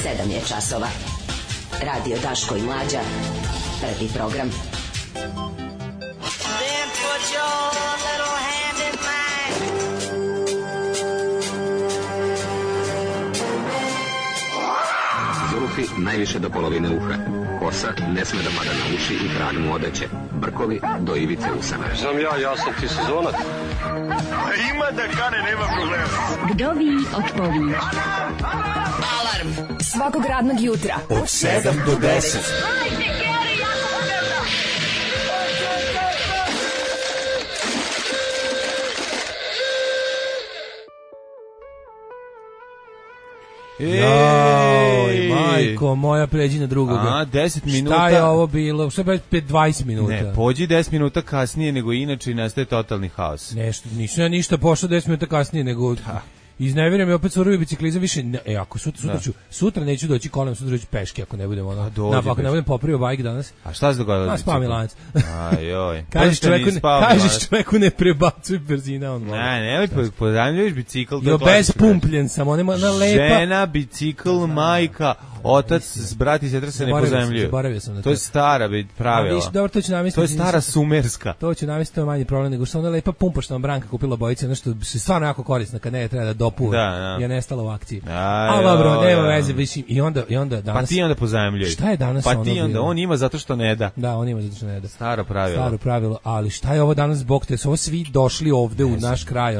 7 je časova. Radio Daško i Mlađa. Prvi program. Then put your little hand in mine. Zulufi najviše do polovine uha. Kosa ne sme da pada na uši i krag mu odeće. Brkovi do ivice usana. Znam ja sam ti sezonac. Ima da kane, nema problema. Vdovi od povi. Alarm svakog radnog jutra od 7 do 10. Joj, majko moja, pređi na drugoga. 10 minuta. Šta je ovo bilo? Šta je 20 minuta? Ne, pođi 10 minuta kasnije nego inače i nastaje totalni haos. Nešto, nisam ja ništa pošao 10 minuta kasnije nego... Izneverio mi opet surovi biciklizam više. Ako sutra neću doći kolem, sutra ću peške ako ne budem ono. Ako ne budem popravio bajk danas. A šta se dogodilo? Spao mi lanac. Ajoj. Kažeš čoveku ne prebacuj brzina on. Ne, pozajmljuješ bicikl. Jo, bez pumpljen sam, on ima na lepa. Žena, bicikl, majka, otac, brat i sestra se ne pozajmljuju. Zaboravio sam na to. To je stara pravila. Dobro, to ću namisliti. To je stara sumerska. To ću namisliti, to je manji problem nego što ona lepa pumpa što nam Branka kupila bojice, nešto se stvarno jako korisno kad ne treba da dopuva. Je nestala u akciji. A dobro, nema veze, mislim i onda danas. Pa ti onda pozajmljuj. Šta je danas ono? Pa ti onda on ima zato što ne da. Da, on ima zato što ne da. Staro pravilo, ali šta je ovo danas zbog te? Su ovo svi došli ovde u naš kraj?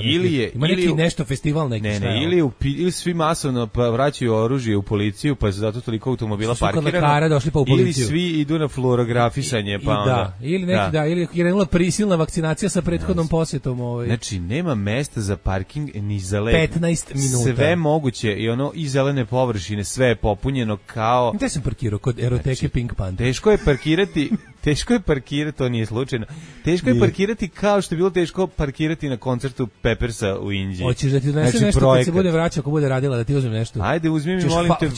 Ima neki nešto festival neki šta? Ne, ili svi masovno vraćaju oružje u policiju, pa su zato toliko automobila parkirano. Došli pa u policiju. Ili svi idu na fluorografisanje, pa onda. Ili neki ili je krenula prisilna vakcinacija sa prethodnom posjetom Znači nema mesta za parking ni za let. 15 minuta. Sve moguće i ono i zelene površine, sve je popunjeno kao... Gde sam parkirao? Kod eroteke Pink Panther. Teško je parkirati, to nije slučajno. Teško je parkirati kao što je bilo teško parkirati na koncertu Peppersa u Indiji. Hoćeš da ti donese nešto kad se bude vraćao, ako bude radila, da ti uzmem nešto? Ajde, uzmi mi, molim te,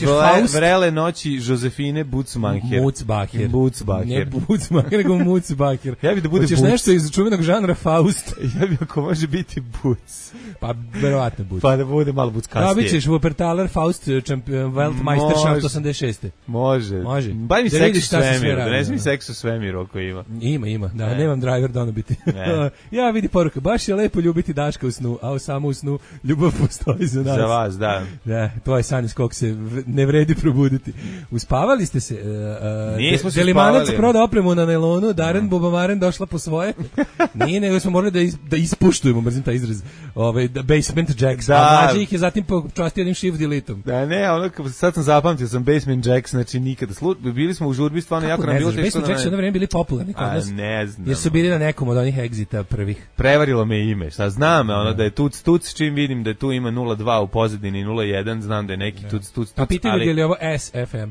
vrele noći Josefine Butzmacher. Mutzbacher. Ne Butzmacher, nego Mutzbacher. Ja bih da bude Hoćeš nešto iz čuvenog žanra Faust? Ja bih ako može biti Butz. Pa, verovatno Butz. Pa da bude malo buckastije. Da, bit ćeš Wuppertaler Faust, Weltmeisterschaft 86. Može. Baj mi seks u svemiru, donesi mi seks u svemiru ako ima. Ima. Da, nemam driver da ono biti. Ja vidi poruka, baš je lepo ljubiti Daška u snu, a samo u snu ljubav postoji za nas. Za vas, da. Da, to je san iz kog se ne vredi probuditi. Uspavali ste se? Nismo se Delimanac proda opremu na nailonu, Darren Bobamaren došla po svoje. Nije, nego smo morali da ispuštujemo, mrzim taj izraz, basement jacks, a mlađi ih je zatim počastio jednim shift deleteom. Da, ne, sad sam zapamtio sam basement jacks, znači nikada. Bili smo u žurbi, stvarno jako nam bilo teško. Basement jacks su jedno vreme bili popularni kod nas. Ne znam. Jer su bili na nekom od onih egzita prvih. Prevarilo me ime, šta znam, da je tuc, čim vidim da tu ima 0.2 u pozadini 0.1, znam da je neki tuc. A pitaju je li ovo SFM?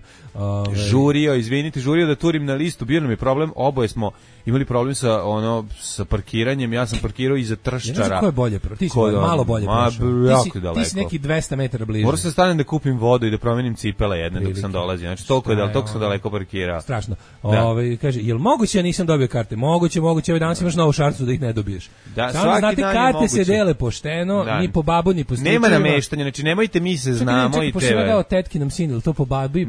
Žurio da turim na listu, bio nam je problem, oboje smo imali problem sa parkiranjem, ja sam parkirao iza Trščara. Ne znam ko je bolje, ti si malo bolje prošao. Ti si neki 200 metara bliže. Morao sam stanem da kupim vodu i da promenim cipele jedne dok sam dolazio, znači toliko sam daleko parkirao. Strašno. Kaže, jel moguće ja nisam dobio karte? Moguće, danas imaš novu šansu da ih ne dobiješ. Samo znate, karte se dele pošteno, ni po babu, ni po stričevima. Nema nameštanja, znači nemojte mi se znamo i tebe. Čekaj, dao tetkinom sinu, ili to po babu i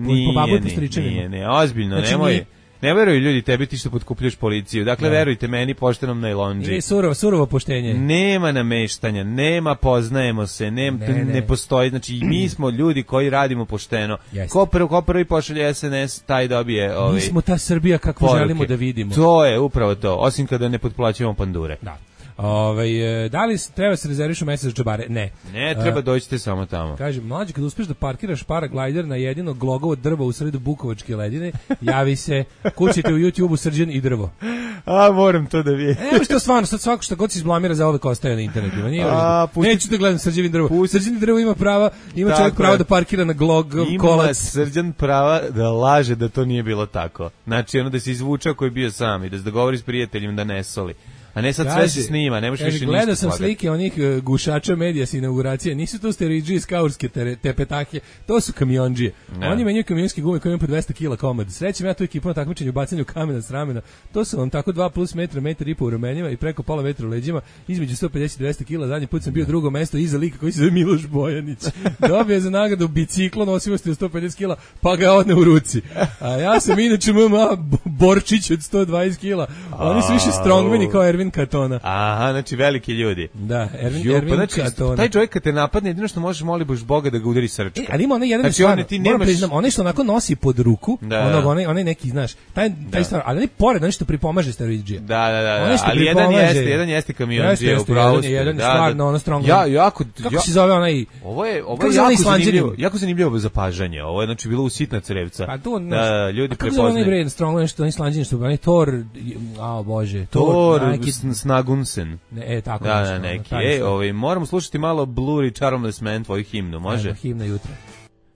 po stričevima? Ne, ozbiljno, nemoj. Ne veruju ljudi tebi ti što potkupljaš policiju. Dakle, verujte meni poštenom najlondži. Ili surovo poštenje. Nema nameštanja, nema poznajemo se, ne postoji. Znači, mi smo ljudi koji radimo pošteno. Ko prvi pošalje SNS, taj dobije Mi smo ta Srbija kakvu želimo da vidimo. To je upravo to, osim kada ne potplaćujemo pandure. Da. Da li treba se rezervišu mesec za džabare? Ne. Ne, treba dođite samo tamo. Kaže, mlađe, kad uspeš da parkiraš paraglajder na jedino glogovo drvo u sredu Bukovačke ledine, javi se, kućite u YouTube-u Srđan i drvo. Moram to da vidim. Evo što stvarno, sad svako što god se izblamira za uvek ostaje na internetu. Neću da gledam Srđan drvo. Srđan drvo ima čovjek pravo da parkira na glogov kolac. Ima Srđan prava da laže da to nije bilo tako. Znači, da se izvuče ako je bio sam i da se dogovori s prijateljima da ne soli. a ne sad sve se snima, ne možeš više ništa. Gledao sam slike onih gušača medija s inauguracije, nisu to steroidži iz kaurske tepetake, to su kamionđije. Oni menjaju kamionske gume koje imaju po 200 kila komad. Srećem ja tu ekipu na takmičenju bacanju kamena s ramena. To su vam tako 2+ metra, metar i po u ramenima i preko pola metra u leđima, između 150 i 200 kila. Zadnji put sam bio drugo mesto iza lika koji se zove Miloš Bojanić. Dobio je za nagradu biciklo nosivosti od 150 kila, pa ga odne u ruci. A ja sam inače MMA borčić od 120 kila. Oni su više strongmeni kao Ervin Katona. Aha, znači veliki ljudi. Da, Ervin Katona. Taj čovjek kad te napadne, jedino što možeš moliti Boga da ga udari srčka. Ali ima onaj jedan znači, ti nemaš... onaj što onako nosi pod ruku, onaj neki, znaš, taj stvar, ali ne pored, onaj što pripomaže steroidžija. Da. Ali jedan jeste kamionđija u pravu. Jedan stvarno ono strong. Kako se zove onaj? Ovo je jako zanimljivo zapažanje. Ovo je znači bilo u sitna crevca. Pa to ljudi prepoznaju. Kako je onaj strong, nešto oni slanđeni što onaj Thor, bože, Thor Snagunsen. Tako. Da, neki. Moramo slušati malo Blur i Charmless Man, tvoju himnu, može? Himna jutra.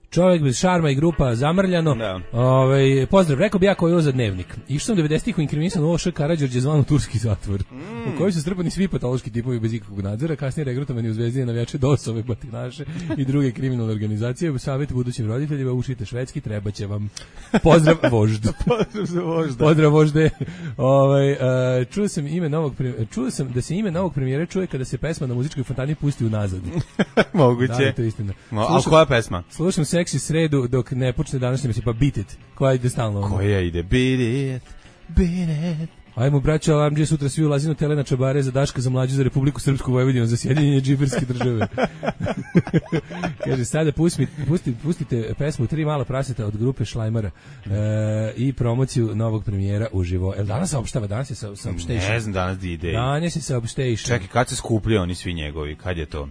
Čovjek bez šarma i grupa zamrljano. Pozdrav, rekao bi ja koji je ovo za dnevnik. Išao sam 90-ih u inkrimisan ovo Š. Karađorđe zvano turski zatvor, u kojoj su strpani svi patološki tipovi bez ikakvog nadzora, kasnije regrutovani u Zvezdine navijače DOS-ove, batinaše i druge kriminalne organizacije. Savjet budućim roditeljima, učite švedski, treba će vam. Pozdrav voždu. Pozdrav vožde. Čuo sam da se ime novog premijera čuje kada se pesma na muzičkoj fontani pusti unazad. Moguće. Da, to je istina. A koja pesma? Slušam seksi sredu dok ne počne današnje mislim, pa Beat It, koja ide stalno. Koja ide, Beat It. Ajmo, braćo, Alamđe, sutra svi ulazi na tele na čabare za Daška za mlađu za Republiku Srpsku Vojvodinu za sjedinjenje džiberske države. Kaže, sada pustite pesmu Tri mala praseta od grupe Šlajmara i promociju novog premijera uživo. Danas saopštava, danas je saopštejšan. Ne znam, danas di ide. Danas je saopštejšan. Čekaj, kad se skupljaju oni svi njegovi, kad je to?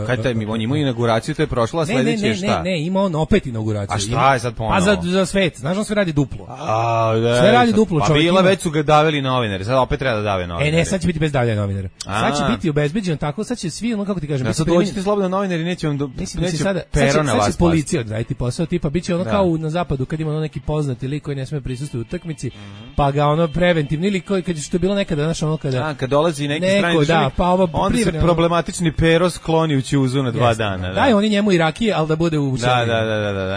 Kad taj on ima inauguraciju, to je prošla, sledeće je šta? Ne, ima on opet inauguraciju. A šta je sad ponovo? Pa za svet, znaš on sve radi duplo. Sve radi duplo, čovjek. Pa bila već su ga davili novinari, sad opet treba da dave novinari. Ne, sad će biti bez davljanja novinara. Sad će biti obezbeđen tako, sad će svi, kako ti kažem, sad dođite slobodno novinari, neće vam pero na vas. Sad će policija odraditi posao, tipa biće ono kao na zapadu kad ima neki poznati lik koji ne sme prisustvovati u utakmici, pa ga ono preventivni ili koji kad što je bilo nekada, znaš, ono kad dolazi neki strani državnik, onda se problematični pero skloni u ćuzu na 2 dana. Daj oni njemu i rakije, ali da bude u Da,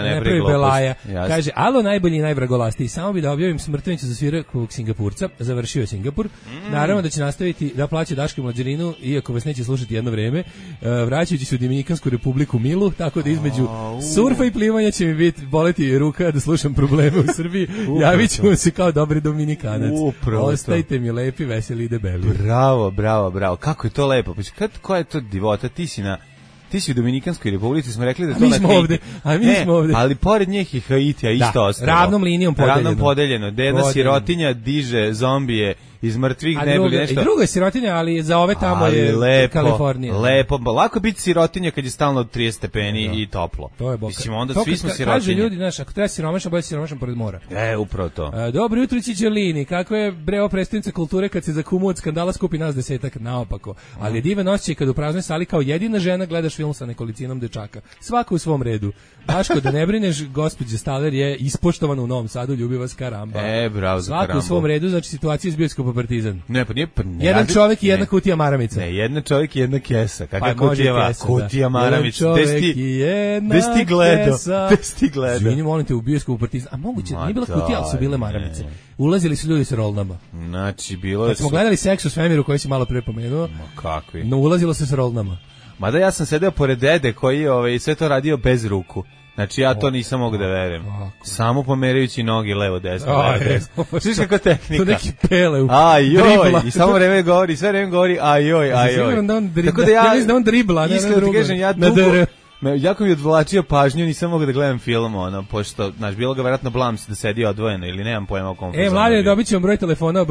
ne pravi belaja. Kaže, alo najbolji i najvragolastiji, samo bi da objavim smrtvenicu za svirakog Singapurca, završio je Singapur. Naravno da će nastaviti da plaća Daško Mlađarinu, iako vas neće slušati jedno vreme, vraćajući se u Dominikansku republiku Milu, tako da između surfa i plivanja će mi boleti ruka da slušam probleme u Srbiji. Javit ćemo se kao dobri Dominikanac. Ostajte mi lepi, veseli i debeli. Bravo. Kako je to lepo. Koja je to divota? Ti si u Dominikanskoj republici, smo rekli da to na Haiti. Mi smo ovde. Ali pored njih i Haitija isto ostalo. Ravnom linijom podeljeno. Jedna sirotinja diže zombije iz mrtvih, najbolje nešto. I druga je sirotinja, ali za ove tamo je Kalifornija. Lepo, lako biti sirotinja kad je stalno od 30 stepeni i toplo. To je boka. Mislim, onda svi smo sirotinje. Kaže ljudi, znaš, ako treba siromašan, bolje siromašan pored mora. Upravo to. Dobro jutro, Čičelini. Kako je breo predstavnica kulture kad se za kumu od skandala skupi nas 10-ak, naopako. Ali je divan osjećaj kad u praznoj sali kao jedina žena gledaš film sa nekolicinom dečaka. Svako u svom redu. Daško, da ne brineš, gospođa Staler je ispoštovana u Novom Sadu, ljubi vas Karamba. Bravo za Karambu. Svako u svom redu, znači situacija iz bioskopa Partizan. Ne. Jedan čovjek i jedna kutija maramica. Ne, jedan čovjek i jedna kesa. Kakva kutija maramica. Gde si ti gledao? Izvini, molim te, u bioskopu Partizan. A moguće, nije bila kutija, ali su bile maramice. Ulazili su ljudi sa rolnama. Znači, bilo je... Kad smo gledali Seks u svemiru koji si malo pre pomenuo, kakvi? No, ulazilo se sa rolnama. Mada ja sam sedeo pored dede koji sve to radio bez ruku. Znači ja to nisam mogu da verujem. Samo pomerajući noge levo desno. Sviš kako tehnika. To neki pele u dribla. I samo vreme govori, sve vreme govori ajoj. Siguran da on dribla. Ja mislim da on dribla, ne na drugo. Jako mi odvlačio pažnju, nisam mogao da gledam film, pošto, znaš, bilo ga vjerojatno blams da sedi odvojeno ili nemam pojma o kom fazonu. Mlade, dobit ćemo broj telefona,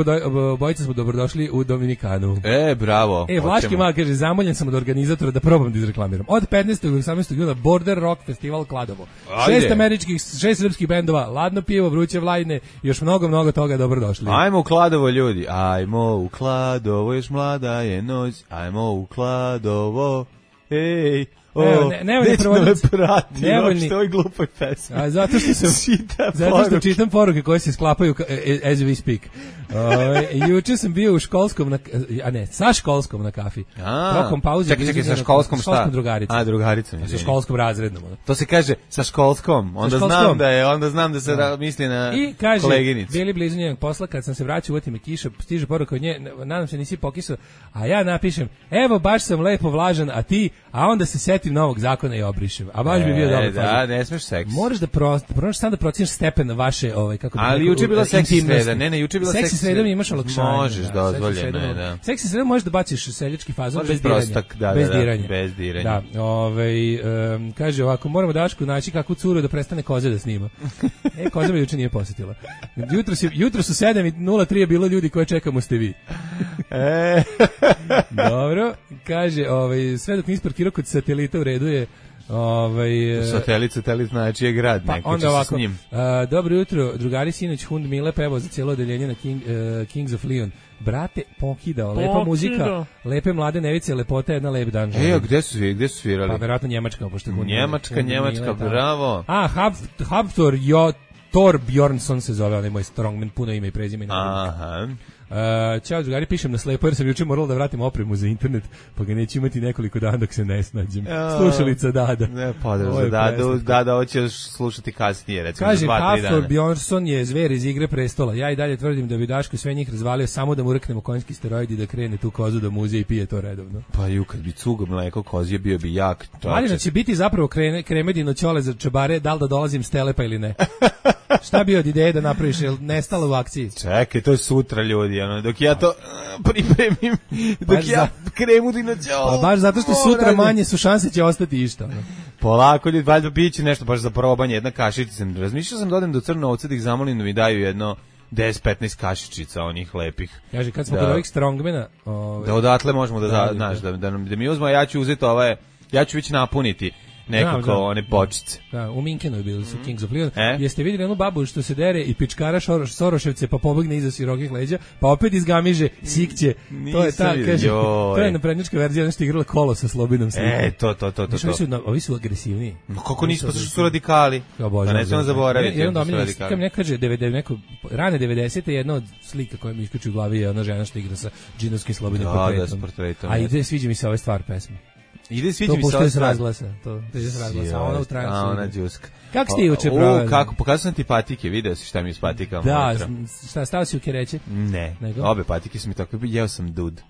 obojica smo dobrodošli u Dominikanu. Bravo. Vlaški mal kaže, zamoljen sam od organizatora da probam da izreklamiram. Od 15. do 18. juna Border Rock Festival Kladovo. 6 američkih, 6 srpskih bendova, ladno pivo, vruće vlajne, još mnogo toga, dobrodošli. Ajmo u Kladovo, ljudi, ajmo u Kladovo, još mlada je noć, ajmo u Kladovo, ej. Nevoljni prevodnici. Nevoljni. Što je glupoj pesmi. A zato što čitam poruke koje se sklapaju as we speak. Juče sam bio u školskom, sa školskom na kafi. Tokom pauze. Čekaj, sa školskom šta? Školskom drugaricom. Drugaricom. Sa školskom razrednom. To se kaže sa školskom. Onda znam da se misli na koleginicu. Bili blizu njenog posla, kad sam se vraćao, uvati me kiša, stiže poruka od nje, nadam se nisi pokisao, a ja napišem, evo baš sam lepo vlažan, a ti, a onda se setim novog zakona i obrišem. A baš bi bio dobro. Da, ne smeš seks. Moraš da pronaš sam da proceniš stepen vaše, kako bi. Ali juče je bila seksi sreda, juče je bila seksi sreda, mi imaš olakšanje. Možeš dozvoljeno je, da. Seksi sreda možeš da baciš seljački fazon bez diranja. Bez diranja. Da, kaže ovako, moramo Dašku naći kakvu curu da prestane koze da snima. Koza me juče nije posjetila. Jutro su 7:03 je bilo ljudi koje čekamo ste vi. Dobro, kaže, sve dok nisi parkirao kod Satelita u redu je Satelit znači je grad, neko će se s njim. Dobro jutro, drugari, sinoć Hund Mile pevao za cijelo odeljenje na Kings of Leon. Brate, pokidao, lepa muzika, lepe mlade nevice, lepota, jedna lep dan. Gde su svirali? Pa verovatno Njemačka, pošto Njemačka, bravo. Haftor Thor Bjornsson se zove, onaj moj strongman, puno ime i prezime. Aha. Ćao drugari, pišem na slepo jer sam juče morala da vratim opremu za internet, pa ga neću imati nekoliko dana dok se ne snađem. Slušalica Dada. Ne, pozdrav za Dada. Dada hoće slušati kasnije, recimo kaže, za 2-3 dana. Haftor Bjornsson je zver iz Igre prestola. Ja i dalje tvrdim da bi Daško sve njih razvalio samo da mu rknemo konjski steroid i da krene tu kozu da muze i pije to redovno. Pa kad bi cugo mleko kozije bio bi jak. Malina će biti zapravo kremedino ćole za čabare, da li da dolazim s Telepa ili ne. Šta bi od ideje da napraviš, je nestalo u akciji? Čekaj, to je sutra, ljudi, dok ja to pripremim, ja kremu dinoćola. Pa baš zato što sutra manje su šanse će ostati išta. Polako, ljudi, valjda biće nešto baš za probanje, jedna kašičica. Razmišljao sam da odem do Crne Ovce da ih zamolim da mi daju jedno 10-15 kašičica onih lepih. Kaže, kad smo kod ovih strongmana... Da odatle možemo da mi uzmo, a ja ću uzeti ja ću već napuniti nekako one bočice. Da, u Minkenu je bili su Kings of Leon. Jeste vidjeli onu babu što se dere i pičkara Soroševce pa pobegne iza sirokih leđa, pa opet izgamiže, sikće. To je ta, kaže, to je naprednjačka verzija, nešto igrala kolo sa Slobinom slikom. To. Ovi su agresivniji. Kako nisu, što su radikali? Pa ne smemo zaboraviti. Jedan domiljena slika mi kaže, rane 90. jedna od slika koja mi iskače u glavi je ona žena što igra sa džinovskim Slobinom portretom. A ide, sviđa mi se ove stvar pesme. Ide sviđa mi se ova stvar. To je s razglasa, ona u transu. A ona džuska. Kako ste juče proveli? Pokazao sam ti patike, video si šta mi s patikama. Da, stao si u kereće? Ne, obe patike su mi tako, jeo sam dud.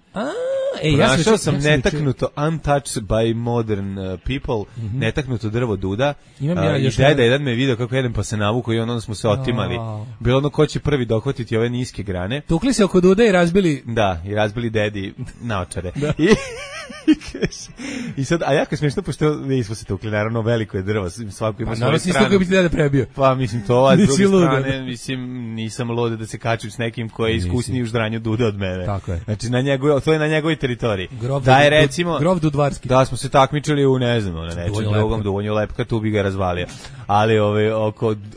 Našao sam netaknuto untouched by modern people, netaknuto drvo duda. I deda jedan me video kako jedem pa se navuko i onda smo se otimali. Bilo ono ko će prvi dohvatiti ove niske grane. Tukli se oko duda i razbili... Da, i razbili dedi naočare. I sad, a jako smiješno, pošto nismo se tukli, naravno veliko je drvo, svako ima svoju stranu. Naravno, bi ti deda prebio. Pa mislim, to s druge strane, nisam lude da se kačim s nekim koji je iskusniji u ždranju duda od mene. Tako je. Znači, to je na njegovoj teritoriji. Grof Dudvarski. Da smo se takmičili u, ne znam, na nečem drugom, Duvonju Lepka, tu bi ga razvalio. Ali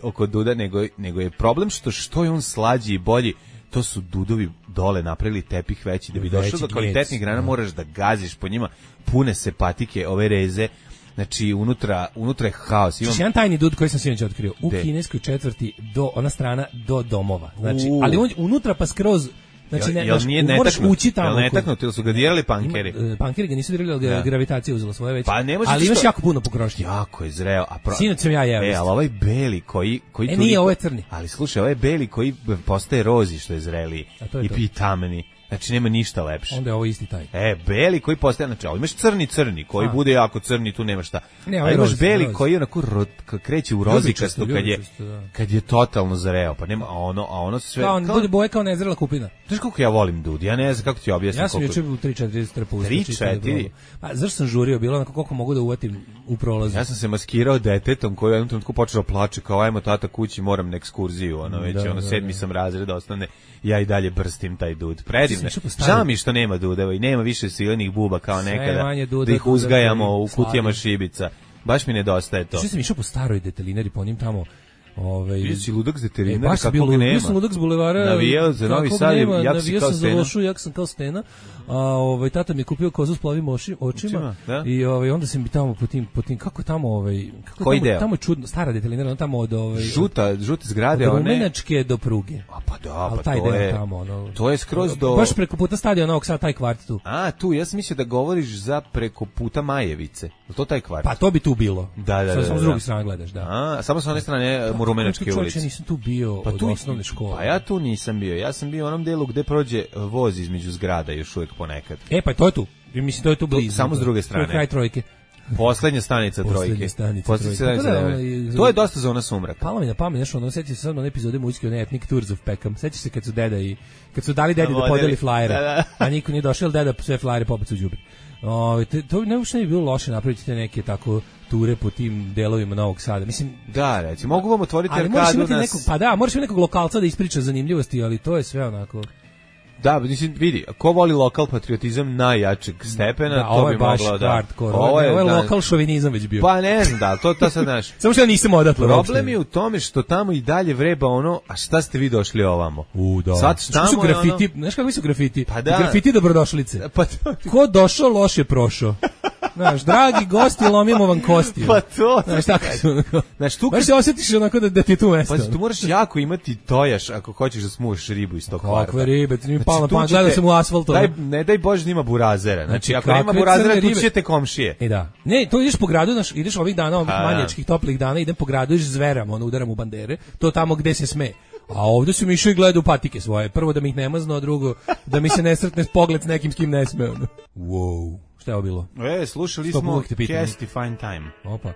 oko duda, nego je problem što je on slađi i bolji. To su dudovi dole napravili tepih veći, da bi došao do kvalitetnih grana moraš da gaziš po njima, pune se patike, ove reze, znači unutra je haos. Znači jedan tajni dud koji sam sinoć otkrio, u kineskoj četvrti ona strana do domova, znači, ali on unutra pa skroz. Znači, moraš ući tamo. Jel netaknuti, ili su ga dirali pankeri? Pankeri ga nisu dirali, ali gravitacija uzela svoje već. Ali imaš jako puno pokrošnje. Jako je zreo. Sinoć sam ja jeo. Ali ovaj beli koji nije, ovo je crni. Ali slušaj, ovaj beli koji postaje rozi što je zreliji. I tameni. Znači nema ništa lepše. Onda je ovo isti taj. Beli koji postaje, znači, ali imaš crni koji bude jako crni, tu nema šta. A imaš beli koji onako kreće u rozikastu kad je totalno zreo, pa nema, a ono sve... Kao on bude boje kao nezrela kupina. Znaš kako ja volim dud, ja ne znam kako ti objasnim. Ja sam juče u 3-4 strpu. 3-4? Pa zašto sam žurio, bilo onako koliko mogu da uvatim u prolazu. Ja sam se maskirao detetom koji u jednom trenutku počeo plače, kao ajmo tata kući, moram na ekskurziju, već 7. sam razred osnovne, ja i dalje brstim taj dud. Predivne. Žao mi što nema dudeva i nema više silenih buba kao nekada, da ih uzgajamo u kutijama šibica. Baš mi nedostaje to. Što sam išao po staroj detelinari, po njim tamo Ovaj si ludak s deterina, baš kako ga nema. Ja sam ludak s bulevara. Navijao za Novi Sad, navijao sam za Lošu, jak sam kao Stena. A tata mi je kupio kozu s plavim očima da? I onda sam bi tamo po tim kako tamo koji deo? Tamo je čudno, stara detelinarna, tamo od žute zgrade, od Rumenačke do pruge. A pa da, pa taj to je tamo, to je skroz do baš preko puta stadiona Novog Sada, taj kvart tu. A tu ja sam mislio da govoriš za preko puta Majevice. Je to taj kvart? Pa to bi tu bilo. Da. Samo s druge strane gledaš, da. A samo sa one strane Rumenačke ulice. Ja nisam tu bio od osnovne škole. Pa ja tu nisam bio. Ja sam bio u onom delu gde prođe voz između zgrada još uvijek ponekad. Pa to je tu. Mislim to je tu blizu. Samo s druge strane. Kraj Trojke. Poslednja stanica Trojke. To je dosta zona sumraka. Palo mi na pamet, nešto, ono sećaš se sad na epizode muzičke, one Ethnic Tours of Peckham. Sećaš se kad su dali dedi da podeli flajere, a niko nije došao, deda sve flajere popet u đubre. To ne uopšte nije bilo loše napraviti te neke tako ture po tim delovima Novog Sada. Mislim, da, reći, mogu vam otvoriti arkadu moraš imati nekog lokalca da ispriča zanimljivosti, ali to je sve onako. Da, mislim, vidi, ko voli lokal patriotizam najjačeg stepena, da, to bi moglo da... Ovo je lokal šovinizam već bio. Pa ne znam, da, to sad znaš. Samo što ja nisam odatle. Problem je u tome što tamo i dalje vreba ono, a šta ste vi došli ovamo? Da. Sad što su grafiti, znaš kakvi su grafiti? Pa da. Grafiti dobrodošlice. Pa ko došao, loš je prošao. Znaš, dragi gosti, lomimo vam kosti. Pa to. Znaš, tako su. Znaš, tu baš se osjetiš onako da ti je tu mesto. Pa tu moraš jako imati tojaš ako hoćeš da smuš ribu iz tog kvarta. Kakve ribe, ti mi palo na pamet, gledao sam u asfaltu. Ne daj Bože da ima burazera. Znači, ako nema burazera, tu ćete komšije. Da. Ne, to ideš po gradu, ideš ovih dana, ovih manjačkih, toplih dana, idem po gradu, ideš zveram, udaram u bandere, to tamo gde se sme. A ovdje su mi išao i gledao patike svoje. Prvo da mi ih ne mazno, a drugo da mi se ne sretne pogled s nekim s kim ne sme. Wow. Šta je ovo bilo? Slušali smo Cast Fine Time. Opa.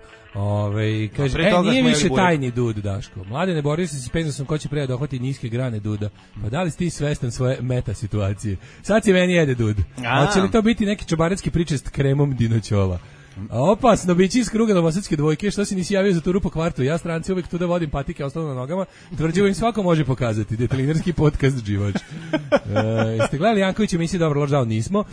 Kaže, nije više tajni dud, Daško. Mlade, ne borio se penzom sam ko će pre dohvati niske grane duda. Pa da li si ti svestan svoje meta situacije? Sad si meni jede dud. Hoće li to biti neki čobarecki priče s kremom dinoćola? A opasno bići iz kruga novosadske dvojke, što si nisi javio za turu po kvartu? Ja stranci uvek tu da vodim patike ostalo na nogama, tvrđivo im svako može pokazati. Detelinarski podcast Živač. Jeste gledali Janković emisiju Dobro loš dao? Nismo.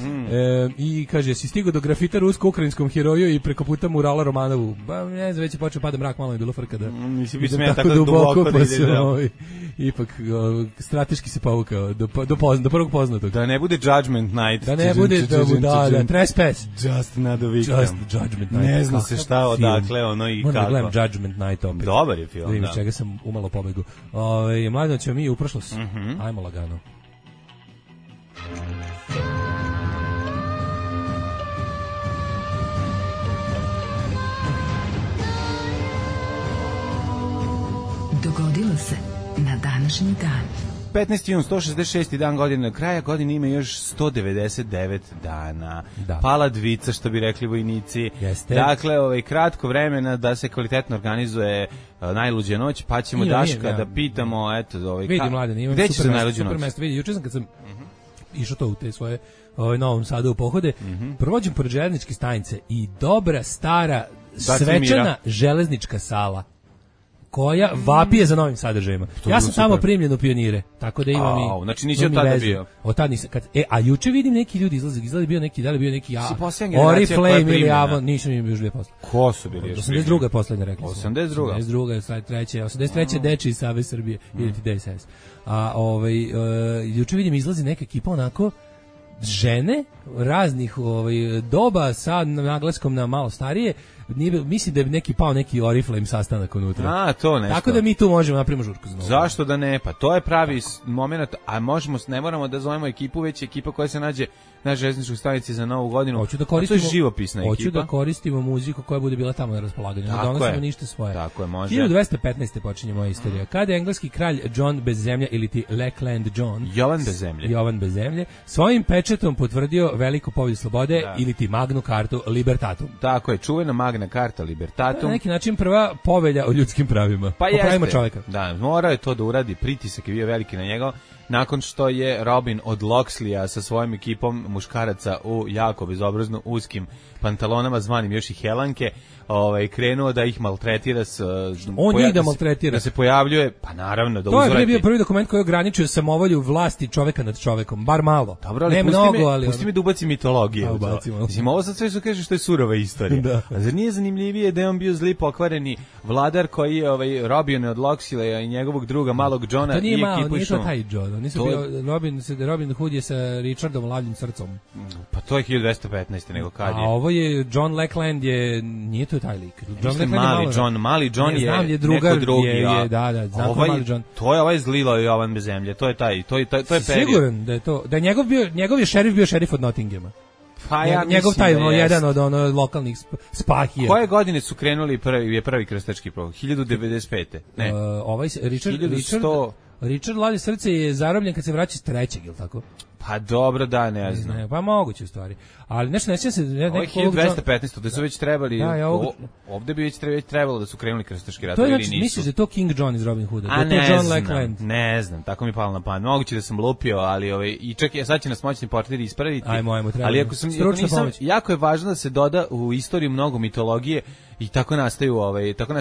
I kaže, si stigo do grafita rusko-ukrajinskom heroju i preko puta murala Romanovu. Ba, ne znam, već je počeo pada mrak, malo je bilo frka da idem tako duboko pa se ipak strateški se povukao do prvog poznatog. Da ne bude Judgment Night. Da ne bude da trespass. Just another victim. Judgment Night. Ne znam se šta odakle ono i kako. Moram da gledam Judgment Night opet. Dobar je film, da. Vidim čega sam umalo pobegu. Mladeno ćemo mi u prošlost. Ajmo lagano. Dogodilo se na današnji dan. 15. jun, 166. dan godine, kraja godine ima još 199 dana. Da. Pala dvica, što bi rekli vojnici. Jeste. Dakle, kratko vremena da se kvalitetno organizuje najluđa noć, pa ćemo Daška da pitamo, eto, vidi mladene, imam gde će se najluđa noć? Super mesto, vidi, juče sam kad sam išao to u te svoje Novom Sadu u pohode, provođem pored železničke stanice i dobra, stara, svečana železnička sala koja vapije za novim sadržajima. Ja sam tamo primljen u Pionire, tako da imam i... Znači nisi od tada bio? Od tada nisam. A juče vidim neki ljudi izlazi bio neki, da li bio neki Oriflame ili Avon, nisam im još bio posle. Ko su bili još? 82. je poslednja, rekli smo. 82. 83. Deči iz Save Srbije, ili ti DSS. A juče vidim izlazi neka ekipa onako žene raznih doba sa naglaskom na malo starije. Mislim da je neki Oriflame sastanak unutra. To nešto. Tako da mi tu možemo napravimo žurku za novu. Zašto da ne? Pa to je pravi moment, a ne moramo da zovemo ekipu, već ekipa koja se nađe na železničkoj stanici za Novu godinu. To je živopisna ekipa. Hoću da koristimo muziku koja bude bila tamo na raspolaganju. Ne donosimo ništa svoje. Tako je, može. 1215. počinje moja istorija. Kada je engleski kralj John bez zemlje ili ti Lackland John, Jovan bez zemlje, svojim pečetom potvrdio veliku pobjedu slobode ili ti Magnu Cartu Libertatum. Tako je, čuvena Magna Carta Libertatum. Na neki način prva povelja o ljudskim pravima. Pa o pravima čovjeka. Da, morao je to da uradi, pritisak je bio veliki na njega. nakon što je Robin od Loxleya sa svojom ekipom muškaraca u jako bezobrazno uskim pantalonama, zvanim još i helanke, krenuo da ih maltretira. Njih da maltretira. Da se pojavljuje, pa naravno, da uzvrati. To je bio prvi dokument koji ograničio samovolju vlasti čoveka nad čovekom, bar malo. Dobro, ali pusti mi da ubacim mitologije. Mislim, ovo sad sve što kaže što je surova istorija. Da. A zar nije zanimljivije da je on bio zli pokvareni vladar koji je Robin od Loxleya i njegovog druga malog Johna i ekipu išao? To nije taj John. Nisu bio Robin Hood je sa Richardom Lavljim srcom. Pa to je 1215. nego kad je. A ovo je John Lackland nije to taj lik. Mali John je drugar, neko drugi. Da, znam Mali John. To je ovaj zlilo Jovan bez zemlje. To je taj, to je period. Siguran da je to, da je njegov je šerif bio šerif od Nottinghama. Pa ja njegov taj jedan od lokalnih spahija. Koje godine su krenuli prvi krstački program? 1095. Ne. Richard Lavlje srce je zarobljen kad se vraća iz trećeg, je li tako? Pa dobro, da, ne znam. Ne, pa moguće u stvari. Ali nešto neće se... Ovo je 1215, da su već trebali... Ovde bi već trebalo da su krenuli krstaški rat. To je znači, misliš da je to King John iz Robin Hooda? Da je to John Lackland? Ne znam, tako mi je palo na pamet. Moguće da sam lupio, ali i čak sad će nas moćni portir ispraviti. Ajmo, treba. Ali ako nisam, jako je važno da se doda u istoriju mnogo mitologije i tako nastaje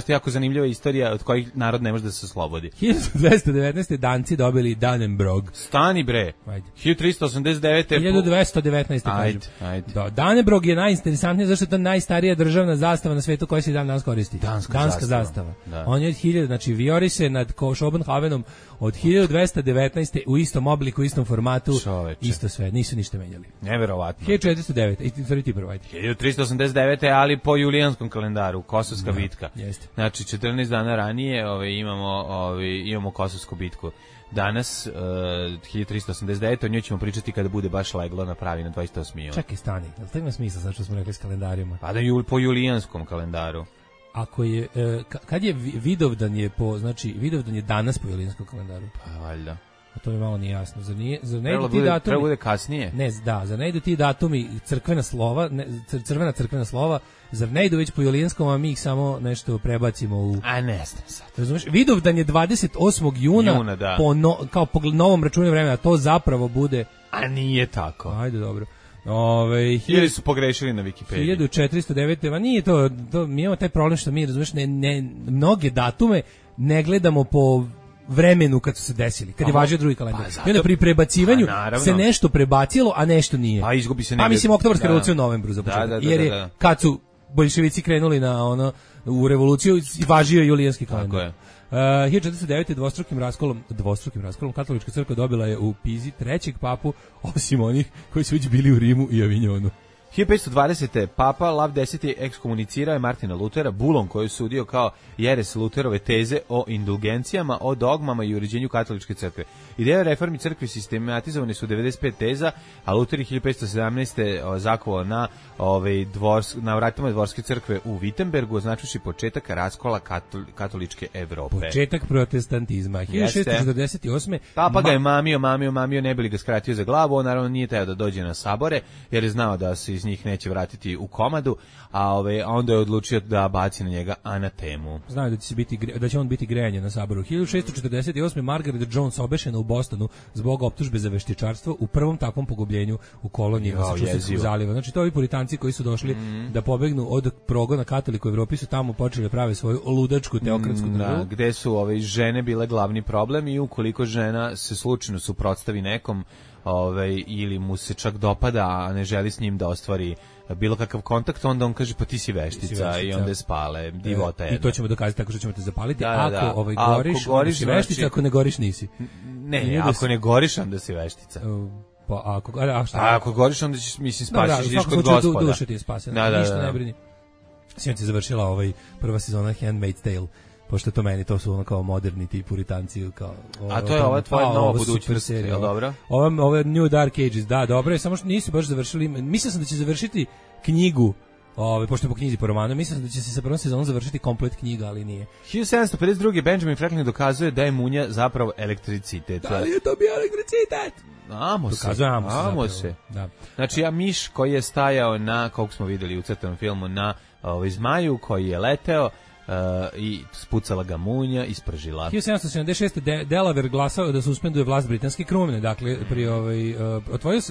jako zanimljiva istorija od kojih narod ne može da se oslobodi. 1219. Danci dobili Dannebrog. Stani bre. 1389. 1219. Ajde. Dannebrog je najinteresantniji zašto je to najstarija državna zastava na svetu koja se dan danas koristi. Danska zastava. Da. On je od 1000, znači vijori se nad Schopenhavenom od 1219. u istom obliku, u istom formatu. Čoveče. Isto sve, nisu ništa menjali. Neverovatno. 1409. 1389. ali po julijanskom kalendaru, Kosovska bitka. Jeste. Znači 14 dana ranije imamo Kosovsku bitku. Danas 1389, o njoj ćemo pričati kada bude baš leglo na pravi na 28. juna. Čekaj, stani, jel to ima smisla sad što smo rekli s kalendarima? Pa da po julijanskom kalendaru. Ako je, kad je Vidovdan Vidovdan je danas po julijanskom kalendaru? Pa valjda. A to mi malo nije jasno. Zar ne idu ti datumi? Treba bude kasnije. Ne, zar ne idu ti datumi crkvena crkvena slova, zar ne idu već po julijanskom, a mi ih samo nešto prebacimo u... A ne znam sad. Razumeš? Vidovdan je 28. juna kao po novom računu vremena, to zapravo bude... A nije tako. Ajde, dobro. Ili su pogrešili na Wikipediji. 1409. Nije to, mi imamo taj problem što mi, razumeš, mnoge datume ne gledamo po vremenu kad su se desili, kad je važio drugi kalendar. I onda pri prebacivanju se nešto prebacilo, a nešto nije. A izgubi se negdje. Mislim, Oktobarska revolucija u novembru za početak. Jer je, kad su boljševici krenuli u revoluciju, važio julijanski kalendar. 1409. dvostrukim raskolom katolička crkva dobila je u Pizi trećeg papu, osim onih koji su već bili u Rimu i Avignonu. 1520. Papa Lav X ekskomunicirao je Martina Lutera bulom koji je sudio kao jeres Luterove teze o indulgencijama, o dogmama i uređenju katoličke crkve. Ideja reformi crkve sistematizovane su 95 teza, a Luter je 1517. zakovao na vratima dvorske crkve u Wittenbergu, označujući početak raskola katoličke Evrope. Početak protestantizma. 1648. Papa ga je mamio, ne bi li ga skratio za glavu, on naravno nije teo da dođe na sabore, jer je znao da se iz njih neće vratiti u komadu, a onda je odlučio da baci na njega anatemu. Znaju da će on biti grejanje na saboru. 1648. Margaret Jones obešena u Bostonu zbog optužbe za veštičarstvo u prvom takvom pogubljenju u koloniji Massachusettskog zaliva. Znači to ovi puritanci koji su došli da pobegnu od progona katolika u Evropi su tamo počeli da prave svoju ludačku teokratsku državu. Gde su žene bile glavni problem i ukoliko žena se slučajno suprotstavi nekom ili mu se čak dopada, a ne želi s njim da ostvari bilo kakav kontakt, onda on kaže pa ti si veštica i onda je spale, divota jedna. I to ćemo dokazati tako što ćemo te zapaliti. Ako goriš, si veštica, ako ne goriš nisi. Ne, ako ne goriš, onda si veštica. Pa ako goriš, onda ćeš, mislim, spasiš, ideš kod Gospoda. Duša ti je spasena, ništa ne brini. Sinoć je završila prva sezona Handmaid's Tale, pošto to meni, to su ono kao moderni ti puritanci. A to je ova tvoja nova budućnost, je li dobro? Ove New Dark Ages, da, dobro je, samo što nisu baš završili, mislio sam da će završiti knjigu, pošto je po knjizi po romanu, mislim da će se sa prvom sezonom završiti komplet knjiga, ali nije. 1752. Benjamin Franklin dokazuje da je munja zapravo elektricitet. Da li je to bio elektricitet? Amo se. Da. Znači, miš koji je stajao na, kako smo videli u crtanom filmu, na zmaju koji je leteo, i spucala ga munja, ispržila. 1776. Delaware glasao da suspenduje vlast britanske krune, dakle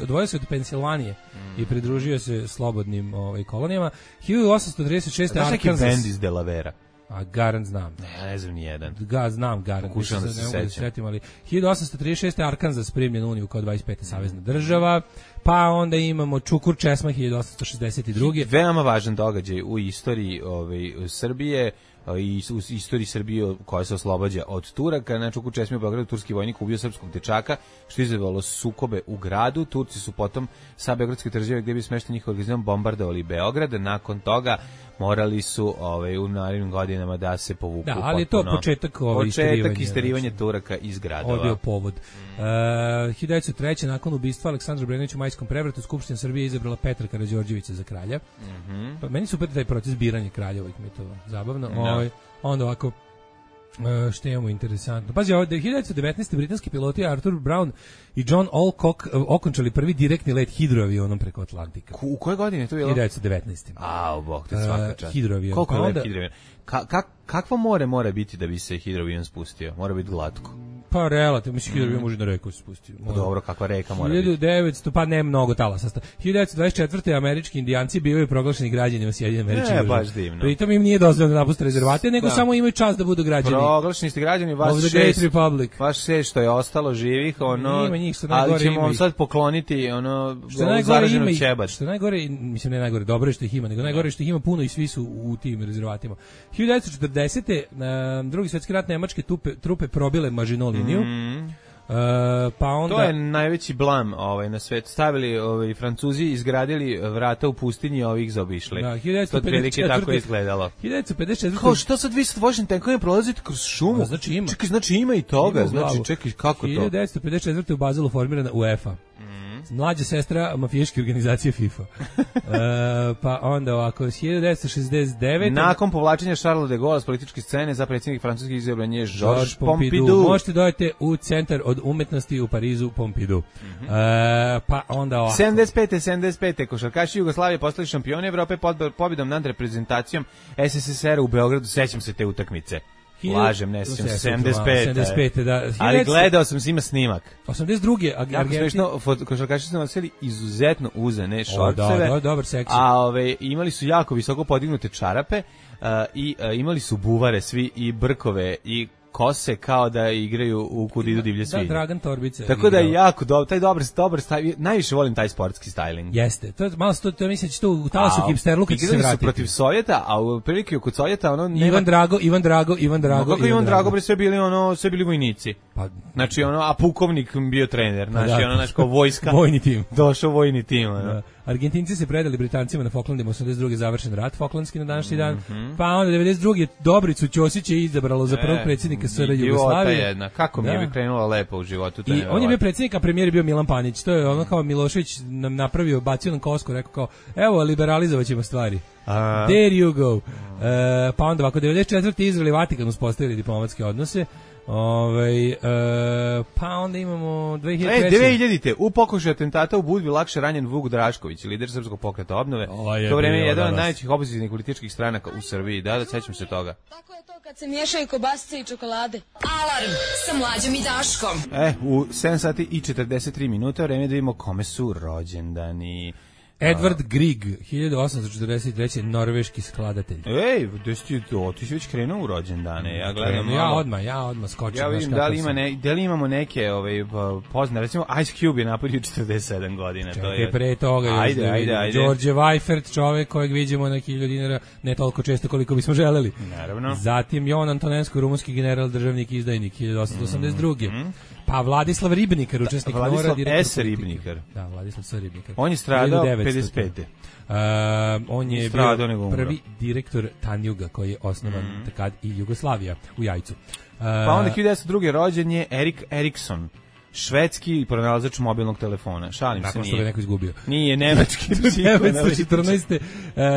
odvojio se od Pensilvanije i pridružio se slobodnim kolonijama. 1836. Znaš neki bend iz Delavera? A Garant znam. Ne znam ni jedan. Znam Garant. Pokušam da se sećam. Ali 1836. Arkansas primljen u Uniju kao 25. savezna država. Pa onda imamo Čukur Česma 1862. Veoma važan događaj u istoriji Srbije i u istoriji Srbije koja se oslobađa od Turaka. Na Čukur Česmi u Beogradu turski vojnik ubio srpskog dečaka, što je izazvalo sukobe u gradu. Turci su potom sa beogradske tvrđave gde bi smešteni njihov organizam bombardovali Beograd. Nakon toga morali su u narednim godinama da se povuku. Da, ali to početak isterivanja Turaka iz gradova. Ovo je bio povod. 1903. nakon ubistva Aleksandra Brenovića u Majskom prevratu, Skupština Srbije izabrala Petra Karađorđevića za kralja. Pa meni super taj proces biranja kralja, mi je to zabavno. Onda ovako, što imamo interesantno. Pazi, ovdje 1919. britanski piloti Arthur Brown i John Alcock okončali prvi direktni let hidroavionom preko Atlantika. U koje godine je to bilo? 1919. Bog te svaka čast. Hidroavion. Koliko je lep hidroavion? Kakvo more mora biti da bi se hidroavion spustio? Mora biti glatko. Pa relativno, mislim hidroavion može na reku se spustio. Dobro, kakva reka mora biti? 1900, pa ne mnogo talasa. 1924. američki indijanci bivaju proglašeni građanima Sjedinjenih Američkih Država. Baš divno. Pritom im nije dozvoljeno da napuste rezervate, nego samo imaju čast da budu građani. Proglašeni ste građani, vaš šest što je ostalo živih, ali ćemo sad pokloniti zaraženu ćebac. Što najgore, mislim ne najgore, dobro je što ih ima, nego najgore što ih ima puno i svi su u tim rezervatima. 1940. Drugi svjetski rat nemačke trupe probile Maginot liniju. Pa onda to je najveći blam na svetu. Stavili Francuzi, izgradili vrata u pustinji, ovih zaobišli. Da, 1954. Tako je izgledalo. 1954. Kao što sad vi sa vožnim tenkovima prolazite kroz šumu? Znači ima. Čekaj, znači ima i toga. Znači, čekaj, kako to? 1954. u Bazelu formirana UEFA. Mlađa sestra mafijaške organizacije FIFA. Pa onda ovako, 1969. Nakon povlačenja Charles de Gaulle s političke scene za predsjednik francuski izabran je Georges Pompidou. Možete dojete u centar od umetnosti u Parizu Pompidou. Pa onda ovako. 75. košarkaši Jugoslavije postali šampioni Evrope pobjedom nad reprezentacijom SSSR u Beogradu. Sećam se te utakmice. Lažem, ne sjećam se, 75. Da. Ali gledao sam ima snimak. 82. Argentina. Košarkaši su nosili izuzetno uzane šorceve. Dobar seksi. A imali su jako visoko podignute čarape i imali su buvare svi i brkove i kose kao da igraju u Kud idu divlje svinje. Da, Dragan Torbica. Tako da je jako dobro, taj dobar stajling, najviše volim taj sportski styling. Jeste, to malo to mislim da će to u talasu hipsterluka će se vratiti. Protiv Sovjeta, a u prilike kod Sovjeta Ivan Drago. Kako Ivan Drago bre sve bili vojnici. Pa znači a pukovnik bio trener, znači kao vojska. Vojni tim. Došao vojni tim. Argentinci se predali Britancima na Falklandima, 82. završen rat Falklandski na današnji dan. Pa onda 92. Dobricu Ćosića je izabralo za prvog predsjednika SR Jugoslavije. Kako mi je krenula lepo u životu. I on je bio predsjednik, a premijer je bio Milan Panić. To je ono kao Milošević nam napravio, bacio nam kosku, rekao kao, evo, liberalizovat ćemo stvari. There you go. Pa onda ovako, 94. Izrael i Vatikan uspostavili diplomatske odnose. Pa onda imamo 2000. U pokušaju atentata u Budvi lakše ranjen Vuk Drašković, lider Srpskog pokreta obnove. To vreme je jedan od najvećih opozicijnih političkih stranaka u Srbiji. Da, sećam se toga. Tako je to kad se miješaju kobasice i čokolade. Alarm sa Mlađom i Daškom. U 7 sati i 43 minuta vreme da vidimo kome su rođendani. Edward Grieg, 1843. norveški skladatelj. Ej, ti si već krenuo u rođendane. Ja gledam ja odmah skočim. Ja vidim da li imamo neke poznate, recimo Ice Cube je napunio 47 godina. Čekaj, pre toga ajde. George Weifert, čovek kojeg vidimo na 1000 dinara, ne toliko često koliko bismo želeli. Naravno. Zatim Jovan Antonensko, rumunski general, državnik, izdajnik, 1882. Pa Vladislav Ribnikar, učesnik Vladislav S. Ribnikar. Da, Vladislav S. Ribnikar. On je stradao 55. On je bio prvi direktor Tanjuga koji je osnovan takad i Jugoslavija u Jajcu. Pa onda 1902. rođen je Erik Erikson, švedski pronalazač mobilnog telefona. Šalim se, nije. Nakon što ga neko izgubio. Nije, nemački. 1914.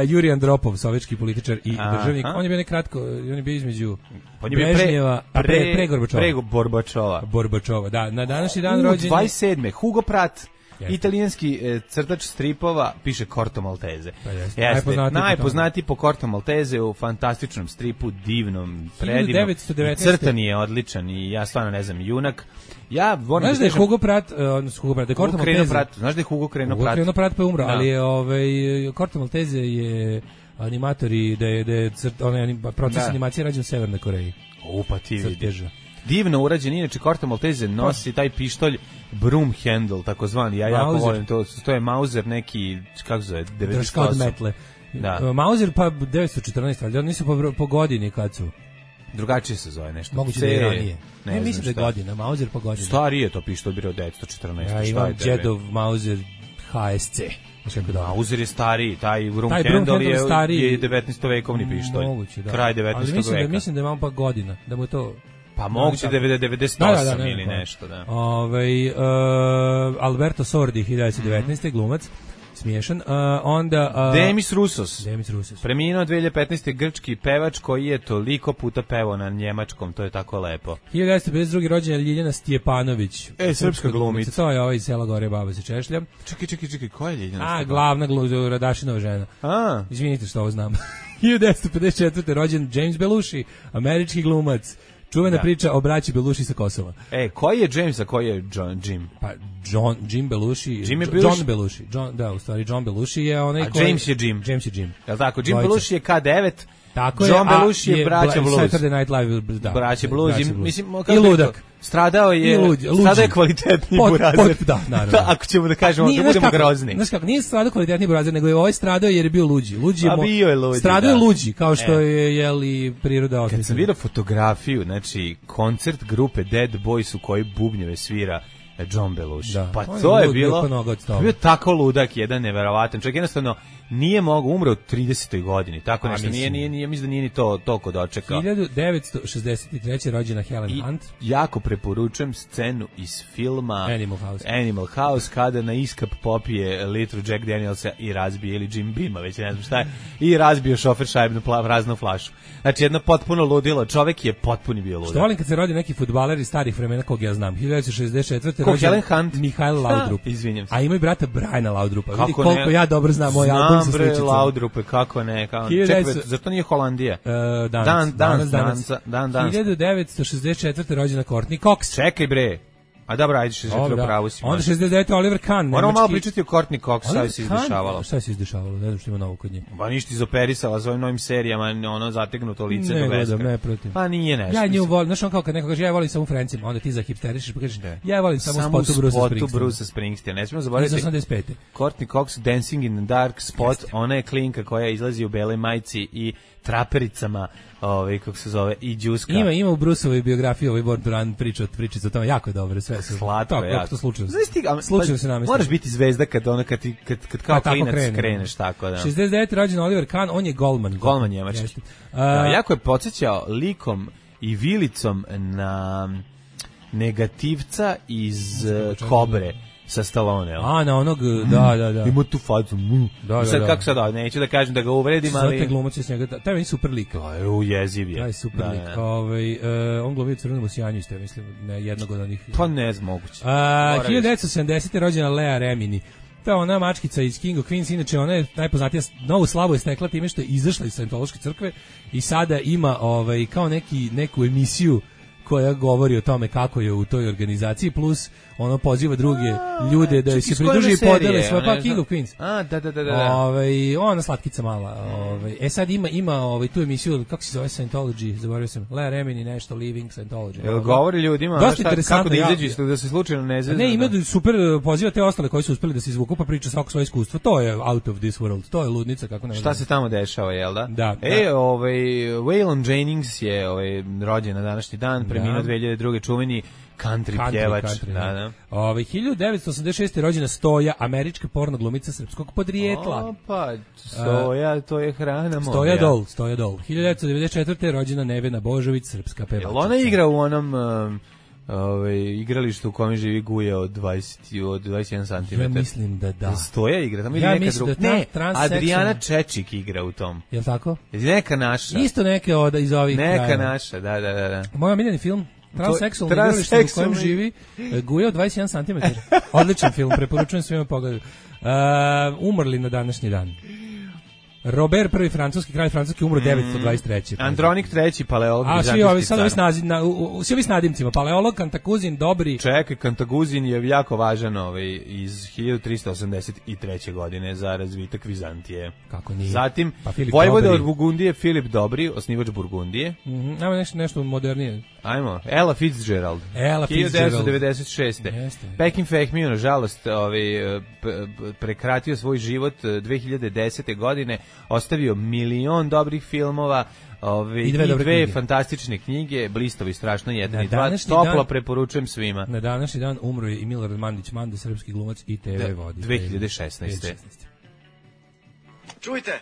Jurij Andropov, sovjetski političar i državnik. On je bio nekratko, on je bio između Brežnjeva, pre Gorbačova. Pre Gorbačova. Da, na današnji dan rođen 27. Hugo Pratt, Italijanski crtač stripova piše Corto Maltese. Pa najpoznatiji po Corto Maltese u fantastičnom stripu, divnom, predivnom. 1919. Crtan je odličan i ja stvarno ne znam, junak. Ja volim znaš da je Hugo Pratt, da je Corto Maltese. Znaš da je Hugo Kreno Pratt? Hugo Kreno Pratt pa je umro, ali je Corto Maltese je animator i da je proces animacije rađen u Severnoj Koreji. Pa ti vidiš. Divno urađen, inače Corto Maltese nosi taj pištolj broom handle, takozvani, ja jako volim to je Mauser neki, kako zove, 98. Drška od metle. Da. Mauser pa 914, ali oni nisu po godini kad su. Drugačije se zove nešto. Moguće da je ranije. Ne mislim da je godina, Mauser po godini. Starije to pištolj bio od 914. Ja imam Jedov Mauser HSC. Mauser je stariji, taj broom handle je 19. vekovni pištolj. Moguće, da. Kraj 19. veka. Mislim da imam pa godina, da mu to... Pa moguće 98 ili nešto, da. Alberto Sordi, 1919. glumac, smiješan. Onda... Demis Roussos. Preminuo 2015. grčki pevač koji je toliko puta pevao na njemačkom, to je tako lepo. 1952. rođena Ljiljana Stjepanović. Srpska glumica. To je iz sela Gore baba se češlja. Čekaj, koja je Ljiljana Stjepanović? Glavna Radašinova žena. Izvinite što ovo znam. 1954. rođen James Belushi, američki glumac. Čuvena priča o braći Belushi sa Kosova. Koji je James, a koji je Jim? Pa Jim Belushi. John Belushi. U stvari John Belushi je onaj koji... James je Jim. Jel tako? Jim Belushi je K9. Tako John Belushi je braća Blues. Saturday Night Live, da. Braća Blues. Mislim, i ludak. Stradao je kvalitetni burazer. Da, naravno. Ako ćemo da kažemo, da budemo grozni. Znaš kako, nije stradao kvalitetni burazer, nego je ovaj stradao jer je bio luđi. Bio je luđi, stradao je luđi, kao što je jeli priroda osmislila. Kad sam vidio fotografiju, znači, koncert grupe Dead Boys u kojoj bubnjeve svira John Belushi. Pa to je bio tako ludak, jedan neverovatan. Čovjek jednostavno nije mogao, umre u 30. godini, tako nešto, nije, mislim da nije ni to toliko dočekao. 1963. rođena Helen Hunt. Jako preporučujem scenu iz filma Animal House, kada na iskap popije litru Jack Danielsa i razbije, ili Jim Beama, već ne znam šta je, i razbio šofer šajbnu praznu flašu. Znači, jedno potpuno ludilo, čovek je potpuni bio ludak. Što volim kad se rodi neki fudbaler iz starih vremena kog ja znam. 1964. rođen Helen Hunt, Mihajl Laudrup. Izvinjam se. A ima i brata Briana Laudrupa. Vidi koliko ja dobro znam moj album sa sličicom. Laudrupe, kako ne? Čekaj, zato nije Holandija. Danas. 1964. rođena Courtney Cox. Čekaj bre. A dobro, ajde 64. pravu si. Onda 69. Oliver Kahn. Moramo malo pričati o Courtney Cox, šta se izdešavalo. Šta se izdešavalo? Ne znam što ima novo kod nje. Pa ništa izoperisala s ovim novim serijama, ono zategnuto lice do beskraja. Ne protiv. Pa nije nešto. Ja nju volim, znaš on kao kad neko kaže ja volim samo Francima, onda ti zahipsterišiš pa kažeš ja volim samo spotu Bruce Springsteena. Ne smijemo zaboraviti. Iz 85. Courtney Cox, Dancing in the Dark Spot, ona je klinka koja izlazi u beloj majici i trapericama, kako se zove, i džuska. Ima u Bruceovoj biografiji Born to Run priča o tome, jako je dobro, sve su. Slatko, jako. To slučajno. Slučajno se namestilo. Moraš biti zvezda kad kao klinac kreneš, tako da. 69. rođen Oliver Kahn, on je golman. Golman njemački. Jako je podsjećao likom i vilicom na negativca iz Kobre. Sa Stallone, na onog, da. Ima tu facu. Sad kako sad, neću da kažem da ga uvredim, ali... Sve te glumaci s njega, taj je super lik. Jeziv je. Taj super lik. On glumio Crvenom osijanju isto, mislim, jednog od onih... Pa ne znam, moguće. 1970. rođena Lea Remini. To je ona mačkica iz King of Queens, inače ona je najpoznatija, novu slavu je stekla time što je izašla iz Scientološke crkve i sada ima kao neku emisiju koja govori o tome kako je u toj organizaciji, plus ono poziva druge ljude da se pridruži i podele svoje, pa King of Queens. Da. Ona slatkica mala. Sad ima tu emisiju, kako se zove, Scientology, zaboravio sam, Lea Remini nešto, Living Scientology. Jel govori ljudima kako da izađu, da se slučajno ne zezna? Ne, ima super, poziva te ostale koji su uspeli da se izvuku, pa priča svako svoje iskustvo. To je out of this world, to je ludnica, kako ne. Šta se tamo dešava, jel da? Da. Waylon Jennings je rođen na današnji dan, preminuo 2002. čuveni country pjevač. 1986. rođena Stoja, američka porno glumica srpskog podrijetla. Stoja, to je hrana moja. Stoja Dol. 1994. rođena Nevena Božović, srpska pevačica. Jel ona igra u onom igralištu u kome živi Guja od 21 cm? Ja mislim da da. Stoja igra, tamo ili neka druga? Ne, Adriana Čečik igra u tom. Jel tako? Neka naša. Isto neke iz ovih kraja. Neka naša, da. Moj omiljeni film Transseksualno igralište u kojem živi Guja od 21 cm. Odličan film, preporučujem svima pogledati. Umrli na današnji dan. Robert I, francuski kralj Francuski, umro 923. Andronik III, paleolog. A svi ovi s nadimcima, paleolog, Kantaguzin, dobri. Čekaj, Kantaguzin je jako važan iz 1383. godine za razvitak Vizantije. Kako nije? Zatim, vojvoda od Burgundije, Filip Dobri, osnivač Burgundije. Ajmo nešto modernije. Ajmo, Ella Fitzgerald. 1996. Pekin Fehmiju, nažalost, prekratio svoj život 2010. godine, ostavio milion dobrih filmova, i dve fantastične knjige, Blistovi strašno 1 i 2, toplo preporučujem svima. Na današnji dan umro je i Milorad Mandić Manda, srpski glumac i TV voditelj. 2016. Čujte,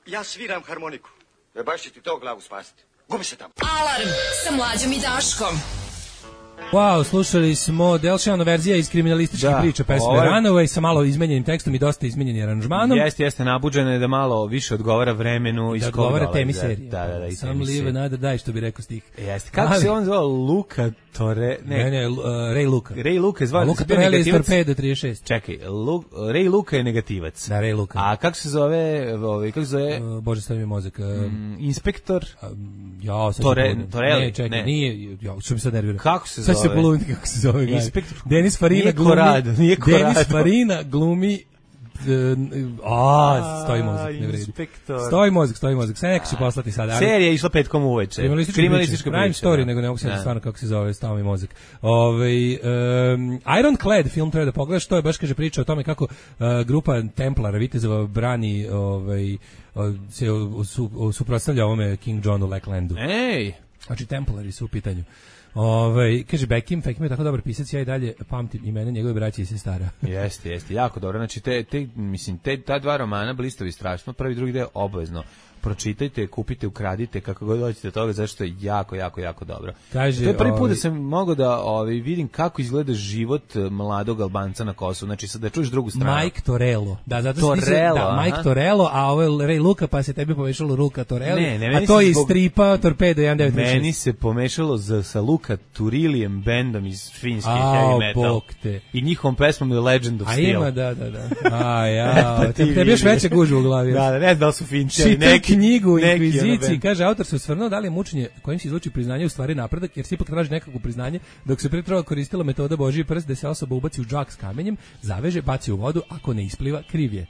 ja sviram harmoniku. Baš će ti to glavu spasiti. Gubi se tamo. Alarm sa Mlađom i Daškom. Wow, slušali smo Delšano verzija iz kriminalističkih priča pesme Runaway sa malo izmenjenim tekstom i dosta izmenjenim aranžmanom. Jeste, nabuđena je da malo više odgovara vremenu iz koga dolaze. Da odgovara temi serije. Da, Sam live another day, što bi rekao stih. Jeste. Kako se on zvao? Luka Tore... Ne, Ray Luka. Ray Luka je zvao... Luka Torelli iz Torpedo 36. Čekaj, Ray Luka je negativac. Da, Ray Luka. A kako se zove... Bože, stavi mi mozak. Inspektor... Torelli. Ne, čekaj, nije... Što mi sad nervira. Kako se zove? Sad se poloviti kako se zove. Inspektor... Denis Farina glumi... Denis Farina glumi... stoji mozak, ne vredi. Stoji mozak. Sve neko će poslati sad. Serija je išla petkom uveče. Kriminalistička Crime Story, nego ne mogu se stvarno kako se zove, stao mi mozak. Ironclad film treba da pogledaš, to je baš kaže priča o tome kako grupa Templara, vitezova brani se suprotstavlja ovome King Johnu Lacklandu. Ej! Znači Templari su u pitanju. Kaže Beckham je tako dobar pisac, ja i dalje pamtim imena njegove braće i sestara. Jeste, jako dobro. Znači ta dva romana Blistovi strašno, prvi i drugi deo obavezno pročitajte, kupite, ukradite, kako god hoćete toga, zašto je jako dobro. Kaže, to je prvi put da sam mogao da vidim kako izgleda život mladog Albanca na Kosovu. Znači, sad da čuješ drugu stranu. Mike Torello. Da, zato Mike Torello, a ovo je Ray Luka, pa se tebi pomešalo Luka Torelli, a to je iz stripa Torpedo 1936. Meni se pomešalo sa Luka Turilijem bendom iz finske heavy metal. I njihovom pesmom je Legend of Steel. A ima, da. Tebi još veće gužu u glavi. Da, ne znam da su finči, neki knjigu Inkviziciji, kaže, autor se osvrnuo da li je mučenje kojim se izluči priznanje u stvari napredak, jer se ipak traži nekakvo priznanje, dok se prije koristila metoda Božji prst, da se osoba ubaci u džak s kamenjem, zaveže, baci u vodu, ako ne ispliva, kriv je.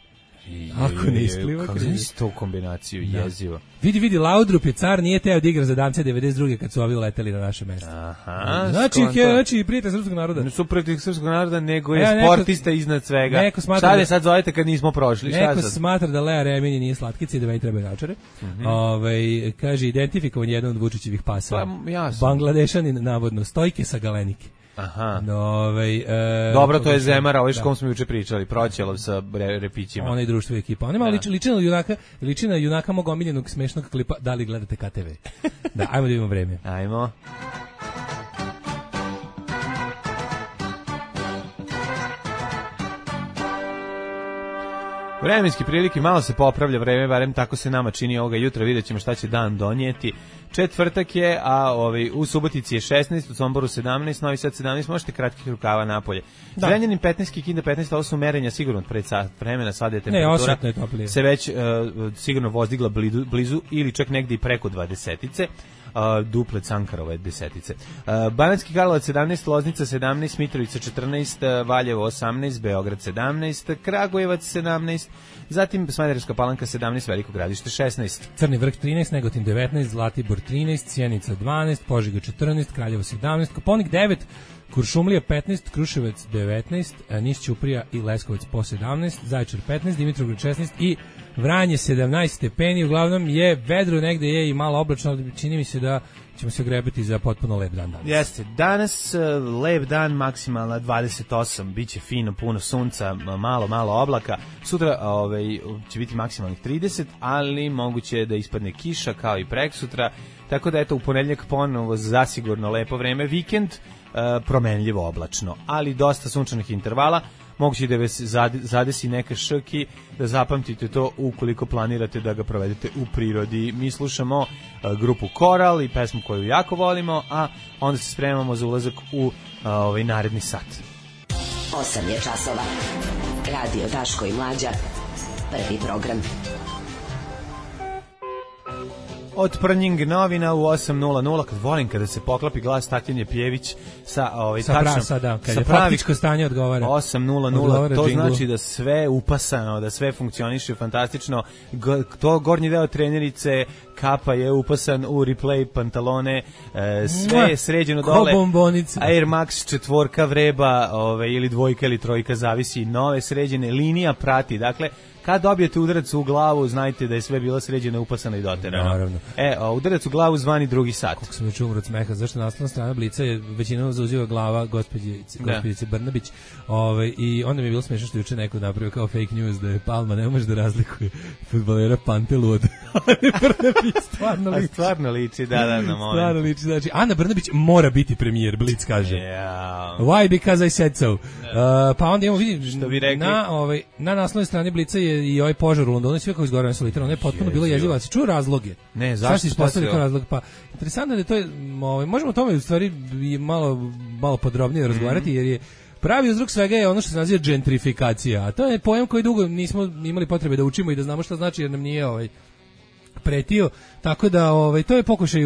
Ako ne ispliva, kriv je. Kako nisi to kombinaciju jezivo? Vidi, Laudrup je car, nije teo da igra za Dance 92. kad su ovi leteli na naše mesto. Aha. Znači prijatelj srpskog naroda. Ne su prijatelj srpskog naroda, nego je sportista iznad svega. Šta je sad zovete kad nismo prošli? Neko smatra da Lea Remini nije slatkica i da meni treba naočare. Kaže, identifikovan je jedan od Vučićevih pasa. Bangladešanin, navodno, Stojke sa Galenike. Aha. Dobro, to je Zemara, ovaj kom smo juče pričali, Proćelov sa repićima. Ona i društvo ekipa. On ima ličina junaka mog omiljenog smešnog klipa, da li gledate KTV. Da, ajmo da imamo vreme. Ajmo. Vremenski prilike, malo se popravlja vreme, barem tako se nama čini ovoga jutra, vidjet ćemo šta će dan donijeti. Četvrtak je, a u Subotici je 16, u Somboru 17, Novi Sad 17, možete kratkih rukava napolje. Zrenjanin 15, Kikinda 15, ovo su merenja sigurno pred sat vremena, sada je temperatura se već sigurno vozdigla blizu ili čak negdje i preko 20-ice. Duplet Sankarove desetice. Banatski Karlovac 17, Loznica 17, Mitrovica 14, Valjevo 18, Beograd 17, Kragujevac 17, zatim Smederevska Palanka 17, Veliko Gradište 16. Crni vrh 13, Negotin 19, Zlatibor 13, Sjenica 12, Požega 14, Kraljevo 17, Koponik 9, Kuršumlija 15, Kruševac 19, Niš Ćuprija i Leskovac po 17, Zaječar 15, Dimitrovgrad 16 i Vranje 17 stepeni. Uglavnom je vedro, negde je i malo oblačno, čini mi se da ćemo se ogrebati za potpuno lep dan danas. Jeste, danas lep dan, maksimalna 28, bit će fino, puno sunca, malo oblaka. Sutra će biti maksimalnih 30, ali moguće da ispadne kiša kao i preksutra, tako da eto u ponedeljak ponovo zasigurno lepo vreme, vikend promenljivo oblačno, ali dosta sunčanih intervala. moguće da vas zadesi neka šrki, da zapamtite to ukoliko planirate da ga provedete u prirodi. Mi slušamo grupu Koral i pesmu koju jako volimo, a onda se spremamo za ulazak u naredni sat. 8 je časova. Radio Daško i Mlađa. Prvi program. Od Prnjing novina u 8:00, kad volim kada se poklapi glas Tatjane Pjević sa prasa, da, kad je faktičko stanje odgovara. 8:00, to znači da sve upasano, da sve funkcioniše fantastično. To gornji deo trenerice kapa je upasan u replay pantalone, sve je sređeno dole. Air Max 4 vreba, ili 2 ili 3, zavisi, nove sređene, linija prati, dakle kad dobijete udarac u glavu, znajte da je sve bilo sređeno, upasano i doterano. Naravno. Udarac u glavu zvani drugi sat. Kako sam već umro od smeha, zašto naslovna strana Blica je većinom zauziva glava gospođice Brnabić. I onda mi je bilo smiješno što juče neko napravio kao fake news da je Palma ne može da razlikuje fudbalera Pantelu od Ane Brnabić. Stvarno liči, da. Stvarno liči, znači Ana Brnabić mora biti premijer, Blic kaže. Yeah. Why? Because I said so. Pa onda imamo, vidim, što bi rekli? na naslovnoj strani Blica je i ovaj požar u Londonu, sve kako izgorano su literalno, je potpuno bilo jezivo. A si čuo razloge? Ne, zašto se ispostavili kao razlog? Pa, interesantno je da to je, možemo o tome u stvari malo podrobnije razgovarati, jer je pravi uzrok svega je ono što se naziva gentrifikacija, a to je pojam koji dugo nismo imali potrebe da učimo i da znamo šta znači, jer nam nije pretio, tako da to je pokušaj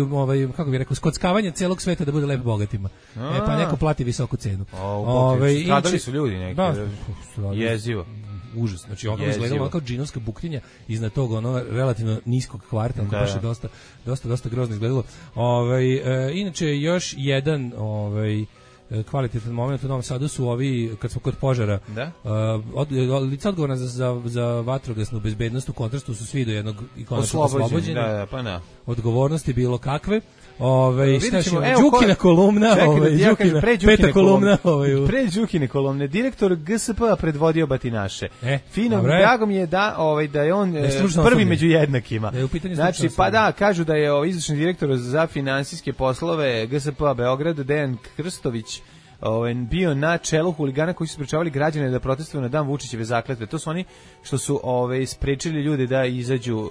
kako bih rekao, skockavanje celog sveta da bude lepo bogatima. Pa neko plati visoku cenu. Stradali su ljudi neki. Jezivo. Užas, znači ono izgledalo kao džinovska buktinja iznad tog relativno niskog kvarta, baš je dosta grozno izgledalo. Inače još jedan kvalitetan moment u Novom Sadu su ovi, kad smo kod požara, lica odgovorna za vatrogasnu bezbednost u kontrastu su svi do jednog i konačno oslobođeni. Odgovornosti bilo kakve. Đukina kolumna, peta kolumna. Pre Đukine kolumne, direktor GSP-a predvodio batinaše. Fino, drago mi je da je on prvi među jednakima. Znači, pa da, kažu da je izvršni direktor za finansijske poslove GSP-a Beograd, Dejan Krstović, bio na čelu huligana koji su sprečavali građane da protestuju na dan Vučićeve zakletve. To su oni što su sprečili ljude da izađu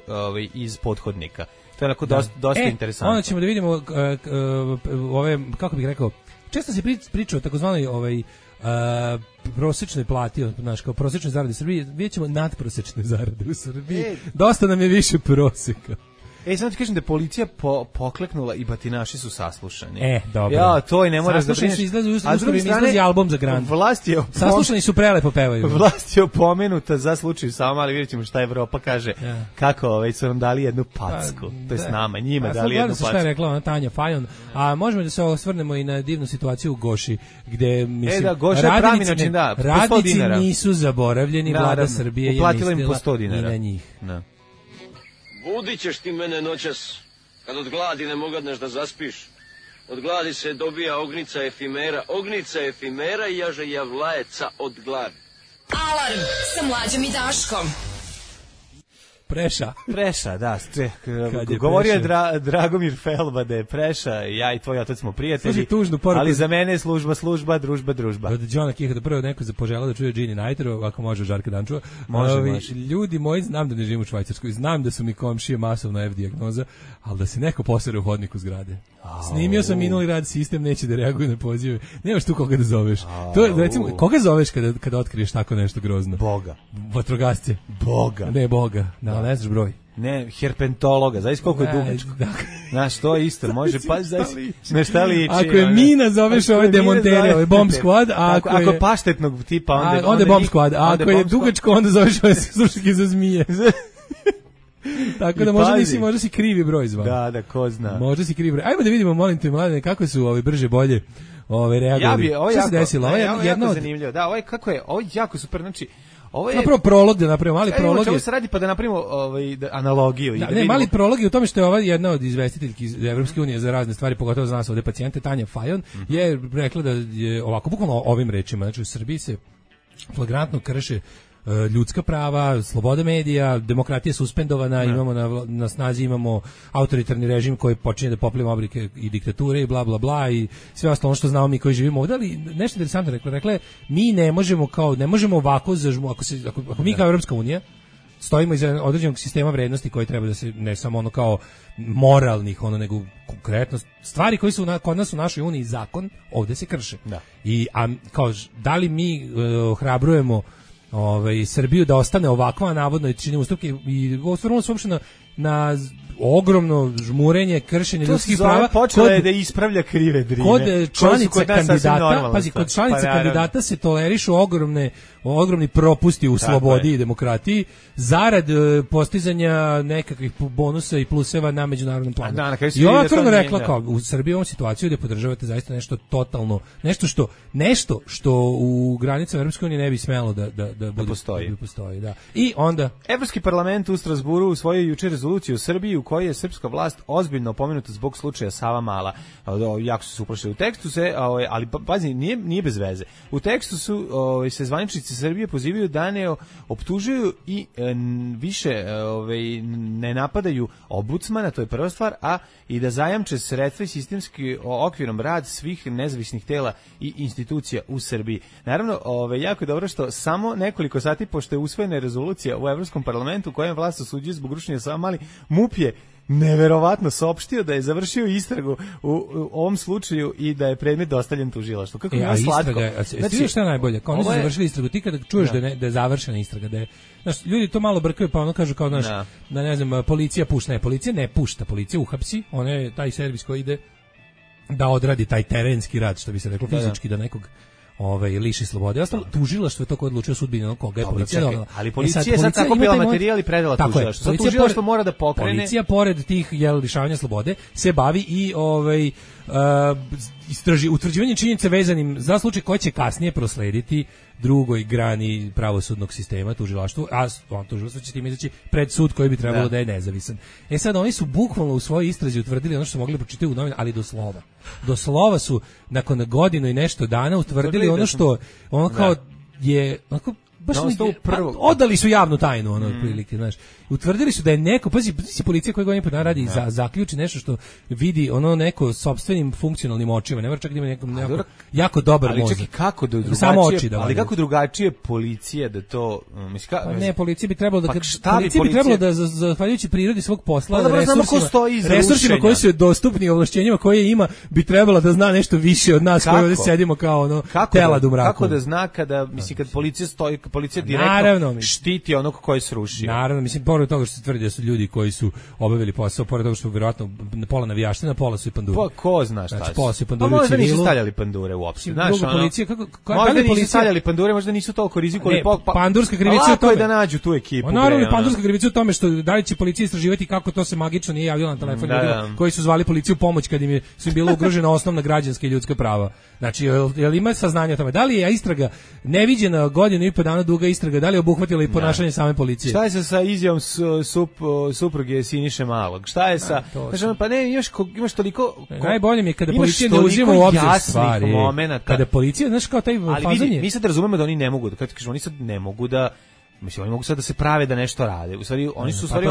iz pothodnika. To je onako dosta interesantno. Onda ćemo da vidimo kako bih rekao, često se priča o takozvanoj prosječnoj plati, kao prosječnoj zaradi u Srbiji, vidjet ćemo nadprosječne zarade u Srbiji. Dosta nam je više prosjeka. Samo ti kažem da je policija pokleknula i batinaši su saslušani. Dobro. Ja, to i ne moraš da brineš. Izlazi album za Grand. Saslušani su prelepo pevaju. Vlast je opomenuta za slučaj samo, ali vidjet ćemo šta Evropa kaže. Kako su nam dali jednu packu. To je s nama, njima dali jednu packu. Šta je rekla ona Tanja Fajon. A možemo da se osvrnemo i na divnu situaciju u Goši, gde, mislim, radnici nisu zaboravljeni, vlada Srbije je mislila i na njih. Budit ćeš ti mene noćas, kad od gladi ne mogadneš da zaspiš. Od gladi se dobija ognica efimera i jaže javlajeca od gladi. Alarm sa Mlađom i Daškom. Preša, da. Govorio je Dragomir Felba da je Preša, ja i tvoj otac smo prijatelji, ali za mene je služba, družba. Od Johna Kiha da prvo neko poželao da čuje Gini Nightero, ako može Žarka Dančova. Može. Ljudi moji, znam da ne živim u Švajcarskoj, znam da su mi komšije masovna F-dijagnoza, ali da se neko posere u hodniku zgrade. Snimio sam minuli rad, sistem neće da reaguje na pozive. Nemaš tu koga da zoveš. To je, recimo, koga zoveš kada otkriješ tako nešto grozno? Boga. Vatrogasce. Ne Boga. Ne znaš broj. Ne, herpentologa, zaista koliko je dugačko. Znaš, to je isto, može pa na šta liči. Ako je mina, zoveš ove demontere, ove bomb squad, ako paštetnog tipa, onda je bomb squad, a ako je dugačko, onda zoveš ove slušake za zmije. Tako da možda si krivi broj zvao. Da, ko zna. Možda si krivi broj. Ajmo da vidimo, molim te, mladene, kako su brže bolje reagovali. Šta se desilo? Ovo je jako zanimljivo. Da, ovo je jako super, znači napravo prolog da napravimo, mali prolog. Čemu se radi pa da napravimo analogiju? Mali prolog je u tome što je ova jedna od izvestiteljki iz Evropske unije za razne stvari, pogotovo za nas ovde pacijente, Tanja Fajon, je rekla da je ovako, bukvalno ovim rečima, znači u Srbiji se flagrantno krše ljudska prava, sloboda medija, demokratija suspendovana, imamo na snazi imamo autoritarni režim koji počinje da popliva oblike i diktature i bla bla bla i sve ostalo što znamo mi koji živimo ovdje, ali nešto interesantno rekla, mi ne možemo ovako ako mi kao Evropska unija stojimo iza određenog sistema vrednosti koji treba da se ne samo ono kao moralnih, nego konkretno stvari koji su kod nas u našoj uniji zakon, ovdje se krše. Da. Kao da li mi ohrabrujemo Srbiju da ostane ovakva navodno i čini ustupke i osvrnulo se uopšte na ogromno žmurenje, kršenje ljudskih prava. Počela je da ispravlja krive drine. Kod članica kandidata se tolerišu ogromni propusti u slobodi i demokratiji zarad postizanja nekakvih bonusa i pluseva na međunarodnom planu. I ova otvoreno rekla kao u Srbiji ovom situaciju gde podržavate zaista nešto totalno, nešto što u granicama Evropske unije ne bi smelo da postoji. Da. I onda Evropski parlament u Strasburu usvojio juče rezoluciju u Srbiji u kojoj je srpska vlast ozbiljno pomenuta zbog slučaja Savamala. Jako su uplašili u tekstu ali pazi, nije bez veze. U tekstu su se zvaničnici Srbije pozivaju da ne optužuju i više ne napadaju ombudsmana, to je prva stvar, a i da zajamče sredstva i sistemski okvirom rad svih nezavisnih tela i institucija u Srbiji. Naravno, jako je dobro što samo nekoliko sati pošto je usvojena rezolucija u Evropskom parlamentu kojem vlast osuđuje zbog rušenja Savamali, MUP je neverovatno saopštio da je završio istragu u ovom slučaju i da je predmet dostavljen tužilaštvu. Kako je slatko. Znači, šta je najbolje? Kao oni su završili istragu, ti kada čuješ da je završena istraga, da je, znaš, ljudi to malo brkaju, pa ono kažu kao, znaš, da ne znam, policija pušta. Ne, policija ne pušta, policija uhapsi, ona je taj servis koji ide da odradi taj terenski rad, što bi se reklo, fizički da nekog liši slobode. Ostalo tužilaštvo je to koje odlučuje sudbinu onog koga je policija donela. Ali policija je sad tako bila materijal i predala tužilaštvo. Sad tužilaštvo mora da pokrene. Policija pored tih lišavanja slobode se bavi i utvrđivanje činjenica vezanim za slučaj koji će kasnije proslediti drugoj grani pravosudnog sistema, tužilaštvu, a tužilaštvo će tim izaći pred sud koji bi trebalo da je nezavisan. Sad oni su bukvalno u svojoj istrazi utvrdili ono što su mogli pročitati u novinama, ali do slova. Do slova su nakon godinu i nešto dana utvrdili ono što ono kao je onako baš odali su javnu tajnu otprilike, znaš. Utvrdili su da je neko, pazi policija koja godinu dana radi zaključi nešto što vidi neko sopstvenim funkcionalnim očima, ne mora čak da ima nekom jako dobar mozak. Ali kako ali kako drugačije policije da to ne, policija bi trebalo da zahvaljujući prirodi svog posla, resursima koji su dostupni, ovlašćenjima koje ima, bi trebala da zna nešto više od nas koji ovdje sedimo kao telad u mraku. Kako da zna kada policija stoji, policija direktno štiti onog koji se rušio. Naravno, pored toga što se tvrdi da su ljudi koji su obavili posao, pored toga što vjerojatno pola navijaština, pola su i panduri. Ko zna šta znači, pola su i panduri u civilu. Možda nisu stavljali pandure uopšte. Možda nisu stavljali pandure, možda nisu toliko rizikovali. Pandurska krivica u tome. Lako je da nađu tu ekipu. Naravno, pandurska krivica u tome što da li će policija istraživati kako to se magično nije javilo na telefon ljudima koji su zvali policiju pomoć kad su im bila ugrožena osnovna građanska i ljudska prava. Znači, jel ima saznanja o tome? Da li je istraga neviđena godinu i po dana duga istraga, da li je obuhvatila i ponašanje same policije? Šta je sa izjavom supruge Siniše Malog? Šta je sa... Pa ne, imaš toliko... Najbolje mi je kada policija ne uzima u obzir stvari. Kada policija, znaš kao taj fazanje... Ali vidi, mi sad razumemo da oni ne mogu, kad kažu, oni sad ne mogu da... Mislim, oni mogu sad da se prave da nešto rade. U stvari, oni su u stvari...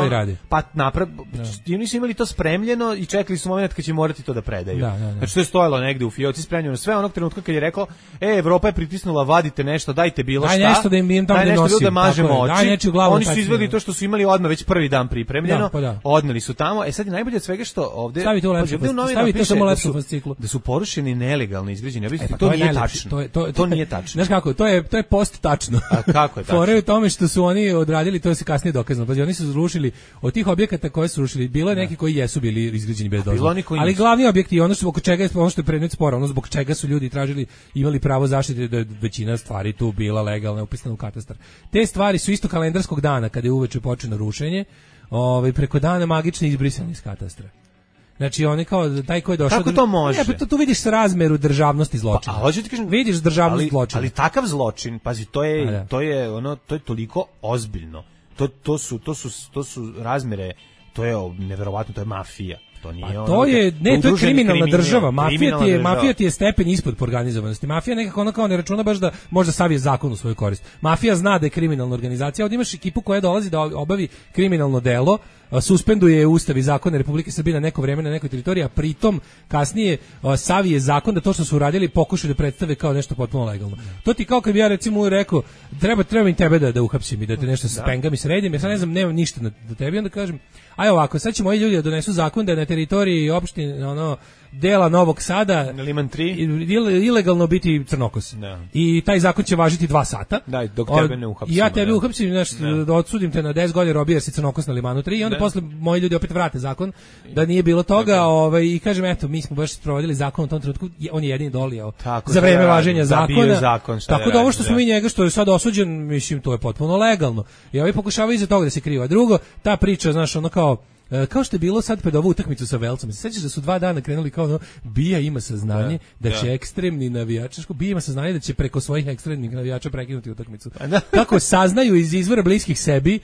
Oni su imali to spremljeno i čekali su moment kad će morati to da predaju. Znači, to je stojalo negde u fioci spremljeno. Sve onog trenutka kad je rekao, Evropa je pritisnula, vadite nešto, dajte bilo šta. Daj nešto da im tamo ne nosim. Da mažemo oči. Oni su izveli to što su imali odmah već prvi dan pripremljeno. Odneli su tamo. Sad je najbolje od svega što ovde... Stavite samo lepšu fasciklu. Da su porušeni nelegalno izgrađeni objekti. To nije tačno. To nije tačno. Znaš kako, to je post tačno. A kako je tačno? Što su oni odradili, to je se kasnije dokazano. Pa oni su rušili od tih objekata koje su rušili, bilo je neki koji jesu bili izgrađeni bez dozvole. Ali glavni objekti, ono što je predmet spora, ono zbog čega su ljudi tražili, imali pravo zaštite, da je većina stvari tu bila legalna, upisana u katastar. Te stvari su isto kalendarskog dana kada je uveče počelo rušenje, preko dana magično izbrisani iz katastra. Znači oni kao taj koji je došao. Kako to može? Ne, tu vidiš razmeru državnosti zločina. Pa, hoću ti kažem, vidiš državnost zločina. Ali takav zločin, pazi, to je toliko ozbiljno. To su razmere, to je neverovatno, to je mafija. To nije to je kriminalna država. Mafija ti je stepen ispod po organizovanosti. Mafija nekako ono kao ne računa baš da možda savije zakon u svoju korist. Mafija zna da je kriminalna organizacija, ovdje imaš ekipu koja dolazi da obavi kriminalno delo, suspenduje Ustav i zakone Republike Srbije na neko vreme na nekoj teritoriji, a pritom kasnije savije zakon da to što su uradili pokušaju da predstave kao nešto potpuno legalno. To ti kao kad bi ja recimo rekao treba i tebe da uhapsim i da te nešto spengam i sredim, ja sad ne znam, nemam ništa da tebi, onda kažem aj ovako, sad će moji ljudi da donesu zakon da je na teritoriji opštine dela Novog Sada Liman 3 ilegalno biti crnokos. I taj zakon će važiti 2 sata. Da, dok tebe ne uhapsim. Ja tebe uhapsim, da odsudim te na 10 godina robije jer si crnokos na Limanu 3 i onda posle moji ljudi opet vrate zakon da nije bilo toga, i kažem eto, mi smo baš sprovodili zakon u tom trenutku, on je jedini dolio za vreme važenja zakona. Tako da ovo što smo mi njega što je sad osuđen, mislim to je potpuno legalno. I ovi pokušavaju iza toga da se kriva. Drugo, ta priča, znaš, ono kao što je bilo sad pred ovu utakmicu sa Velcom. Se sećaš da su 2 dana krenuli kao Bija ima saznanje da će ekstremni navijači, Bija ima saznanje da će preko svojih ekstremnih navijača prekinuti utakmicu. Kako saznaju iz izvora bliskih sebi,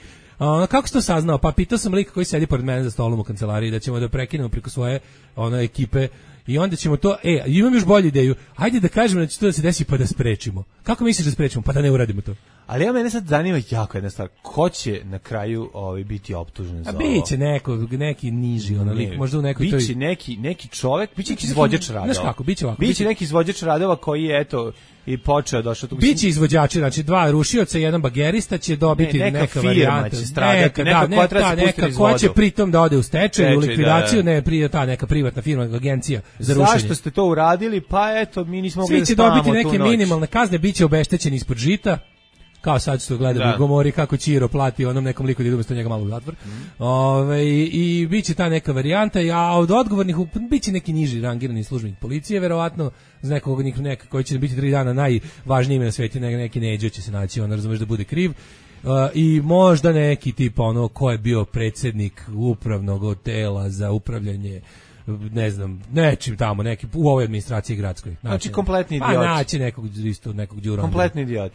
kako si to saznao? Pa pitao sam lika koji sedi pored mene za stolom u kancelariji da ćemo da prekinemo preko svoje ekipe i onda ćemo to, imam još bolju ideju, hajde da kažemo da će to da se desi pa da sprečimo. Kako misliš da sprečimo? Pa da ne uradimo to. Ali mene sad zanima jako jedna stvar, ko će na kraju biti optužen za ovo? Biće neki niži lik, možda u nekoj biće neki čovjek, biće neki izvođač radova. Znaš kako, biće ovako. Biće neki izvođač radova koji je i počeo došao tu. Biće izvođači, znači 2 rušioca i 1 bagerista će dobiti neka varijanta. Će stradati, neka koja će pritom da ode u stečaj, u likvidaciju, ta neka privatna firma, agencija za rušenje. Zašto ste to uradili? Pa eto, mi nismo mogli da spavamo tu noć. Svi će dobiti neke minimalne kazne, biće obeštećeni ispod žita. Kao sad što gledamo u Gomori kako Ćiro plati onom nekom liku da ide umjesto njega malo u zatvor. I bit će ta neka varijanta, a od odgovornih bit će neki niži rangirani službenik policije, verovatno za nekog koji će biti 3 dana najvažniji ime na svijetu, neki Neđo će se naći, razumeš da bude kriv. I možda neki tip ko je bio predsjednik upravnog tela za upravljanje, ne znam, nečim tamo, neki u ovoj administraciji gradskoj. Znači kompletni idiot. Pa naći nekog Đura. Kompletni idiot.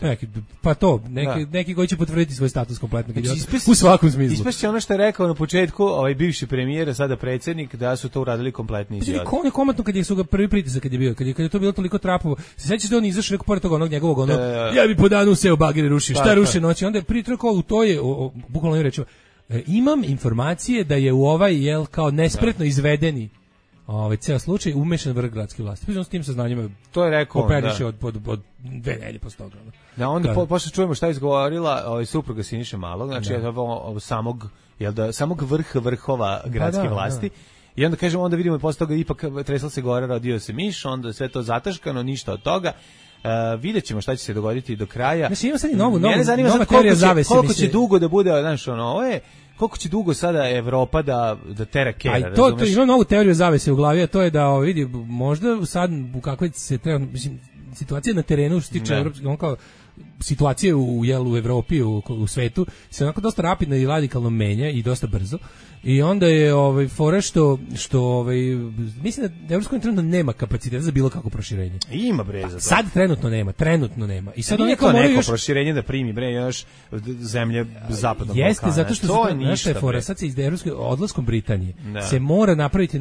Neki koji će potvrditi svoj status kompletnog idiota u svakom smislu. Ispašće ono što je rekao na početku, bivši premijer, a sada predsjednik, da su to uradili kompletni idioti. On je komentno kad su ga prvi pritisak kad je bio, kad je to bilo toliko trapovo. Se sećaš da on izašao neko pored toga njegovog ja bi po danu seo bagere ruši. Šta ruši noći? Onda je pritrkao, to je bukvalno im rečeno. Imam informacije da je u kao nespretno izvedeni ceo slučaj umešan vrh gradske vlasti. Pričam s tim saznanjima. To je rekao operiše od 2 nedelje posle toga. Da, onda posle čujemo šta je izgovorila supruga Siniše Malog, znači samog vrhova gradske vlasti. I onda kažemo, onda vidimo i posle toga ipak tresla se gore, rodio se miš, onda sve to zataškano, ništa od toga. Vidjet ćemo šta će se dogoditi do kraja. Znači ima sad i nova teorija zavese. Koliko će dugo da bude, znaš, koliko će dugo sada Evropa da tera kera, razumeš? Ima novu teoriju zavese u glavi, a to je da vidi, možda sad u kakvoj se treba, mislim, situacija na terenu što se tiče evropskih, kao situacije u Evropi, u svetu se onako dosta rapidno i radikalno menja i dosta brzo. I onda je fora što mislim da Evropska unija trenutno nema kapaciteta za bilo kakvo proširenje. Ima bre za to. Sad trenutno nema. I sad nije to neko proširenje da primi bre još zemlje zapadnog Balkana. Jeste, zato što to je fora. Sad se iz Evropske odlaskom Britanije se mora napraviti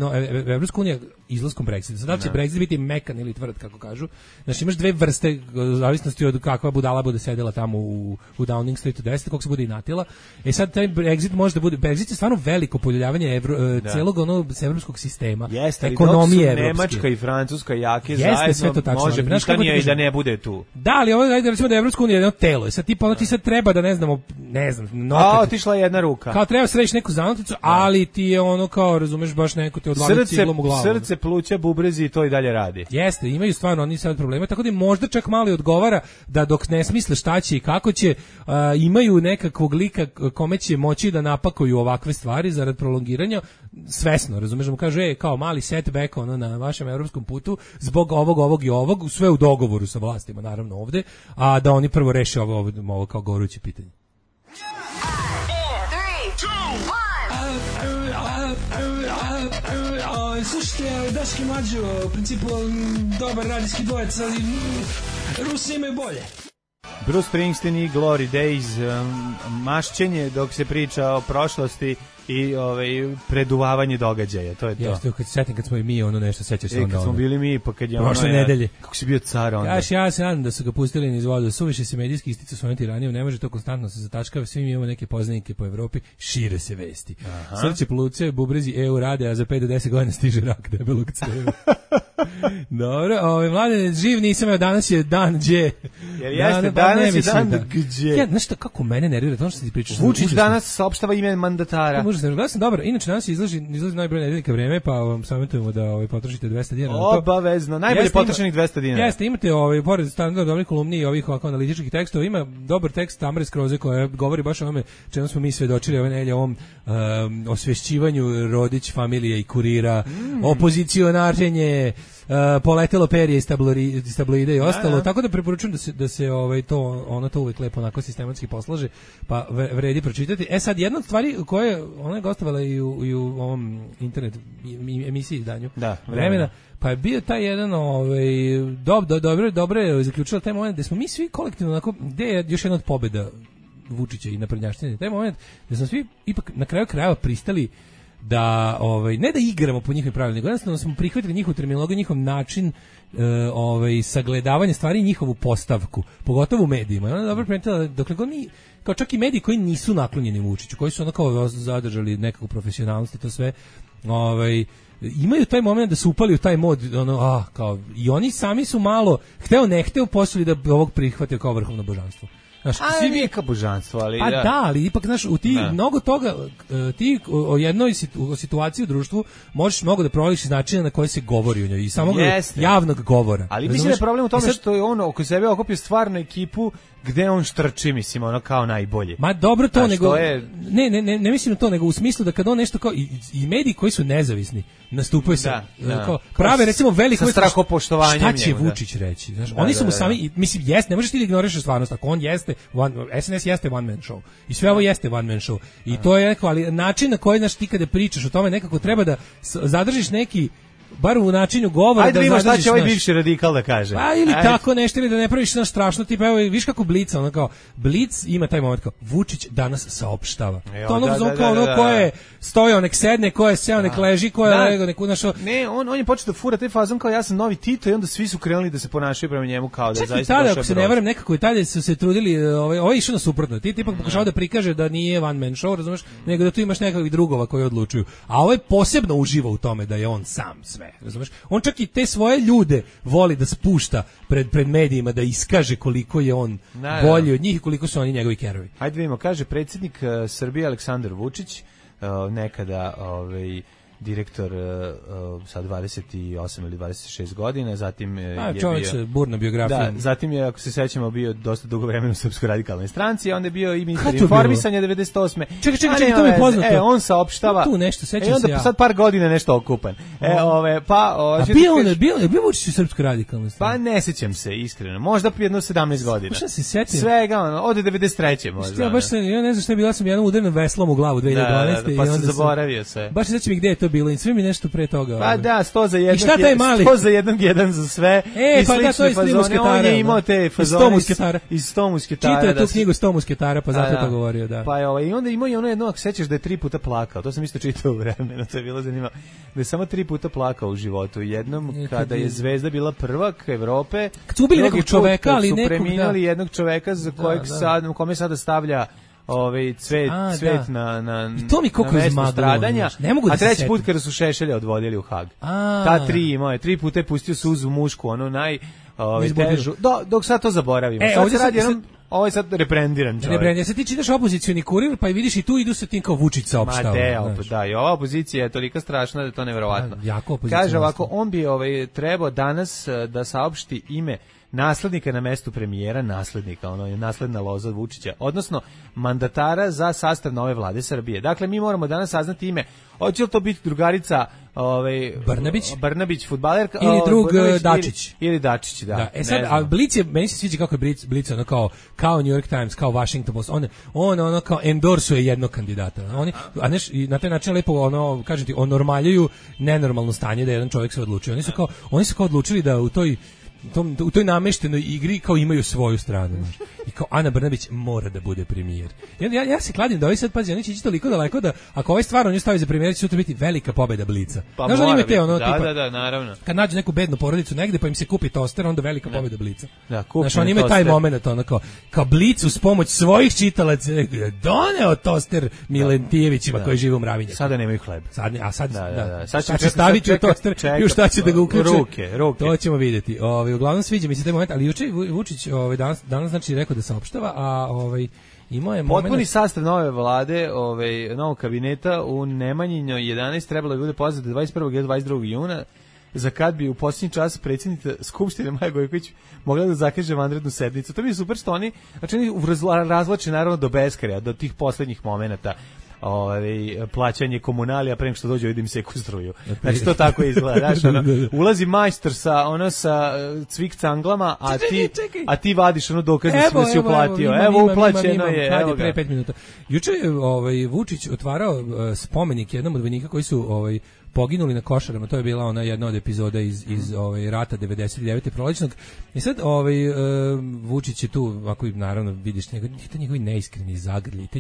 Evropska unija izlaskom Brexita. Sad da će Brexit biti mekan ili tvrd, kako kažu. Znači imaš 2 vrste zavisnosti od kakva budala bude sedela tamo u Downing Streetu 10, kako se bude inatila. Sad taj Brexit može da bude, Brexit je stvarno veliko poljuljavanje celog evropskog sistema, ekonomije evropske. Nemačka i Francuska jake zajedno, može Britanija i da ne bude tu. Da, ali ovo je recimo da Evropska unija je jedno telo. Sad ti sad treba da ne znam, otišla jedna ruka. Kao treba središ neku zanoticu, ali ti je kao, razumeš, baš neko te odlavi ciglom u glavu. Srce, pluća, bubrezi i to i dalje radi. Jeste, imaju stvarno oni sad problema, tako da možda čak malo odgovara da dok ne smisle šta će i kako će, imaju nekakvog lika kome će moći da napakuju ovakve stvari zarad prolongiranja, svesno, razumeš, da mu kaže, kao mali setback na vašem evropskom putu, zbog ovog i ovog, sve u dogovoru sa vlastima, naravno ovde, a da oni prvo reše ovo kao goruće pitanje. Slušajte, Daški Mlađo, u principu dobar radijski dvojec, ali Rusi imaju bolje. Bruce Springsteen i Glory Days, mašćenje dok se priča o prošlosti, i preduvavanje događaja, to je to. Jeste, kad se setim kad smo i mi nešto sećaš se onda. Kad smo bili mi, pa kad je prošle nedelje. Kako si bio car onda. Ja se nadam da su ga pustili niz vodu, suviše se medijski isticao svojom tiranijom, ne može to konstantno se zatačkava, svi mi imamo neke poznanike po Evropi, šire se vesti. Srce pluce, bubrezi EU rade, a za 5 do 10 godina stiže rak debelog creva. Dobro, mlade, živ nisam, evo danas je dan gdje. Jer jeste, danas je dan gdje. Ja, znaš kako mene nervira, to što ti pričaš. Vučić danas saopštava ime mandatara. Ja sam dobro, inače danas izlazi najbolje nedeljka vreme, pa vam savjetujemo da potrošite 200 dinara. Obavezno, najbolje potrošenih 200 dinara. Jeste, imate pored standardno dobrih kolumni i ovih ovako analitičkih tekstova, ima dobar tekst Tamare Skroze koja govori baš o tome čemu smo mi svedočili ove nedelje, o ovom osvešćivanju Rodić familije i Kurira, opozicionaženje, poletelo perje iz tabloida i ostalo, tako da preporučujem da se to uvek lepo onako sistematski poslaže, pa vredi pročitati. Sad, jedna od stvari koje ona je gostovala i u ovom internet emisiji izdanju Vremena, pa je bio taj jedan dobro je zaključila taj moment gde smo mi svi kolektivno onako, gde je još jedna od pobeda Vučića i naprednjaštine, taj moment gde smo svi ipak na kraju krajeva pristali da ne da igramo po njihovim pravilima, nego jednostavno smo prihvatili njihovu terminologiju, njihov način sagledavanja stvari i njihovu postavku, pogotovo u medijima. I ona je dobro primetila, dokle god mi, kao čak i mediji koji nisu naklonjeni Vučiću, koji su ono kao zadržali nekakvu profesionalnost i to sve, imaju taj moment da su upali u taj mod, kao, i oni sami su malo, hteo ne hteo, posuli da ovog prihvatio kao vrhovno božanstvo. Znaš, svi mi kao božanstvo, ali ali ipak, znaš, u ti mnogo toga, ti o jednoj situaciji u društvu možeš mnogo da provališ iz načina na koji se govori o njoj i samog javnog govora. Ali mislim da je problem u tome što je on oko sebe okupio stvarnu ekipu gde on štrči, mislim, ono kao najbolje. Ma dobro to, nego ne mislim na to, nego u smislu da kad on nešto kao i mediji koji su nezavisni nastupaju se kao prave, recimo veliko strahopoštovanjem. Šta će Vučić reći? Znaš, oni su mu sami, mislim, ne možeš ti da ignorišeš stvarnost, ako on jeste SNS jeste one man show. I sve ovo jeste one man show. I to je neko, ali način na koji, znaš, ti kada pričaš o tome, nekako treba da zadržiš neki, bar u načinu govora. Ajde, da vidimo šta će ovaj bivši radikal da kaže. Pa ili tako nešto, ili da ne praviš nešto strašno, tipa, evo, viš kako Blic, ono kao, Blic ima taj moment kao, Vučić danas saopštava. To ono ko je stojao, nek sedne, ko je seo, nek leži, ko je legao, nek unašao. Ne, on je počeo da fura taj fazon kao ja sam novi Tito i onda svi su krenuli da se ponašaju prema njemu kao da je zaista došao. Čak i tada, ako se ne varam, nekako i tada su se trudili, ovo je išao na suprotno. Ti ipak pokušao da prikaže da nije one man show, razumeš, nego da tu imaš nekakvih drugova koji odlučuju. A ovaj posebno uživa u tome da je on sam sve, razumeš? On čak i te svoje ljude voli da spušta pred medijima, da iskaže koliko je on bolji od njih i koliko su oni njegovi kerovi. Hajde vidimo, kaže predsjednik Srbije Aleksandar Vučić, nekada direktor sa 28 ili 26 godina, zatim je bio burna biografija. Da, zatim je, ako se sećamo, bio dosta dugo vremena u Srpskoj radikalnoj stranci, a onda je bio i ministar informisanja 98. Čekaj, to mi je poznato. On saopštava. Tu nešto, sećam se ja. Sad par godina nešto okupan. Bio Vučić u Srpskoj radikalnoj stranci? Pa ne sećam se, iskreno. Možda jedno 17 godina. Šta se sećam? Svega, od 93. možda. Ja ne znam šta je bilo, ja sam jednom udarenom veslom u glavu 2012. Pa sam zaboravio sve. Baš se sećam gde je to bilo i sve mi nešto pre toga. Pa da, 100 za jednog, 100 za jednog, jedan za sve. I pa da, to je iz musketara. On je imao te fazone iz 100 musketara. Čitao je tu knjigu 100 musketara, pa zato to govorio, da. Pa i onda imao i ono jedno, ako sećaš da je 3 puta plakao, to sam isto čitao u Vremenu, to je bilo zanimljivo, da je samo 3 puta plakao u životu. Jednom kada je Zvezda bila prvak Evrope, kad su ubili nekog čoveka, ali nekog, su preminali jednog čoveka za kojeg sad, kome sada stavlja cvet na mesto stradanja, a treći put kada su Šešelja odvodili u Hag. Ta 3 puta je pustio suzu mušku, ono težu, dok sad to zaboravimo. Sad se radi jednom, ovo je sad reprendiran čovjek. Ja se ti čitaš opozicioni Kurir, pa i vidiš i tu idu sa tim kao Vučić saopštava. Da, i ova opozicija je tolika strašna da je to neverovatno. Kaže ovako, on bi trebao danas da saopšti ime naslednika na mestu premijera, ono je nasledna loza Vučića, odnosno mandatara za sastav nove vlade Srbije. Dakle, mi moramo danas saznati ime. Hoće li to biti drugarica Brnabić fudbalerka ili drug Dačić ili Dačić, da. Sad, a Blic je, meni se sviđa kako je Blic ono kao New York Times, kao Washington Post, on ono kao endorsuje jednog kandidata. I na taj način lepo kažem ti, normaljuju nenormalno stanje da jedan čovjek se odlučio. Oni su kao odlučili da u toj u toj nameštenoj igri kao imaju svoju stranu, znaš. I kao Ana Brnabić mora da bude premijer. Ja se kladim da ovaj sad, pazi, oni će ići toliko daleko da ako ovaj stvarno nju stavi za premijer, će sutra biti velika pobeda Blica. Pa znaš da ima te ono tipa, da, naravno. Kad nađu neku bednu porodicu negde pa im se kupi toster, onda velika pobeda Blica. Da, znaš, oni imaju taj moment, ono kao Blic uz pomoć svojih čitalaca doneo toster Milentijevićima koji žive u Mravinjaku. Sada nemaju hleb. Sad će staviti u toster i u šta će da ga uključe. Ruke. To ćemo vidjeti. Uglavnom sviđa mi se taj moment, ali juče Vučić danas znači rekao da saopštava, a imao je moment... Potpuni sastav nove vlade, novog kabineta u Nemanjinoj 11 trebalo bi bude poznat 21. i 22. juna, za kad bi u posljednji čas predsjednica Skupštine Maja Gojković mogla da zakaže vanrednu sednicu. To mi je super što oni razvlače naravno do beskraja, do tih poslednjih momenata. Plaćanje komunalija pre nego što dođe vidim se struju. Znači to tako izgleda. Znači, ulazi majstor sa cvik canglama, a ti vadiš dokaznicu da si uplatio. Evo uplaćeno je. Evo pre 5 minuta. Juče je Vučić otvarao spomenik jednom od vojnika koji su poginuli na Košarama. To je bila ona jedna od epizoda iz rata 99. prolećnog. I sad Vučić je tu, ako naravno vidiš te njegovi neiskreni zagrlji, te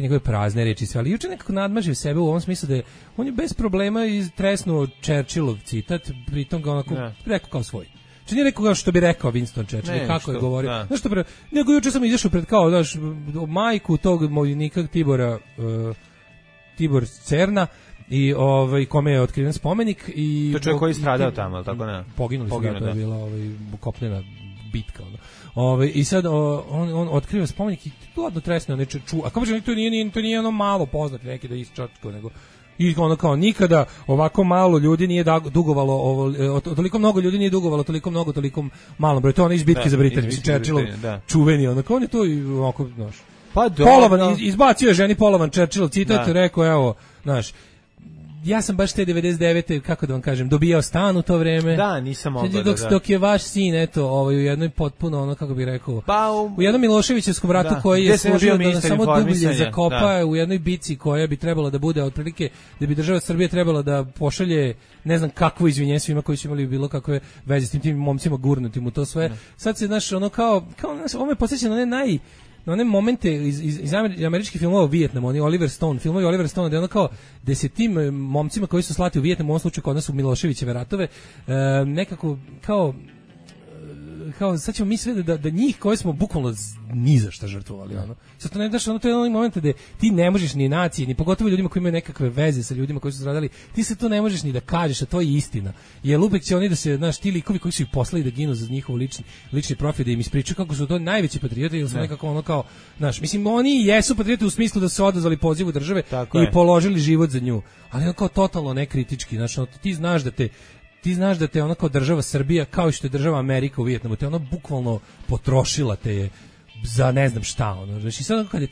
njegove prazne reči sve, ali juče nekako nadmažio sebe u ovom smislu da on je bez problema tresnuo Churchillov citat, pritom ga onako rekao kao svoj. Znači nije rekao kao što bi rekao Winston Churchill, kako je govorio. Znaš što nego juče sam izašao pred kao, znaš, majku tog vojnika Tibor Cerna, i kome je otkriven spomenik i to čovjek koji je stradao tamo, tako ne? Poginuli su, to je bila kopnena bitka i sad on otkriva spomenik i tu odno tresne on a kao to nije ono malo poznat neki da je isčačkao, nego i ono kao nikada ovako malo ljudi nije dugovalo toliko mnogo ljudi nije dugovalo toliko malom broju. To ono iz bitke za Britaniju, Churchillov čuveni, ono kao on je to ovako, znaš, polovan, izbacio je ženi polovan Churchillov citat, rekao, evo, znaš, ja sam baš te 99. kako da vam kažem, dobijao stan u to vreme. Da, nisam mogao dok je vaš sin, eto, u jednoj potpuno, ono, kako bih rekao, u jednom Miloševićevskom ratu koji je služio da samo dublje zakopa u jednoj bici koja bi trebala da bude, otprilike, da bi država Srbije trebala da pošalje, ne znam kakvo izvinjenje svima koji su imali bilo kakve veze s tim momcima gurnutim u to sve. Sad se, znaš, ono kao ovo me podsjeća na one momente iz američkih filmova o Vijetnamu, filmovi Oliver Stone, da je ono kao da se tim momcima koji su slati u Vijetnamu, u ovom slučaju kod nas u Miloševićeve ratove, nekako kao sad ćemo mi sve da njih koje smo bukvalno ni za šta žrtvovali, ono. Sad to ne daš, to je onaj moment da ti ne možeš ni naciji, ni pogotovo ljudima koji imaju nekakve veze sa ljudima koji su stradali, ti se to ne možeš ni da kažeš, a to je istina. Jer uvek će oni da se, znaš, ti likovi koji su ih poslali da ginu za njihov lični profit, da im ispričaju kako su to najveći patrioti, ili su nekako ono kao, znaš, mislim, oni jesu patrioti u smislu da su odazvali pozivu države i položili život za nju, ali ono kao totalno nekritički, znaš, ti znaš da te ono kao država Srbija, kao što je država Amerika u Vijetnamu, te ono bukvalno potrošila te je za ne znam šta, ono. Znači sad kada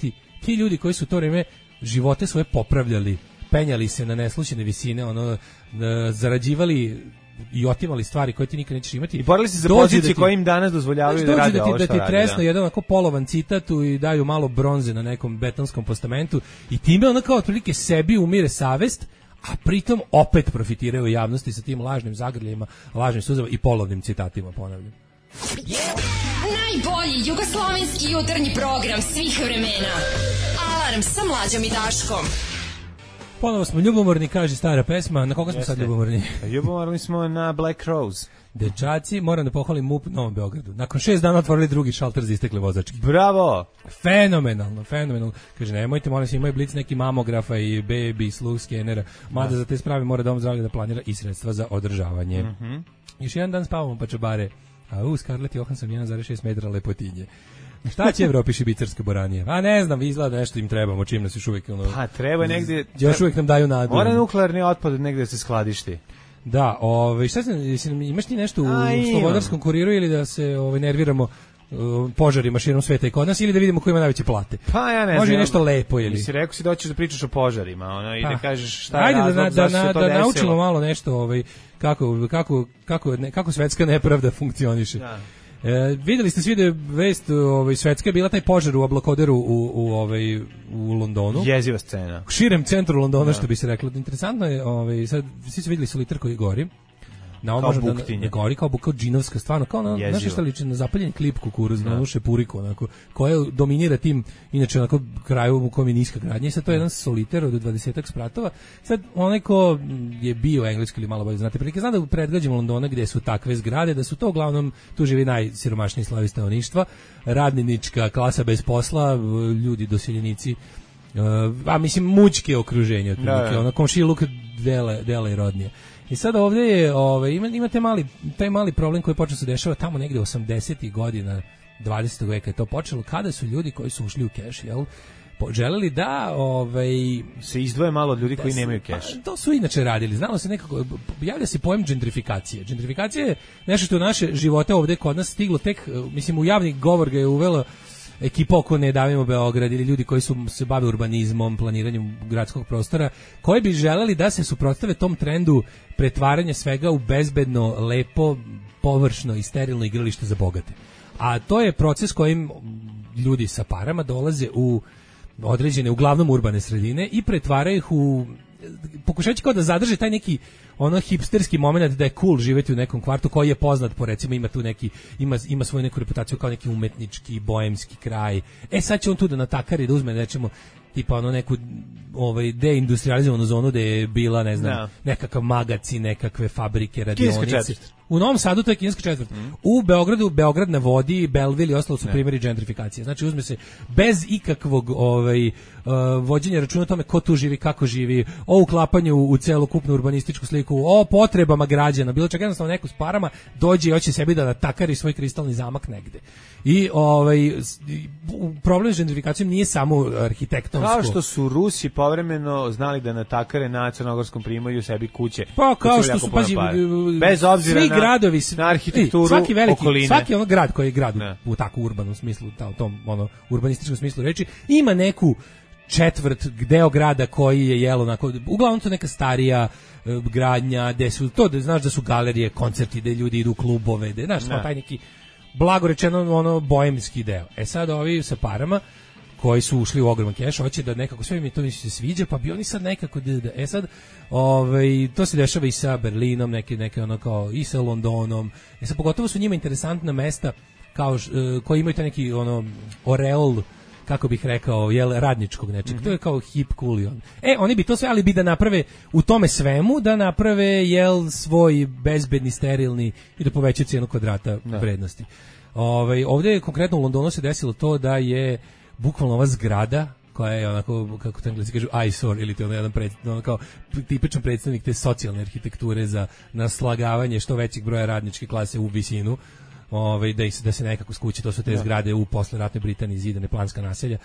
ti ljudi koji su to vrijeme živote svoje popravljali, penjali se na neslućene visine, ono, zarađivali i otimali stvari koje ti nikad nećeš imati. I borili se za pozicije koje im danas dozvoljavaju da rade ovo što rade. Da ti tresno jedan onako polovan citatu i daju malo bronze na nekom betonskom postamentu i time ono kao otprilike sebi umire savest, a pritom opet profitiraju javnosti sa tim lažnim zagrljima, lažnim suzama i polovnim citatima, ponavljam. Najbolji jugoslovenski jutarnji program svih vremena. Alarm sa Mlađom i Daškom. Ponovo smo ljubomorni, kaže stara pesma. Na koga smo sad ljubomorni? Ljubomorni smo na Black Rose. Dečaci, moram da pohvalim MUP Novom Beogradu. Nakon 6 dana otvorili drugi šalter za istekle vozačke. Bravo! Fenomenalno. Kaže, nemojte, molim se, imaju Blic neki mamografa i baby sluh skenera. Mada za te sprave mora dom zdravlja da planira i sredstva za održavanje. Još jedan dan spavamo pa čabare. A Scarlett Johansson 1,6 metra lepotinje. Šta će Evropi šibicarske boranije? A ne znam, izgleda nešto im trebamo, čim nas još uvijek... Pa treba negdje... Još uvijek nam daju nadu. Mora nuklearni otpad negdje da se skladišti. Da, šta sam, imaš ti nešto u Slobodarskom kuriru ili da se nerviramo požarima širom sveta i kod nas ili da vidimo ko ima najveće plate? Pa ja ne znam. Može nešto lepo ili... Si rekao si da hoćeš da pričaš o požarima, i da kažeš šta je razlog zašto se to desilo. Da naučimo malo nešto kako svetska nepravda funkcioniše. Da. Videli ste svi da je vest svetska je bila taj požar u Ablakoderu u Londonu. Jeziva scena. U širem centru Londona, što bi se reklo. Interesantno je, sad svi su videli solitar koji gori. Na kao buktinje. Gori kao džinovska, stvarno, kao na, znaš šta liči, na zapaljen klip kukuruz, na onu šepuriku, onako, koja dominira tim, inače, onako, kraju u kojem je niska gradnja, i sad to je jedan soliter od 20 spratova. Sad, onaj ko je bio engleski ili malo bolje znate prilike, zna da u predgrađima Londona gde su takve zgrade, da su to uglavnom, tu živi najsiromašniji slojevi stanovništva, radnička klasa bez posla, ljudi doseljenici, a mislim mućke okruženje, otprilike, ono komšiluk dela i rodnije. I sad ovdje je, ima taj mali problem koji počeo se dešava tamo negde 80-ih godina 20. veka je to počelo, kada su ljudi koji su ušli u keš, jel, želeli da se izdvoje malo od ljudi koji nemaju keš. To su inače radili. Znalo se nekako, javlja se pojam gentrifikacije. Gentrifikacija je nešto što u naše živote ovdje kod nas stiglo tek, mislim, u javni govor ga je uvelo ekipa oko Ne davimo Beograd ili ljudi koji su se bave urbanizmom, planiranjem gradskog prostora, koji bi želeli da se suprotstave tom trendu pretvaranja svega u bezbedno, lepo, površno i sterilno igralište za bogate. A to je proces kojim ljudi sa parama dolaze u određene, uglavnom urbane sredine i pretvaraju ih u, pokušavajući kao da zadrže taj neki ono hipsterski moment da je cool živjeti u nekom kvartu koji je poznat po, recimo, ima tu neki, ima svoju neku reputaciju kao neki umetnički, boemski kraj. Sad će on tu da natakari, da uzme, nećemo, tipa ono neku deindustrializovanu zonu gde je bila, ne znam, nekakav magacin, nekakve fabrike, radionice. U Novom Sadu to je kineska četvrt. U Beogradu, Beograd na vodi, Belleville i ostalo su primjeri gentrifikacije. Znači uzme se bez ikakvog vođenja računa o tome ko tu živi, kako živi, o uklapanju u celokupnu urbanističku sliku, o potrebama građana, bilo čak jednostavno neko s parama dođe i hoće sebi da natakari svoj kristalni zamak negde. I problem s gentrifikacijom nije samo arhitektonsko. Kao što su Rusi povremeno znali da natakare na Crnogorskom primorju sebi kuće. Pa kao što su, pazi, bez obzira svi gradovi, na arhitekturu svaki veliki, okoline. svaki ono grad koji je grad u tako urbanom smislu, u tom urbanističkom smislu reči, ima neku četvrt, deo grada koji je jelo onako, uglavnom to neka starija gradnja, gde su to, da znaš da su galerije, koncerti, gde ljudi idu u klubove, gde znaš, taj neki blago rečeno boemski deo. Sad ovi sa parama koji su ušli u ogroman keš, hoće da nekako sve mi to se sviđa, pa bi oni sad nekako sad to se dešava i sa Berlinom, neke ono kao i sa Londonom. Sad pogotovo su njima interesantna mesta kao koji imaju taj neki oreol, kako bih rekao, radničkog nečeg. To je kao hip cool i on. Oni bi to sve, ali bi da naprave u tome svemu, da naprave svoj bezbedni, sterilni i da povećaju cijenu kvadrata vrednosti. Ovdje je konkretno u Londonu se desilo to da je bukvalno ova zgrada koja je onako, kako to Englesi kažu, eyesore, ili to je jedan kao tipičan predstavnik te socijalne arhitekture za naslagavanje što većeg broja radničke klase u visinu, da se nekako skući, to su te zgrade u posleratnoj Britaniji, zidane planska naselja,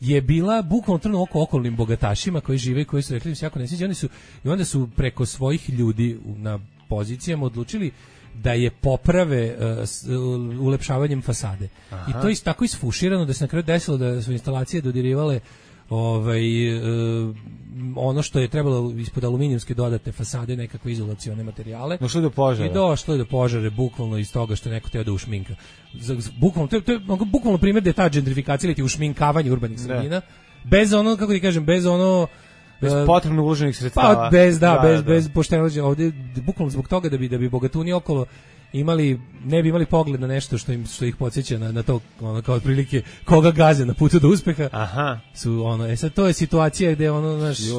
je bila bukvalno trnu oko okolnim bogatašima koji žive i koji su rekli da se jako ne sviđa, i onda su preko svojih ljudi na pozicijama odlučili da je poprave ulepšavanjem fasade. Aha. I to je tako isfuširano da se na kraju desilo da su instalacije dodirivale ono što je trebalo ispod aluminijumske dodatne fasade, nekakve izolacione materijale. Došlo je do požara. I došlo je do požara bukvalno iz toga što je neko teo da ušminka. Bukvalno, to je bukvalno primjer da je ta gentrifikacija ili ušminkavanje urbanih sredina, bez ono, kako ti kažem, bez ono bez potrebno uloženih sredstava. Pa bez pošteno ovdje, bukvalno zbog toga da bi bogatuni okolo ne bi imali pogled na nešto što ih podsjeća na to, kao otprilike koga gaze na putu do uspeha. Aha. Sad to je situacija gde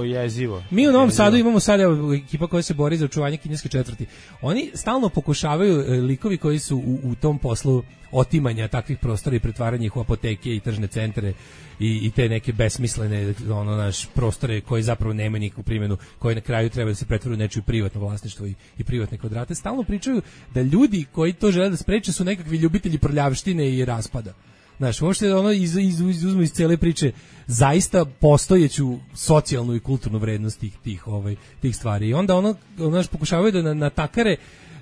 jezivo. Mi u Novom Sadu imamo sad ekipa koja se bori za očuvanje kineske četvrti. Oni stalno pokušavaju, likovi koji su u tom poslu otimanja takvih prostora i pretvaranja ih u apoteke i tržne centre i te neke besmislene prostore koji zapravo nemaju nikakvu primjenu, koji na kraju treba da se pretvore u nečije privatno vlasništvo i privatne kvadrate, stalno pričaju da ljudi koji to žele da spreče su nekakvi ljubitelji prljavštine i raspada. Znaš, uopšte izuzmu iz cele priče zaista postojeću socijalnu i kulturnu vrednost tih stvari. I onda pokušavaju da natakare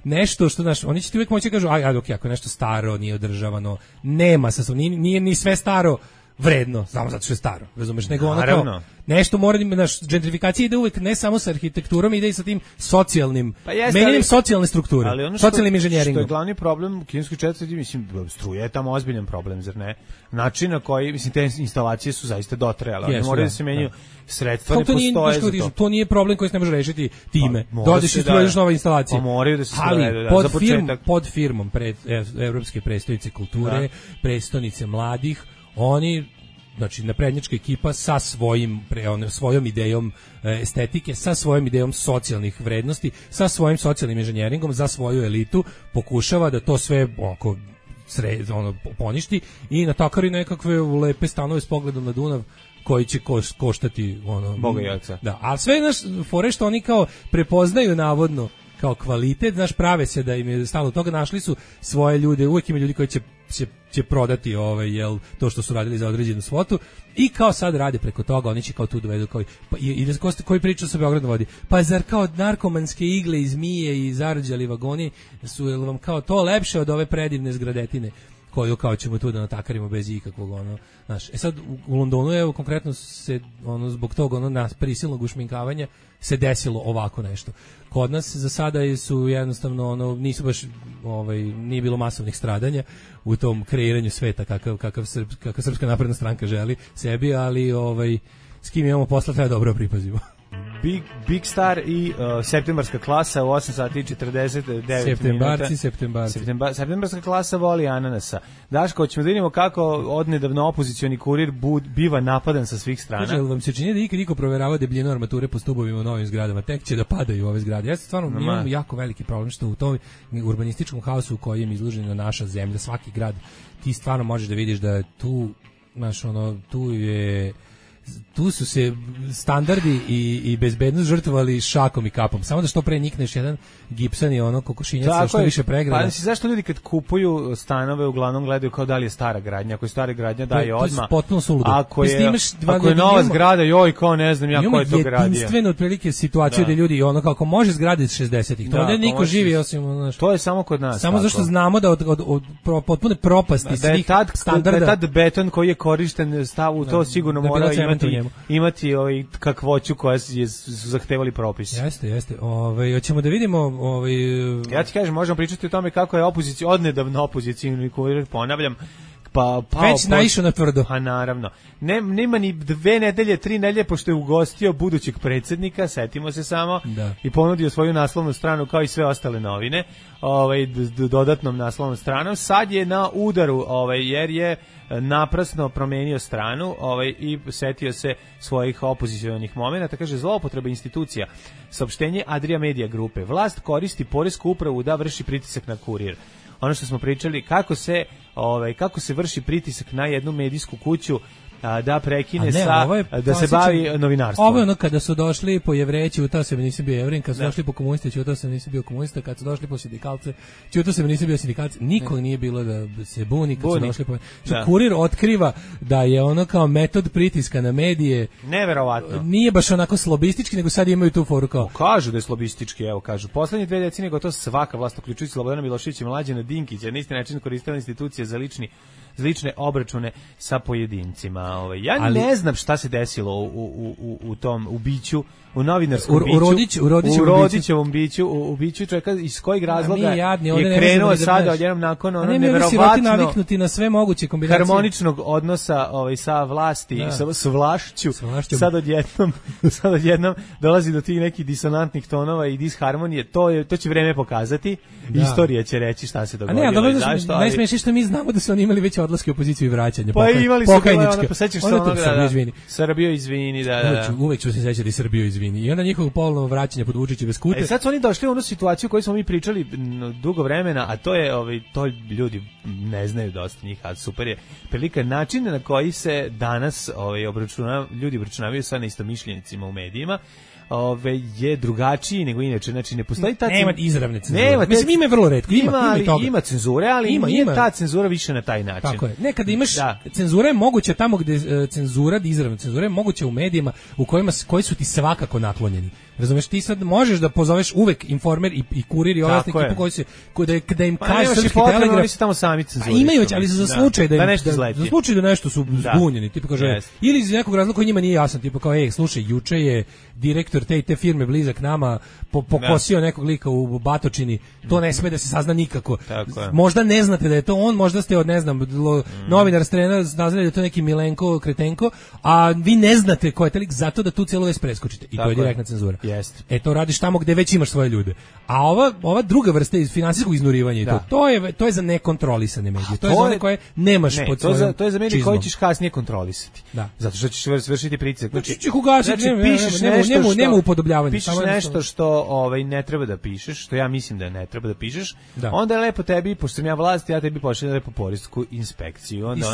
nešto što, oni će ti uvijek moći da kažu, ako je nešto staro, nije održavano, nema nije ni sve staro, vredno, samo zato što je staro, razumeš, nego ono kao nešto mora, naš gentrifikacija ide uvek ne samo sa arhitekturom, ide i sa tim socijalnim, menjanjem socijalne strukture, socijalnim inženjeringom. Što je glavni problem kineskoj četvrti, mislim, struje je tamo ozbiljan problem, zar ne? Način na koji, mislim, te instalacije su zaista dotrajale, one moraju da se menjaju, sredstva ne postoje za to. To nije problem koji se ne može rešiti time. Dođeš i struješ nove instalacije. Moraju da se srede, pod firmom Evropske prestonice kulture, prestonice mladih, oni, znači naprednjačka ekipa sa svojom idejom estetike, sa svojom idejom socijalnih vrednosti, sa svojim socijalnim inženjeringom za svoju elitu pokušava da to sve poništi i natakari nekakve lepe stanove s pogledom na Dunav koji će koštati Boga i oca. Da, a sve naš fore što oni kao prepoznaju navodno kao kvalitet, znaš, prave se da im je stalo toga, našli su svoje ljude, uvijek ima ljudi koji će prodati to što su radili za određenu svotu i kao sad rade preko toga, oni će kao tu dovedu koji priča sa Beogradom vodi, pa zar kao narkomanske igle i zmije i zarđali vagoni su vam kao to lepše od ove predivne zgradetine koju kao ćemo tu da natakarimo bez ikakvog znaš. Sad u Londonu je konkretno se zbog tog prisilnog ušminkavanja se desilo ovako nešto. Kod nas za sada su jednostavno nisu baš nije bilo masovnih stradanja u tom kreiranju sveta kakav Srpska napredna stranka želi sebi, ali s kim imamo posla treba dobro pripazimo. Big Star i septembarska klasa u 8 sati i 49 minuta. Septembarska klasa voli ananasa. Daško, hoćemo da vidimo kako odnedavno opozicioni kurir biva napadan sa svih strana. Kaže, vam se čini da ikad niko proverava debljinu armature po stubovima u novim zgradama? Tek će da padaju ove zgrade. Ja stvarno imam jako veliki problem što u tom urbanističkom haosu u kojem je izložena naša zemlja, svaki grad, ti stvarno možeš da vidiš da tu, znaš, tu su se standardi i bezbednost žrtvovali šakom i kapom. Samo da što pre nikneš jedan gipsan i kokošinjac što više pregrada. Pa zašto ljudi kad kupuju stanove uglavnom gledaju kao da li je stara gradnja? Ako je stara gradnja daje odmah. To je potpuno suludo. Ako je nova zgrada, joj, kao ne znam ja ko je to gradio. Jedinstveno otprilike situaciju da ljudi kako može zgrade iz 60-ih. To ovdje niko živi osim to je samo kod nas. Samo zašto znamo da od potpune propasti svih standarda. Da je tad beton koji je korišten stavu, to sigurno mora imati kakvoću koja su zahtevali propisi. Jeste. Hoćemo da vidimo ja ti kažem, možemo pričati o tome kako je odnedavno opozicijni kurir, ponavljam, već naišao na tvrdo. A naravno. Nema ni 2 nedelje, 3 nedelje, pošto je ugostio budućeg predsjednika, setimo se samo, i ponudio svoju naslovnu stranu kao i sve ostale novine, dodatnom naslovnom stranom. Sad je na udaru, jer je naprasno promenio stranu i setio se svojih opozicionih momenata. Kaže, zloupotreba institucija. Saopštenje Adria Media grupe. Vlast koristi poresku upravu da vrši pritisak na kurir. Ono što smo pričali, kako se vrši pritisak na jednu medijsku kuću da prekine da se bavi novinarstvom. Ovo je kada su došli po Jevreji, čutao se nisam bio Jevrin, kad su došli po komuniste, čutao se nisam bio komunista, kad su došli po sindikalce, čutao se nisam bio sindikalce, nikog nije bilo da se buni kad su došli po... Kurir otkriva da je kao metod pritiska na medije. Neverovatno. Nije baš onako slobistički, nego sad imaju tu foru kao... Kažu da je slobistički, kažu. Poslednje 2 decenije gotovo svaka vlast, uključujući Slobodana Miloševića i Mlađana Dinkića, na isti način koristila institucije za lične obračune sa pojedincima. Ne znam šta se desilo u tom ubiću, u novinarskom biću, u Rodićevom biću, u biću čovjeka iz kojeg razloga je krenuo sada odjednom nakon neverovatno naviknuti na sve moguće kombinacije harmoničnog odnosa sa vlasti, s vlašću. Sad odjednom dolazi do tih nekih disonantnih tonova i disharmonije. To će vreme pokazati. Istorija će reći šta se dogodilo. Najsmešnije što mi znamo da su oni imali već odlaske u opoziciju i vraćanje. Pa imali su sećaš se onoga, Srbijo izvini, uvek ću se sećati Srbijo izvini. I onda njihovo polovno vraćanje pod Vučićeve skute. Sad su oni došli u onu situaciju koju smo mi pričali dugo vremena, a to je, to ljudi ne znaju dosta njih, a super je prilika način na koji se danas ljudi obračunavaju sa neistomišljenicima u medijima, je drugačiji nego inače, znači ne postoji ta nema izravne cenzure. Mislim ima je vrlo retko, ima cenzure, ali nije ta cenzura više na taj način. Tako je. Nekada imaš cenzura je moguća tamo gde cenzura, izravna cenzura je moguća u medijima u koji su ti svakako naklonjeni. Razumeš, ti sad možeš da pozoveš uvek Informer i Kurir i ove ekipu koji se da im kaže Srpski telegraf, oni su tamo sami cenzuri. Imaju već, ali za slučaj da nešto izleti. Za slučaj da nešto su zbunjeni, tipa kaže ili iz nekog razloga koji njima nije jasan, tipa kao slušaj, juče je direktor te firme blizak nama pokosio nekog lika u Batočini, to ne sme da se sazna nikako. Možda ne znate da je to on, možda ste od ne znam novinar strena znali da je to neki Milenko Kretenko, a vi ne znate ko je taj lik, zato da tu celu vest preskočite i to je direktna cenzura. To radiš tamo gde već imaš svoje ljude. A ova druga vrsta finansijskog iznurivanja i to je za nekontrolisane medije. To je za one koje nemaš pod svojom. To je za medije koje ćeš kasnije kontrolisati. Zato što ćeš vršiti pritisak. Znači ćeš ugasiti, nema upodobljavanja. Pišeš nešto što ne treba da pišeš, što ja mislim da ne treba da pišeš. Onda je lepo tebi, pošto sam ja vlast, ja tebi pošaljem lepo poresku inspekciju. Onda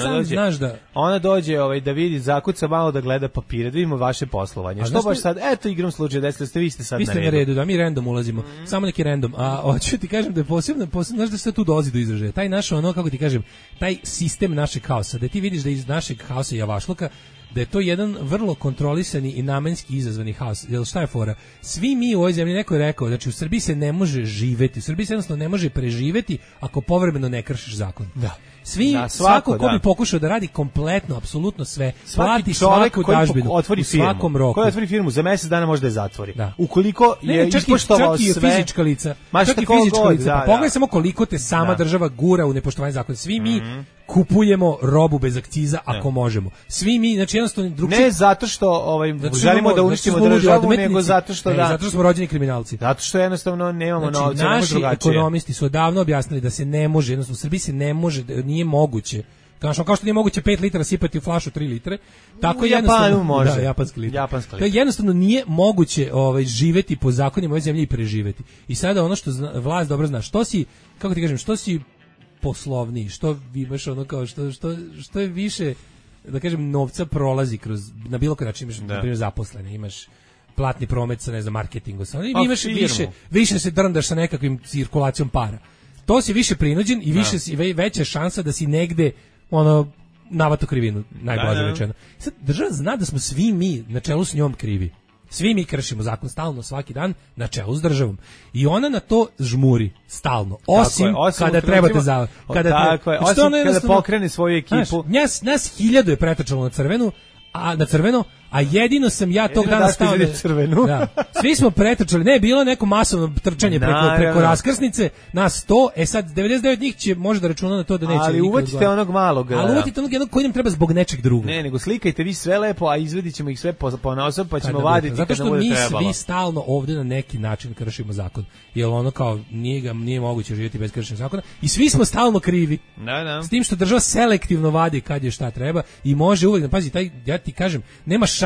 ona dođe da vidi, zakuca malo da gleda papire, da vidimo vaše poslovanje. Što baš sad, eto igram slučaj da vi ste sad na redu. Da mi random ulazimo. Samo neki random. A hoću ti kažem da je posebno, znaš da se tu dolazi do izražaja. Taj naš kako ti kažem, taj sistem našeg haosa, da ti vidiš da iz našeg haosa i javašluka da je to jedan vrlo kontrolisani i namenski izazvani haos. Jel šta je fora? Svi mi u ovoj zemlji, neko je rekao, znači u Srbiji se ne može živeti, u Srbiji se jednostavno ne može preživeti ako povremeno ne kršiš zakon. Svako ko bi pokušao da radi kompletno, apsolutno sve, plati svaku dažbinu u svakom roku. Koji otvori firmu, za mesec dana može da je zatvori. Ukoliko je ispoštovao sve... Čak i fizička lica. Pa pogledaj samo koliko te sama država gura u nepoštovanje zakona. Svi mi kupujemo robu bez akciza ako možemo. Svi mi, znači jednostavno ne zato što želimo da uništimo državu, nego zato što zato što smo rođeni kriminalci. Zato što jednostavno nemamo novca, naši ekonomisti su odavno objasnili da se ne može, jednostavno u Srbiji se ne može, nije moguće. Kao što nije moguće 5 litara sipati u flašu 3 litre, tako jednostavno može. Japanski liter. To jednostavno nije moguće živeti po zakonima ove zemlje i preživeti. I sada ono što vlast dobro zna, što si, kako ti kažem, što si poslovniji, što imaš kao što je više, da kažem, novca prolazi kroz, na bilo koji način imaš, na primjer, zaposlene, imaš platni promet sa, ne znam, marketingu, imaš više se drndaš sa nekakvim cirkulacijom para. To si više prinuđen i veća šansa da si negde navato krivinu, najblaže rečeno. Sad država zna da smo svi mi na čelu s njom krivi. Svi mi kršimo zakon stalno, svaki dan, na čelu s državom. I ona na to žmuri stalno. Osim kada trebate za... Kada pokrene svoju ekipu. Nas 1000 je pretrčalo na crveno, a jedino sam ja tog dana stao svi smo pretrčali, ne, bilo neko masovno trčanje preko raskrsnice, nas 100, sad 99 njih će možda računati na to da neće. Ali uvatite onog malog. Ali uvatite onog jednog koji nam treba zbog nečeg drugog. Ne, nego slikajte vi sve lepo, a izvedit ćemo ih sve ponaosob, pa ćemo vaditi kada bude trebalo. Zato što mi svi stalno ovde na neki način kršimo zakon. Jer kao nije moguće živjeti bez kršenja zakona i svi smo stalno krivi. S tim što država selektivno vadi kad je šta treba i može uvek, pazi, ja ti kažem, nema šanse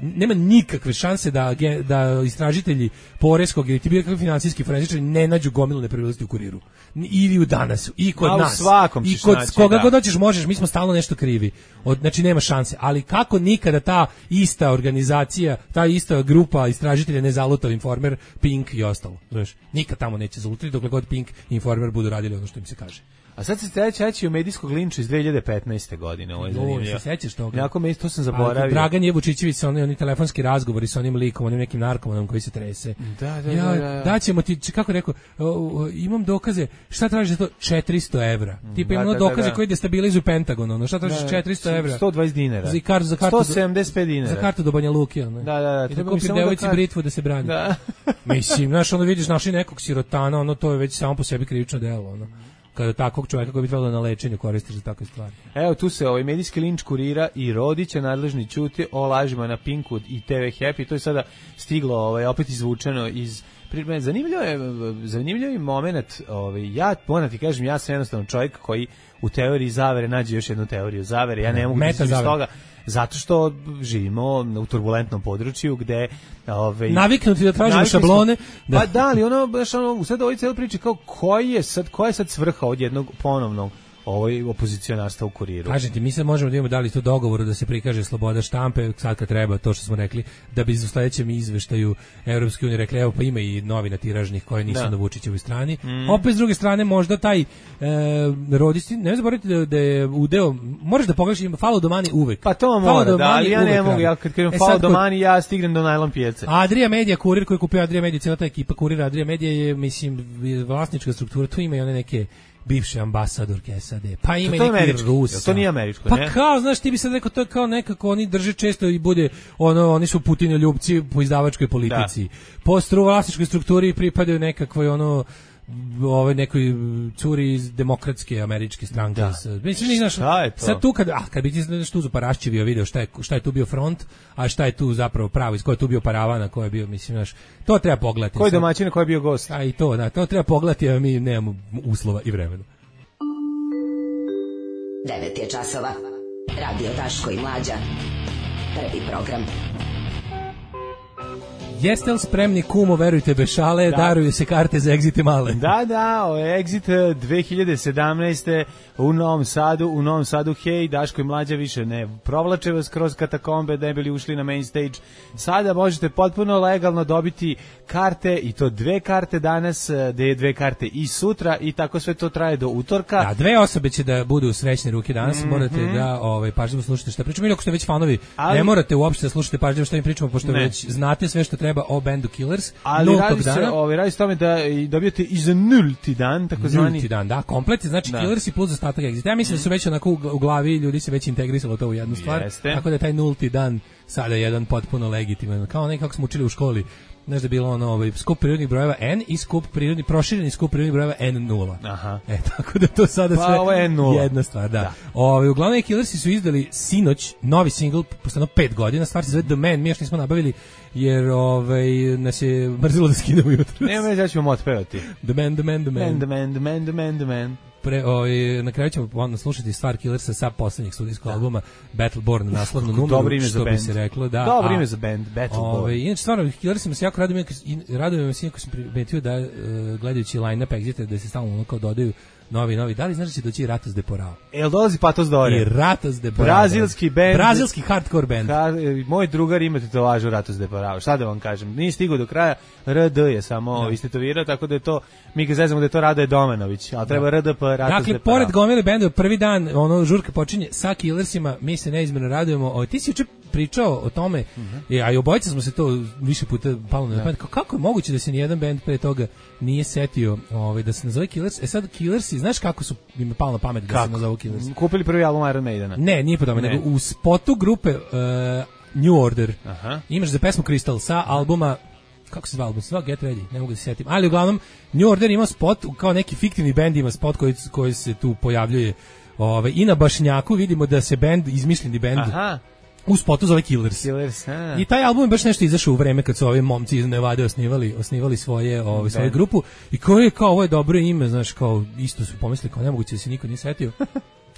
nema nikakve šanse da istražitelji poreskog ili ti bilo kakvi finansijski forenzičari ne nađu gomilu nepravilnosti u Kuriru ili u Danasu i kod nas i kod koga god hoćeš možeš, mi smo stalno nešto krivi, znači nema šanse, ali kako nikada ta ista organizacija, ta ista grupa istražitelja ne zaluta Informer, Pink i ostalo, znaš, nikad tamo neće zalutati dokle god Pink i Informer budu radili ono što im se kaže. A sad se treći o medijskog linča iz 2015. godine. Ovo je zanimljivo. Se sećaš toga? Jako to sam zaboravio. Dragan Jevučićević sa oni telefonski razgovori sa onim likom, onim nekim narkomanom koji se trese. Da ćemo ti, kako rekao, imam dokaze, šta tražiš za to? 400 evra. Tipa imamo dokaze koji destabilizuju Pentagon, šta tražiš 400 evra? 120 dinara. Za kartu 175 dinara. Za kartu do Banja Luke. Da. I da kupi devojci britvu da se brani. Mislim, znaš, vidiš našli nekog sirotana, to je već samo po sebi krivično delo, kada takvog čovjeka koji bi trebalo na lečenju koristiš za takve stvari. Evo tu se medijski linč Kurira i Rodića nadležni ćuti o lažima na Pinku i TV Happy. To je sada stiglo opet izvučeno iz zanimljiv je moment. Ja moram ti kažem, ja sam jednostavno čovjek koji u teoriji zavere nađe još jednu teoriju zavere. Ja ne mogu da iz toga. Zato što živimo u turbulentnom području gde naviknuti da tražimo šablone. Pa da, ali baš sad ovoj cijeli priči kao koja je sad svrha od jednog ponovnog opozicionarstva u Kuriru. Kažete, mi se možemo da imamo dali to dogovoru da se prikaže sloboda štampe, sad kad treba, to što smo rekli, da bi u sledećem izveštaju Evropske unije rekli, evo pa ima i novina tiražnih koje nisu na Vučićevoj strani. Opet s druge strane, možda taj rodisti, ne zaboravite da je udeo, moraš da pogledaš, ima follow the money uvek. Pa to mora, da, ali ja ne mogu, ja kad kažem follow the money, ja stignem do najlon pijace. Adria Media, Kurir koji je kupio Adria Media, cijela ta ekipa Kurira Adria Media je, mislim, vlasnička struktura, tu ima i one neke bivše ambasadorke SAD, pa ima i neki Rusa. To nije američko, pa ne? Pa kao, znaš, ti bi sad rekao, to je kao nekako, oni drže često i bude, oni su Putinoljupci po izdavačkoj politici. Po vlasničkoj strukturi pripadaju nekakvoj, nekoj curi iz demokratske američke stranke. Mislim, znaš, sad tu kad bi ti nešto tu paraščivio video šta je tu bio front, a šta je tu zapravo pravo, iz koje je tu bio paravan, a ko je bio, mislim, znaš, to treba pogledati. Koji domaćin, ko je bio gost? A i to, da, to treba pogledati, a mi nemamo uslova i vremena. 9 je časova. Radio Daško i Mlađa. Prvi program. Jeste li spremni, kumo, verujte bez šale, daruju se karte za Exit male. Da, Exit 2017. u Novom Sadu, hej, Daško i Mlađa više ne provlače vas kroz katakombe da ne bili ušli na main stage. Sada možete potpuno legalno dobiti karte, i to 2 karte danas, da je 2 karte i sutra, i tako sve to traje do utorka. Da, 2 osobe će da budu u srećne ruke danas, morate da pažljivo slušate šta pričamo, ili ako ste već fanovi, ne morate uopšte da slušate pažljivo šta im pričamo, pošto već znate sve što treba o bendu Killers. Ali radi se tome da dobijete i za nulti dan, takozvani nulti dan, da, komplet, znači Killers i plus ostatak Exit. Ja mislim da su već onako u glavi ljudi se već integrisalo to u jednu stvar, tako da je taj nulti dan sada jedan potpuno legitiman, kao nekako smo učili u školi. Znaš da je bilo skup prirodnih brojeva N i prošireni skup prirodnih brojeva N0. Aha. Tako da to sada sve jedna stvar, da. Uglavnom Killersi su izdali sinoć novi singl, posle 5 godina, stvar se zove The Man, mi još nismo nabavili, jer nas je mrzilo da skinemo jutro. Nema već, ja ćemo otpevati. The Man, The Man, The Man. The Man, The Man, The Man, The Man. Na kraju ćemo slušati stvar Killersa sa poslednjeg studijskog albuma Battleborn, naslovnu numeru, što bi se reklo. Dobro ime za band, Battleborn. Inače, stvarno, Killersima se jako radujem me sinjako sam primetio da, gledajući line-up Exita, da se stalno kao dodaju novi. Da li znaš da će doći Ratos de Porao? Jel dolazi Patos Dore? I Ratos de Porao. Brazilski band. Brazilski hardcore band. Moj drugar ima tetovažu Ratos de Porao. Šta da vam kažem? Nije stigao do kraja. RD je samo istetovirao, tako da je to, mi ga zezamo da je to Radoje Domanović, ali treba RDP, Ratos de Porao. Dakle, pored gomile benda, prvi dan, žurka počinje sa Killersima, mi se neizmjerno radujemo. Ti si juče pričao o tome, a i obojica smo se to više puta palo na pamet. Kako je moguće da se nijedan bend pre toga nije setio da se nazove Killers? Sad Killersi, znaš kako su im palo na pamet da se nazovu Killers? Kupili prvi album Iron Maidena. Ne, nije po tome, nego u spotu grupe New Order imaš za pesmu Crystal sa albuma, kako se zva album? Get Ready, ne mogu da se setim. Ali uglavnom, New Order ima spot, kao neki fiktivni bend ima spot koji se tu pojavljuje. I na Bašnjaku vidimo da se bend, izmišljeni bend, u spotu zove Killers. I taj album je baš nešto izašao u vreme kad su ovi momci iz Nevade osnivali svoju grupu, i ovo je dobro ime, znaš, kao isto su pomislili kao nemoguće da se niko nije setio.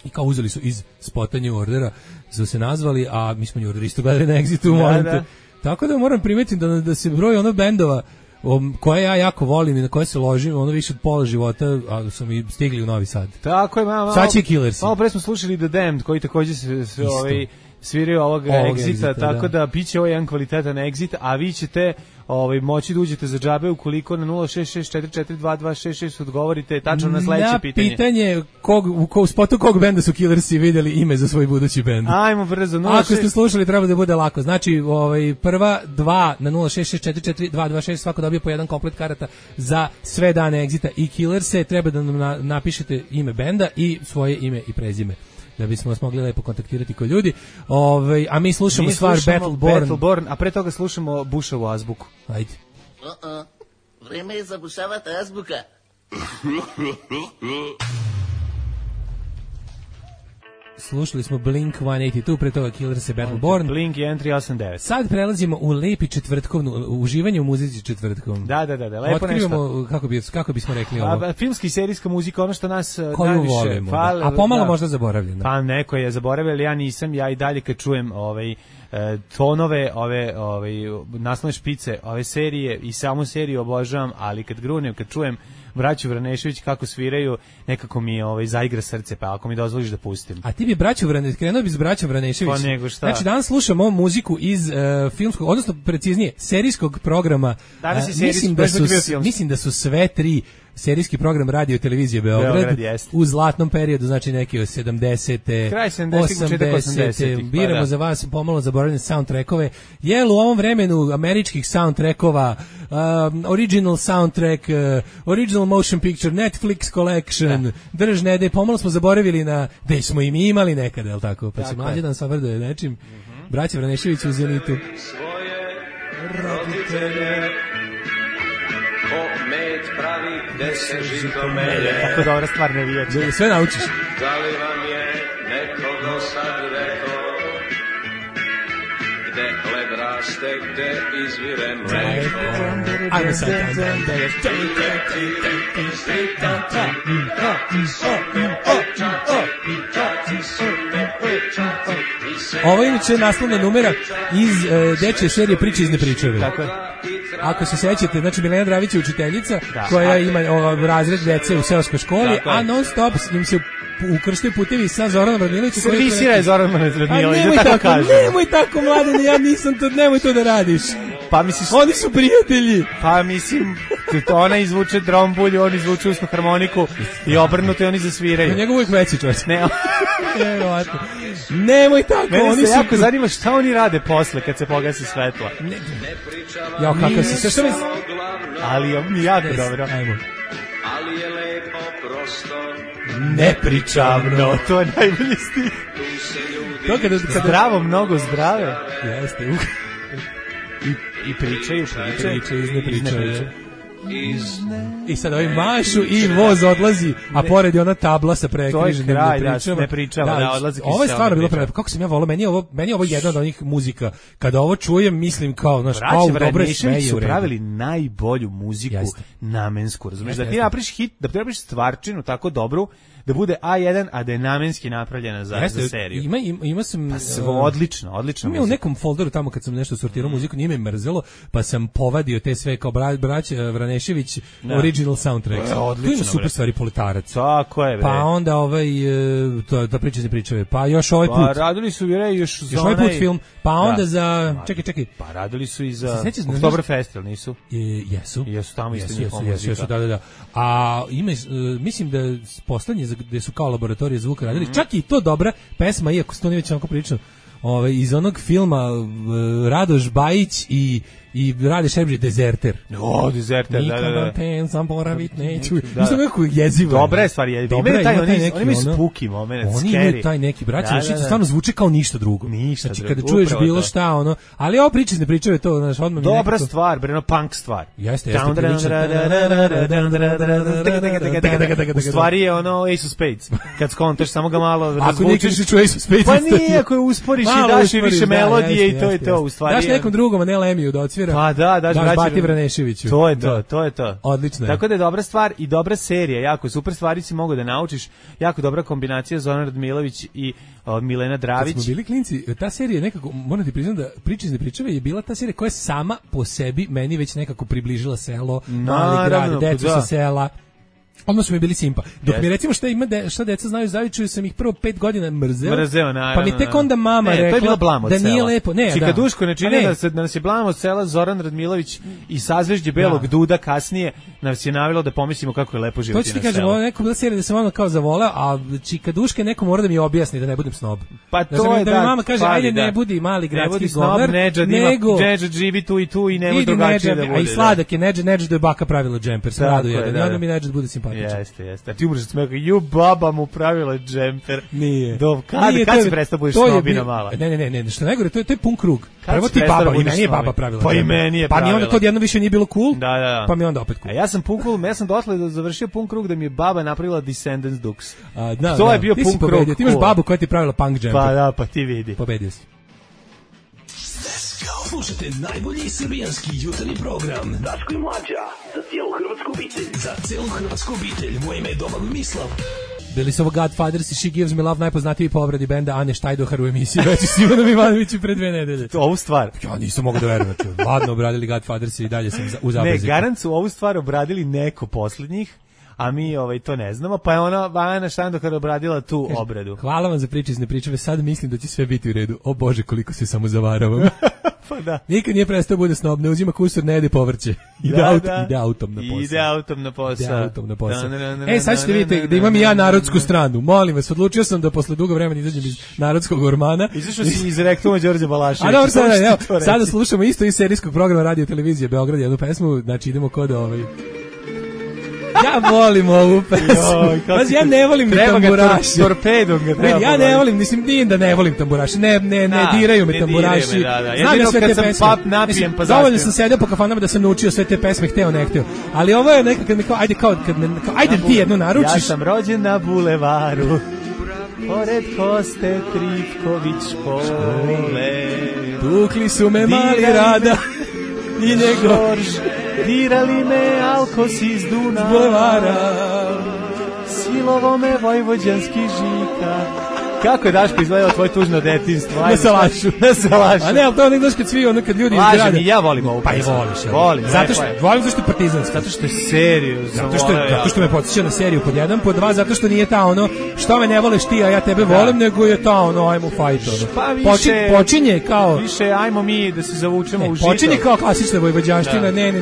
I kao uzeli su iz spota New Ordera, su se nazvali, a mi smo New Order isto gledali na Exitu. Tako da moram primetiti da se broj bendova koje ja jako volim i na koje se ložim, više od pola života, a su mi stigli u Novi Sad. Tako je, sad će Killersi. Malo pre smo slušali The Damned, koji takođe se sviraju ovog Exita, tako da biće ovo jedan kvalitetan Exit, a vi ćete moći da uđete za džabe ukoliko na 066442266 odgovorite tačno na sledeće pitanje. Na pitanje u spotu kog benda su Killersi vidjeli ime za svoj budući bend. Ajmo brzo. Ako ste slušali, treba da bude lako. Znači, prva 2 na 066442266, svako dobije po jedan komplet karata za sve dane Exita i Killerse. Treba da nam napišete ime benda i svoje ime i prezime, da bismo vas mogli lepo kontaktirati kao ljudi. A mi slušamo stvar Battleborn, a pre toga slušamo Bushovu azbuku. Ajde. Vreme je zabušavati azbuka. Slušali smo Blink-182, pre toga Killers i Battleborn. Blink je N389. Sad prelazimo u lepi četvrtkovnu, uživanje u muzici četvrtkom. Da, lepo nešto. Kako bismo rekli ovo? Filmska i serijska muzika, ono što nas koju volimo, a pomalo možda zaboravljeno. Pa neko je zaboravio, ali ja nisam, ja i dalje kad čujem tonove, naslovne špice, ove serije i samu seriju obožavam, ali kad grunem, kad čujem braću Vranešević kako sviraju, nekako mi zaigra srce, pa ako mi dozvoliš da pustim. A ti bi krenuo bi s braćom Vranešević. Pa nego šta? Znači danas slušamo muziku iz filmskog, odnosno preciznije, serijskog programa. Mislim da su sve tri serijski program radio i televizije Beograd u zlatnom periodu, znači neki od 70-te, kraj 80-te, biramo za vas pomalo zaboravljene soundtrackove. Jel u ovom vremenu američkih soundtrackova, original soundtrack, original motion picture, Netflix collection, držnede, pomalo smo zaboravili na gde smo i mi imali nekada, je li tako? Pa se mlađe dan savrdoje nečim. Braća Vranešević u Zenitu. Svoje roditelje ko med pravi, gde se žito melje. Tako dobra stvar ne vijeće. Sve naučiš. Da li vam je neko do sad rekao gde hleb raste, gde izvire mleko? Ajmo sad. Ovo je inače naslovna numera iz dečje serije Priče iz nepričave. Tako je. Ako se sećate, znači Milena Dravić je učiteljica koja ima razred dece u seoskoj školi, a non stop im se ukrštaju putevi sa Zoranom Radmilovićem. Servisira je Zoran Radmilović, da tako kažem. Nemoj tako, mladene, ja nisam to, nemoj to da radiš. Pa misliš, oni su prijatelji. Pa mislim, ona izvuče drombulju, on izvuče usnu harmoniku i obrnuto i oni zasviraju. Na njega uvijek veći čovječ. Nemoj tako. Mene se jako zanima šta oni rade posle kad se pogasi svetla. Ja, kakav si sve ali mi jako dobro. Ajmo. Ali je lepo prosto nepričavno. To je najbolji stih. To kada zdravo, mnogo zdrave. Jeste. I pričaju iz nepričave. I sad ovi mašu i voz odlazi, a pored je ona tabla sa prekriženim ne pričava. Da, odlazi. Ovo je stvarno bilo prelepo. Kako sam ja volao, meni je ovo jedna od onih muzika. Kada ovo čujem, mislim kao, znaš, dobro je sve su pravili najbolju muziku namensku, razumiješ? Da ti napraviš hit, da ti napraviš stvarčinu tako dobru, da bude A1, a da je namenski napravljena za seriju. Ima sam... odlično Ima u nekom folderu tamo kad sam nešto sortirao muziku, nije me mrzelo, pa sam povadio te sve kao braća Vranešević, original soundtrack. Tu ima super stvari, Politarac. Tako je, bre. Pa onda da priče se pričave. Pa još ovaj put. Pa radili su još za ovaj put film. Pa onda za... Čekaj. Pa radili su i za Oktoberfest, ili nisu? Jesu. Jesu tamo isto njihova muzika. Jesu, da. A mislim da poslednje gde su kao laboratorije zvuka radili, čak i to dobra pesma, iako se to nije već onako prilično, iz onog filma Radoš Bajić i Rade Šebrđe, Dezerter. Dezerter, da. Nikada ten sam poravit neću. Mislim kako jezivo. Dobra je stvar, oni imaju spooky moment, oni imaju taj neki, braća, stvarno zvuči kao ništa drugo. Znači kada čuješ bilo šta, ali ovo priče ne pričaju to, znaš, odmah. Dobra stvar, breno, punk stvar. Jeste. U stvari je Ace of Spades. Kad skontaš, samo ga malo razvučiš. Ako nekriš ču Ace of Spades. Pa nije, ako je usporiš i daš i više melodije i to je to. Daš nekom drugom, a ne Lemiju da odsvira. Pa daš Bati Vraneševiću. To je to. Odlično. Tako da je dobra stvar i dobra serija, jako super stvari si mogu da naučiš, jako dobra kombinacija Zoran Radmilović i Milena Dravić. Kad smo bili klinci, ta serija nekako, moram ti priznam da Priče iz nepričave je bila ta serija koja je sama po sebi meni već nekako približila selo, mali grad, decu sa sela. Odmah su mi bili simpa. Dok mi recimo šta deca znaju Zavičaju, sam ih prvo 5 godina mrzeo, naravno. Pa mi tek onda mama rekla da nije lepo. Čika Duško ne čini da nas je blam od sela Zoran Radmilović i Sazvežđe Belog Duda kasnije nas je navelo da pomislimo kako je lepo živjeti na selu. To ću ti kažem, ovo je neka bila serija da sam ono kao zavoleo, a Čika Duška neko mora da mi objasni da ne budem snob. Pa to je da mi mama kaže, ajde ne budi mali gradski govnar, nego Nedžad živi tu i tu i nema drugačije da bude. A i sladak je Nedžad da je baka pravila džemper, sve rado jedan. I onda mi Nedžad bude simpatičan. Jeste. A ti umreš od smeka, baba mu pravila džemper. Nije. Kad si prestao budeš snobina mala? Ne, što najgore, to je pun krug. Prvo ti baba, i meni je baba pravila. Pa i meni je pravila. Pa mi onda to jedno više nije bilo cool, da. Pa mi onda opet cool. A ja sam pun cool, ja sam dotle da završio pun krug da mi je baba napravila Descendants Dukes. To je bio pun krug. Ti imaš babu koja ti pravila punk džemper. Pa da, pa ti vidi. Pobedio si. Slušajte najbolji srbijanski jutarnji program Daško i Mlađa, za cijelu hrvatsku obitelj. Moje ime je Domagoj Mislav. Bili su ovo Godfathers i She Gives Me Love, najpoznatiji po obradi benda Ane Štajdohar u emisiji Veći s Ivanom Ivanovićem pre 2 nedelje. Ovu stvar. Ja nisam mogao da verujem. Ladno obradili Godfathers i dalje sam u zabeziku. Ne, garant su ovu stvar obradili neko poslednjih, a mi to ne znamo, pa je ona Ana Štajdohar obradila tu obradu. Hvala vam za priče iz nepričave, sad mislim da će sve biti u redu. O Bože, koliko se samo zavaravam. Pa da. Nikad nije prestao bude snob, ne uzima kusur, ne jede povrće. Ide autom na posao. Ide autom na posao. Sad ćete vidjeti da imam i ja narodsku stranu. Molim vas, odlučio sam da posle dugo vremena izađem iz narodskog ormana. Izašao si iz rektuma Đorđe Balaševića. A dobro, sada slušamo isto iz serijskog programa Radio Televizije Beograd, jednu pesmu, znači idemo kod Ja volim ovu pesmu. Ja ne volim tamburaši. Torpedom ga treba. Ja ne volim, mislim, nije da ne volim tamburaši. Ne diraju me tamburaši. Znam ja sve te pesme. Dovoljno sam sedio po kafanama da sam naučio sve te pesme, hteo, ne hteo. Ali ovo je nekad kad mi kao, ajde ti jednu naručiš. Ja sam rođen na bulevaru, pored Koste Trifković škole. Tukli su me mali Rada i njegov. Dirali me Alkos iz Dunava, bulevara, silovo me vojvođanski Žika. Kako je Daško izgledao tvoje tužno detinjstvo? Na salašu. A ne, ali to onak kad svi, kad ljudi izgrade. Lažem i ja volim ovu pesmu. Pa i voliš. Volim. Volim zašto je partizanski. Zato što je seriju. Zato što me podsjeća na seriju pod 1, pod 2, zato što nije ta što me ne voleš ti, a ja tebe volim, nego je ta ajmo fight. Pa više, počinje kao... Više ajmo mi da se zavučemo u žito. Počinje kao klasična vojvođanština, ne, mi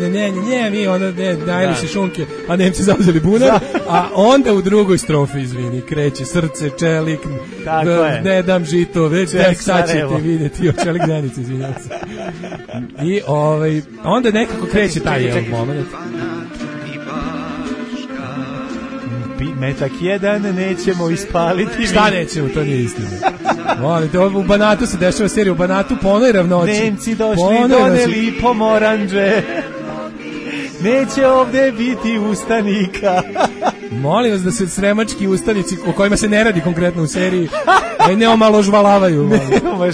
najeli se šunke, a Nemci zauzeli bunar, a onda u drugoj strofi, izvini, kreće srce, čelik, ne dam žito, već tek sad ćete vidjeti očelik Denice, izvinjam se. I onda nekako kreće taj moment. Metak jedan nećemo ispaliti. Šta nećemo, to nije istina. Volite, u Banatu se dešava serija, u Banatu po onoj ravnoći. Nemci došli, doneli pomoranđe. Neće ovde biti ustanika. Molim vas da se sremački ustanici, o kojima se ne radi konkretno u seriji, ne omaložvalavaju. Ne,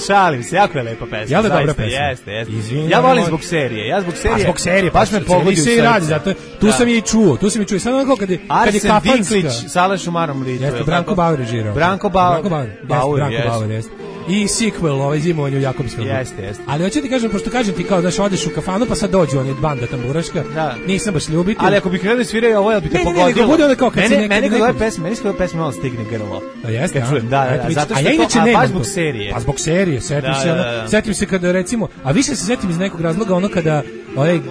šalim se, jako je lepa pesma. Jel da dobra pesma? Jeste. Ja volim zbog serije. Zbog serije, baš me pogodi u srce. Zato, tu sam je i čuo. Sad onako kad je kafanska. Arsen Diklić, Salaš u Marom litu. Jeste, Branko Bauer režirao. Branko Bauer, jeste. I sequel, zimovanje u Jakobskom. Jeste. Ali hoću ti kažem, pošto kažem ti kao da odeš u kafanu, pa sad dođu oni banda tamburaška, nisam baš ljubitelj. Ali ako bi krenuli sviraju ovo, bi te pogodilo. Ne, bude onda kao kad se meni kod ove pesme malo stigne grlo. A jeste, zato što je baš zbog serije. Pa zbog serije, setim se kada recimo, a više se setim iz nekog razloga kada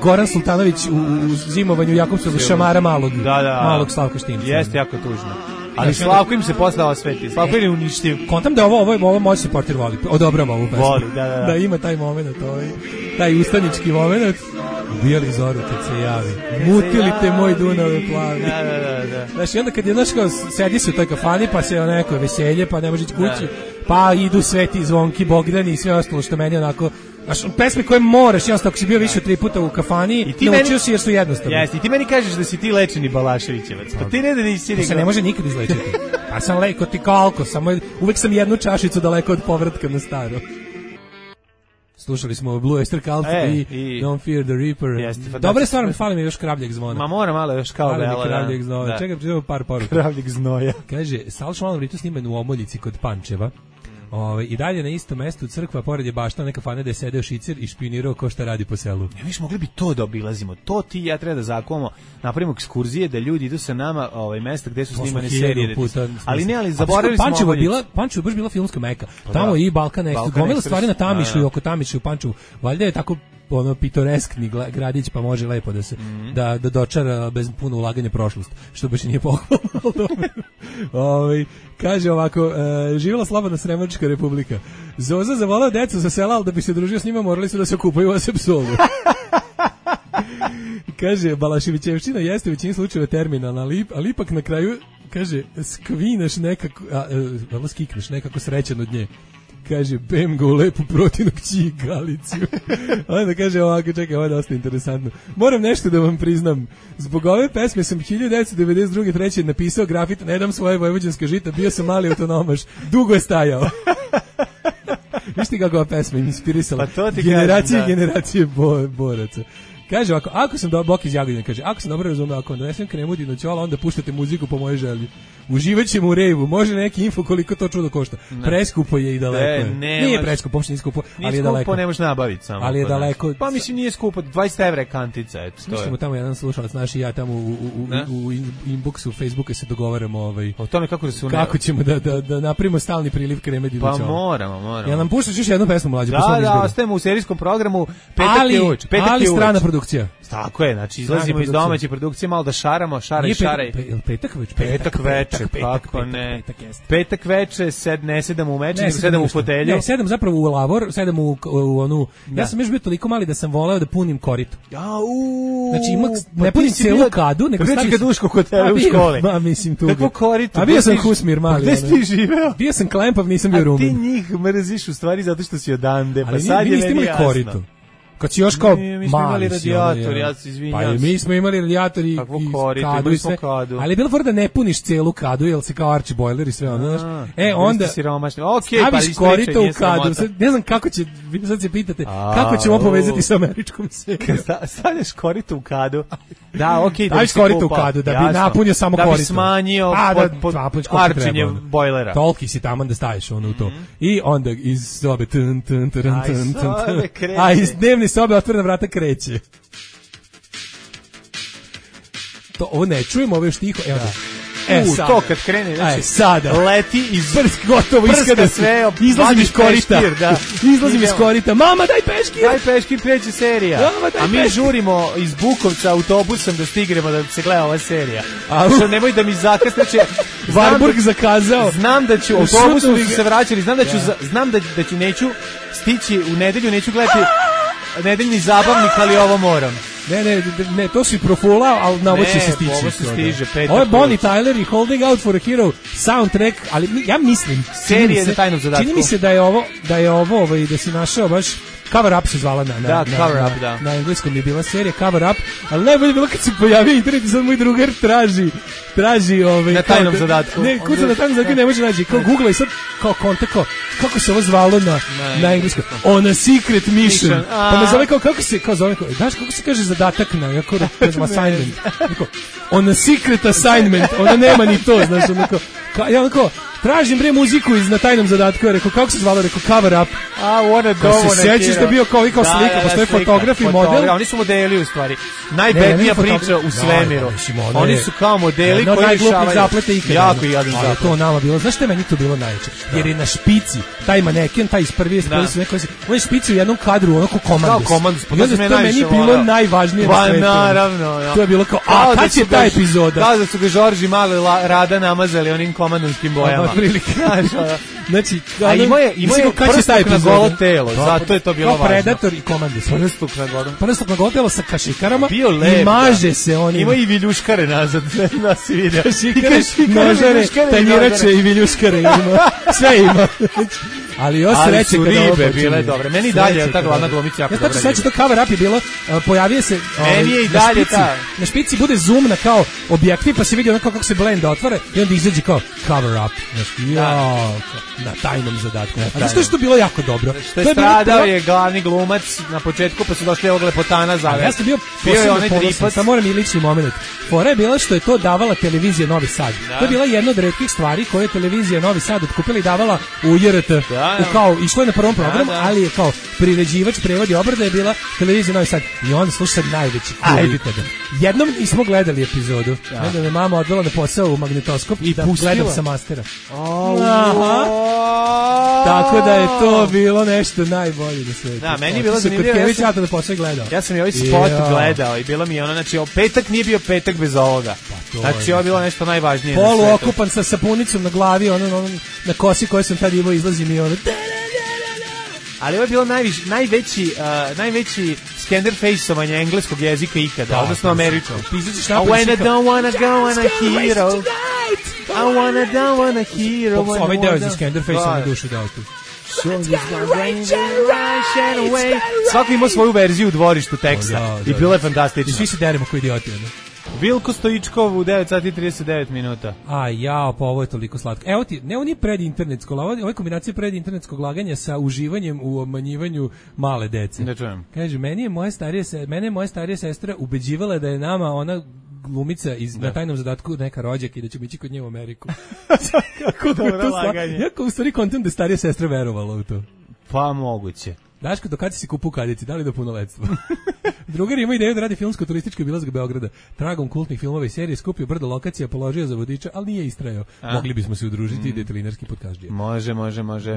Goran Sultanović u zimovanju Jakobskom šamara malog Slavka Štimca. Jeste, jako tužno. Ali Slavko im se posle osveti. Slavko je uništiv. Kontam da ovo moj supporter voli. Odobrava ovu pesmu. Voli, da. Da ima taj moment, taj ustanički moment. Ubijali zoru kad se javi. Mutili te moj Dunave plavi. Da. Znaš, i onda kad je sedi se u toj kafani, pa se neko veselje, pa ne može ići kući, pa idu Sveti Zvonki, Bogdani i sve ostalo što meni onako... Znaš, pesme koje moraš, jednostavno, ako si bio više od 3 puta u kafani, naučio si jer su jednostavne. Jeste, i ti meni kažeš da si ti lečeni Balaševićevac. Pa ti ne da nisi to se ne može nikad izlečiti. Pa sam leko ti kalko, uvek sam jednu čašicu daleko od povratka na staro. Slušali smo Blue Oyster Cult i Don't Fear the Reaper. Dobre stvar, fali mi još Kravljeg zvona. Ma mora malo još kao vela. Kravljeg znova. Čekaj, pričamo par poruka. Kravljeg znoja. Kaže, Salaš Malom Ritu sniman u Omoljici kod Pančeva. I dalje na istom mestu crkva, pored je bašta neka fane da je sedeo šicer i špionirao ko šta radi po selu. Ja, viš, mogli bi to da obilazimo. To ti i ja treba da zakuvamo, napravimo ekskurzije da ljudi idu sa nama mesta gde su snimane serije. Ali zaboravili smo Pančevo je baš bila filmska meka. Tamo i Balkan Express. Gomila stvari na Tamišu i oko Tamišu u Pančevu. Valjda je tako pitoreskni gradić, pa može lepo da se da dočara bez puno ulaganja prošlost, što baš nije pohvalno. Kaže ovako, živjela slobodna Sremačka republika. Zoza zavolao decu sa sela, ali da bi se družio s njima morali su da se okupaju u Asepsolu. Kaže, Balaševićevština jeste u većini slučajeva terminalna, ali ipak na kraju, kaže, skvineš nekako, skikneš nekako srećan od nje. Kaže, bem ga u lepu protinu kći Galiciju. Onda kaže ovako, čekaj, ovo je dosta interesantno. Moram nešto da vam priznam. Zbog ove pesme sam 1992. 3. napisao grafit Ne dam svoje vojvođanske žita, bio sam mali autonomaš. Dugo je stajao. Viš ti kako ova pesma inspirisala? Pa to ti generacije boraca. Kaže ovako, ako sam Bok iz Jagodine, kaže, ako sam dobro razumeo, ako vam donesem kremu dinoćola, onda puštate muziku po mojoj želji. Uživaćemo u rejvu, može neki info koliko to čudo košta. Preskupo je i daleko. Nije preskupo, uopšte nije skupo, ali je daleko. Nije skupo, ne možeš nabaviti samo. Ali je daleko. Pa mislim nije skupo, 20 evra je kantica, eto. Mislimo tamo jedan slušalac naš i ja tamo u inboxu Facebooka se dogovaramo o tome kako ćemo da napravimo stalni priliv kreme dinoćola. Pa moramo. Ja nam puštaš još jednu pesmu mlađu. Da, ostajemo u serijskom programu. Petak je uveč. Ali strana produkcija. Tako je, znači izlazimo iz domaće produkcije, malo da šaramo, šaraj. Petak veče, kako ne. Petak veče, ne sedam u meče, nego sedam u fotelju. Ne, sedam zapravo u lavor, sedam u onu. Ja sam još bio toliko mali da sam voleo da punim korito. Znači ne punim celu kadu, nego stavim kaduško kod tebe u školi. Ma mislim tu. Kako korito? A bio sam Husmir mali. Gde si ti živeo? Bio sam Klempav, nisam bio Rumen. A ti njih mrziš u stvari zato što si odande, pa sad je meni jasno. Kad si još kao mi smo imali radijator, ja se izvinjam. Pa mi smo imali radijator i kadu i sve. Ali je bilo fora da ne puniš celu kadu, jer se kao arči bojler i sve ono, znaš. Onda staviš korito u kadu. Ne znam kako će, vi sad se pitate, kako ćemo povezati sa američkom serijom. Stavljaš korito u kadu. Da, okej. Staviš korito u kadu, da bi napunio samo korito. Da bi smanjio arčenje bojlera. Toliki si tamo da staviš ono u to. I onda iz sobe a iz dnevne sobe otvorena vrata kreće. Ovo ne čujemo, ovo je još tiho. Evo da. To kad krene, znači sada leti iz gotovo iskada sve, izlazim iz korita. Izlazim iz korita. Mama daj peškir. Daj peškir, kreće serija. A mi žurimo iz Bukovca autobusom da stignemo da se gleda ova serija. Što nemoj da mi zakasne, Varburg zakazao. Znam da ću autobusom se vraćali, znam da ću neću stići u nedelju, neću gledati nedeljni zabavnik, ali ovo moram. Ne, to si profulao, ali na ovo će se stići. Ovo se stiže, petak. Ovo je Bonnie Tyler i Holding Out for a Hero soundtrack, ali ja mislim... Serije za tajnom zadatku. Čini mi se da je ovo da si našao baš... Cover Up se zvala na engleskom je bila serija Cover Up, ali najbolje je bilo kad se pojavio internet i sad moj drugar traži na tajnom zadatku. Ne, kuca na tajnom zadatku ne može naći. Kao Google i sad kao kontakt, kako se ovo zvalo na engleskom? On a secret mission. Pa me zove kako se kaže zadatak na, jako kažem assignment. On a secret assignment, ona nema ni to, znaš, onako, tražim muziku iz na tajnom zadatku, rekao, kako se zvalo, rekao, Cover Up. Se sjećaš da bio kao slika, postoje fotograf i model. Oni su modeli u stvari. Najbednija priča u svemiru. Oni su kao modeli koji rješavaju. Zaplete ikada. Jako jadan zaplet. Ali to nama bilo, znaš što je meni to bilo najveće? Jer je na špici, taj maneken, taj iz prvi su neko, on je špici u jednom kadru, onako komandos. I onda to meni bilo najvažnije na svetu. Pa naravno. To je bilo kao, a kad će ta epizoda? Kao da su ga Žorži malo Rada namazali onim komandonskim bojama. Znači, a ima je prstuk na golo telo, zato je to bilo važno. Predator i Komandis. Prstuk na golo telo sa kašikarama i maže se oni. Ima i viljuškare nazad, da si vidio. Kašikare, nožare, tanjirače i viljuškare ima. Sve ima. Ali još sreće kada ovo ribe bile dobre. Meni dalje ta glavna glumica jako dobra. Ja znači to Cover Up je bilo, pojavio se meni je i dalje ta. Na špici bude zoom na kao objektiv, pa se vidi onako kako se blend otvara i onda izađe kao Cover Up. Na tajnom zadatku. A zašto je to bilo jako dobro? Što je stradao je glavni glumac na početku, pa su došli ovog lepotana zavesti. Ja sam bio posebno, samo moram i lični moment. Fora je bila što je to davala televizija Novi Sad. To je bila jedna od retkih stvari koje je televizija Novi Sad otkupila i davala u JRT. Kao išlo je na prvom programu, ali je kao priređivač, prevod i obrada je bila televizija Novi Sad. I onda sluša sad najveći kul ikada. Jednom nismo gledali epizodu. Onda me mama odvela na posao u magnetoskop i da gledam sa mastera. Tako da je to bilo nešto najbolje na svetu. Da, meni je bilo zanimljivo. Ja sam i ovaj spot gledao i bilo mi je ono, znači, petak nije bio petak bez ovoga. Znači, ovo je bilo nešto najvažnije na svetu. Polu okupan sa sapunicom na glavi, ono na kosi koje sam tad imao, izlazi mi ono... Ali ovo je bilo najveći scanner face-ovanje engleskog jezika ikada, odnosno američkog. When I don't wanna go on a hero, I don't wanna hero. Ovaj deo je za scanner face-ovanje dušu dao tu. Svako ima svoju verziju u dvorištu teksta i bilo je fantastično. Svi se deremo koji idioti. Vilko Stojičkov u 9 sati 39 minuta. A jao, pa ovo je toliko slatko. Evo ti, ne oni predinternetsko, ovo je kombinacija predinternetskog laganja sa uživanjem u obmanjivanju male dece. Da čujem. Kaže, mene je moja starija sestra ubeđivala da je nama ona glumica na tajnom zadatku neka rođaka i da ćemo ići kod nje u Ameriku. Kako dobro laganje. Jako u stvari kontent da starija sestra verovala u to. Pa moguće. Daško, do kada si kupu kadici, da li do punoletstva? Drugar ima ideju da radi filmsko-turistički obilazak Beograda. Tragom kultnih filmova i serije skupio brdo lokacija, položio za vodiča, ali nije istrajao. Mogli bismo se udružiti i detelinarski podkaždije. Može.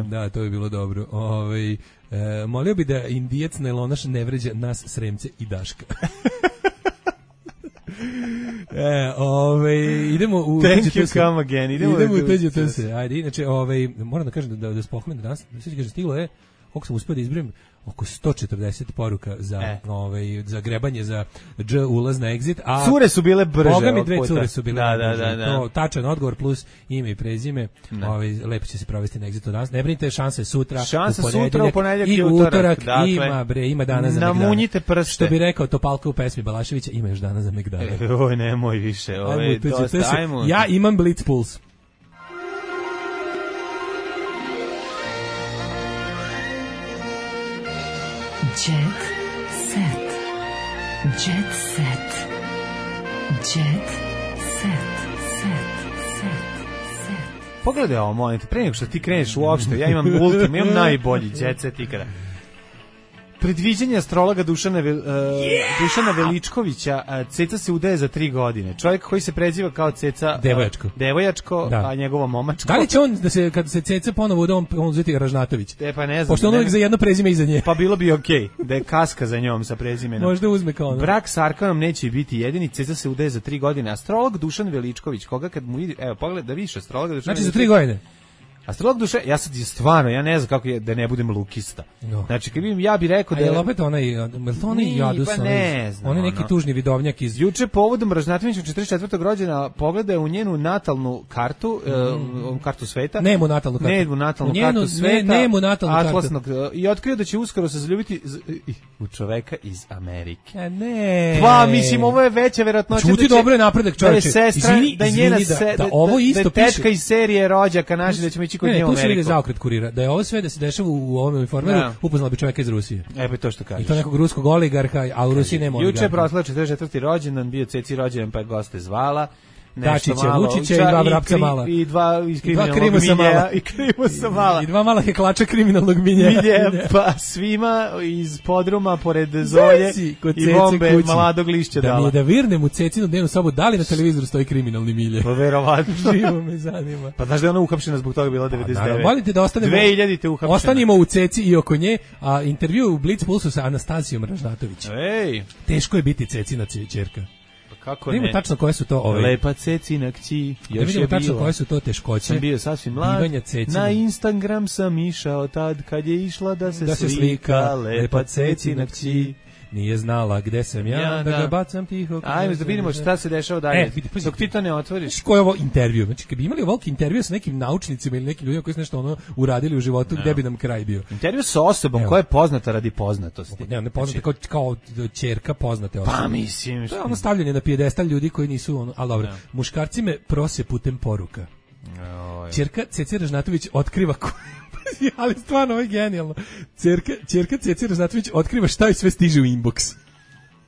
Da, to bi bilo dobro. Molio bi da indijac najlonaš ne vređa nas, Sremce i Daška. Idemo u tuđe se. Ajde, inače, moram da kažem da spomenem danas, stiglo je, koliko sam uspio da izbrojim, oko 140 poruka za grebanje za ulaz na exit, a cure su bile brže. Boga mi dve cure su bile brže. To tačan odgovor plus ime i prezime. Lepo će se provesti na exitu danas. Ne brinite, šansa je sutra, u ponedeljak i utorak. Ima dana za megdane. Namunjite prste. Što bi rekao Topalka u pesmi Balaševića, ima još dana za megdane. Oj, nemoj više. Ja imam Blitz Puls. Jet set. Jet set. Jet set. Pogledaj ovo, molim te, pre nego što ti kreneš uopšte, ja imam imam najbolji jet set ikada. Predviđenje astrologa Dušana Veličkovića, Ceca se udaje za 3 godine. Čovjek koji se preziva kao Ceca Devojačko, a njegova momačko. Da li će on, kada se Ceca ponovo uda, on uzeti Ražnatović? Pa ne znam. Pošto on uvijek za jedno prezime iza nje. Pa bilo bi okej, da je kaska za njom sa prezimenom. Možda uzme kao ono. Brak s Arkanom neće biti jedini, Ceca se udaje za 3 godine. Astrolog Dušan Veličković, koga kad mu vidi, evo pogledaj da vidiš astrologa Dušan. Znači za 3 godine. Astrolog duše, ja sad stvarno, ja ne znam kako je da ne budem lukista. No. Znači, kad vidim, ja bih rekao da je opet onaj Jadus, on je neki tužni vidovnjak iz juče povodom Ražnatovića 44. rođena, pogledaj u njenu natalnu kartu, kartu sveta. Nemu natalnu kartu sveta. Atlasnog i otkrio da će uskoro se zaljubiti u čoveka iz Amerike. Ne. Pa mislim, ovo je veća verovatnoća da će dobro je napredak, čoveče. Izvini, da ovo isto piše. Tečka iz serije rođaka naši da ćemo ići kod nje u Ameriku. Tu se vidi zaokret kurira. Da je ovo sve da se dešava u ovom informeru, upoznala bi čoveka iz Rusije. Pa to što kažeš. I to nekog ruskog oligarha, a u Rusiji nema oligarha. Juče je proslao 44. rođendan, bio Ceci rođendan, pa je goste zvala. Dačića, Vučića i 2 vrapca mala. I 2 iz kriminalnog miljeja. I krimusa mala. I 2 mala heklača kriminalnog miljeja. Pa svima iz podruma, pored Zolje i bombe Maladog lišća dala. Da mi je da virnem u Cecinu dnevnu sobu, da li na televizoru stoji kriminalni milje? Pa verovatno. Živo me zanima. Pa znaš da je ona uhapšena zbog toga bila 99. Volite da ostanemo 2000 uhapšena. Ostanimo u Ceci i oko nje, a intervju u Blitz Pulsu sa Anastasijom Ražnatović. Teško je biti Cecina ćerka. Kako ne? Vidimo tačno koje su to lepa Cecina kći. Da vidimo tačno koje su to teškoće. Sam bio sasvim mlad. Na Instagram sam išao tad kad je išla da se slika lepa Cecina kći. Nije znala gde sam ja, da ga bacam tiho. Ajmo da vidimo šta se dešava dalje. Dok ti to ne otvoriš. Ko je ovo intervju? Znači, kad bi imali ovog intervju sa nekim naučnicima ili nekim ljudima koji su nešto uradili u životu, gde bi nam kraj bio? Intervju sa osobom koja je poznata radi poznatosti. Ne poznata kao ćerka poznate osobe. Pa mislim. To je ono stavljanje na pijedestal ljudi koji nisu ali dobro. Muškarci me prose putem poruka. Ćerka Ceci Ražnatović otkriva ali stvarno ovo je genijalno. Ćerka Ceci Ražnatović otkriva šta joj sve stiže u inbox.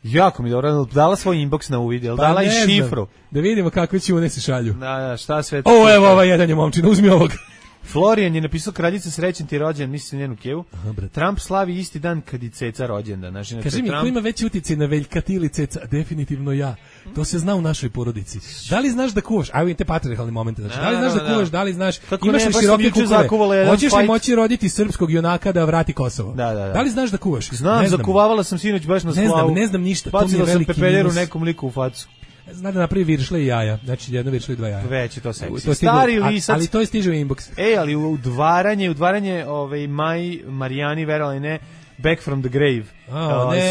Jako mi dobro, dala svoj inbox na uvid, dala i šifru. Da vidimo kakve ćune se šalju. Da, šta sve. Evo ova jedan je momčina, uzmi ovog. Florian je napisao kraljica srećan ti rođendan, misli njenu kevu. Trump slavi isti dan kad je Ceca rođendan. Znači, kaži mi, ko ima veći uticaj na Veljka ili Ceca? Definitivno ja. To se zna u našoj porodici. Da li znaš da kuvaš? Ajmo te patriarhalni momente. Znači, da li znaš da kuvaš? Da li znaš? Imaš li široke kukove? Hoćeš li moći roditi srpskog junaka da vrati Kosovo? Da li znaš da kuvaš? Znam, zakuvavala sam sinoć baš na slavu. Ne znam ništa. Bacila sam pepeljeru nekom liku u facu. Zna da napravi viršle i jaja. Znači, jedno viršle i 2 jaja. Već je to seksi. Stari lisac. Ali to je stiže u inbox. Ali udvaranje Maj Marijani, verovali ne, Back from the grave.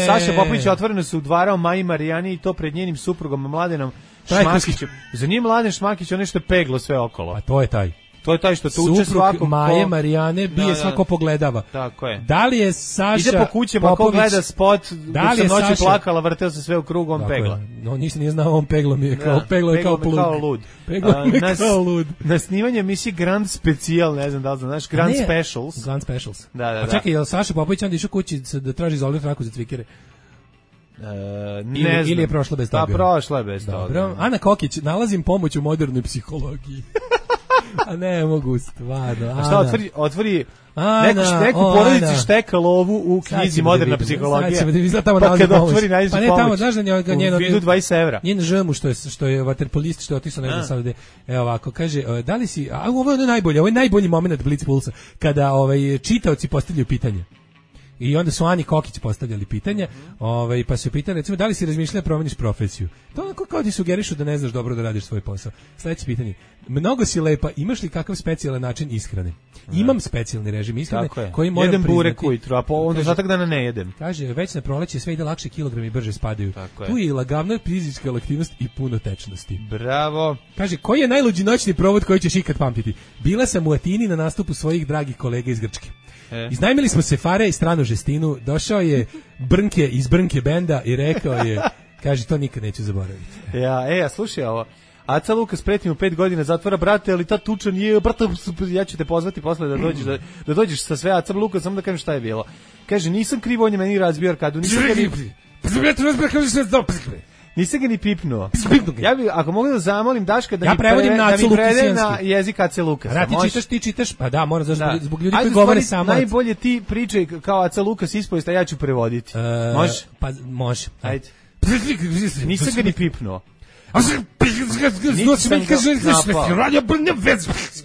Saša Popović otvoreno se udvarao Maji Marijani i to pred njenim suprugom Mladenom Šmakićem. Za njim Mladen Šmakić, on nešto peglo sve okolo. A to je taj. To je taj što tuče svako Maje Marijane bije svako pogledava. Tako je. Da li je Saša ide po kućama, ko gleda spot, da li je noći Saša plakala, vrteo se sve u krug, on pegla. No, nisam nije znao, on peglo mi je kao peglo je kao lud. Peglo mi je kao lud. Na snimanje emisije Grand Special, ne znam da li znaš, Grand Specials. Grand Specials. Da. A čekaj, je li Saša Popović onda išao kući da traži izolirat traku za cvikere? Ili je prošla bez toga? Pa prošla je bez toga. Dobro. Ana Kokić, nalazim pomoć u modernoj psihologiji. A ne mogu stvarno. A šta otvori neku porodici šteka lovu u knjizi Moderna psihologija. Pa kada otvori nađe pomoć. Pa ne tamo, znaš da njeno... U vidu 20 evra. Njen žemu što je vaterpolist, što je otišao, ne znam sad gde. Evo ovako, kaže, da li si... A ovo je najbolje, ovo je najbolji moment Blitz Pulsa, kada čitaoci postavljaju pitanje. I onda su Ani Kokić postavljali pitanja, pa su pitali, recimo, da li si razmišljala promeniš profesiju? To onako kao ti sugerišu da ne znaš dobro da radiš svoj posao. Sledeće pitanje. Mnogo si lepa, imaš li kakav specijalan način ishrane? Imam specijalni režim ishrane koji moram jedem priznati. Burek ujutru, a onda ostatak dana ne jedem. Kaže, već na proleće sve ide lakše, kilogrami brže spadaju. Tu je i lagavna fizička aktivnost i puno tečnosti. Bravo. Kaže, koji je najluđi noćni provod koji ćeš ikad pamtiti? Bila sam u Atini na nastupu svojih dragih kolega iz Grčke. Iznajmili smo se Fare i stranu žestinu, došao je Brnke iz Brnke benda i rekao je, kaže, to nikad neću zaboraviti. Ja slušaj ovo. Aca Lukas preti mu 5 godina zatvora, brate, ali ta tuča nije, brate, ja ću te pozvati posle da dođeš sa sve Aca Lukas, samo da kažem šta je bilo. Kaže, nisam krivo, on je meni razbio arkadu, nisam ga ni pipnuo. Ja bih, ako mogu da zamolim Daška da mi prevede na jezik Ace Lukas. Ti čitaš, pa da, moram zbog ljudi koji govore samo. Najbolje ti pričaj kao Aca Lukas ispovest, a ja ću prevoditi. Može? Pa može. Ajde. Nisam ga ni pipnuo.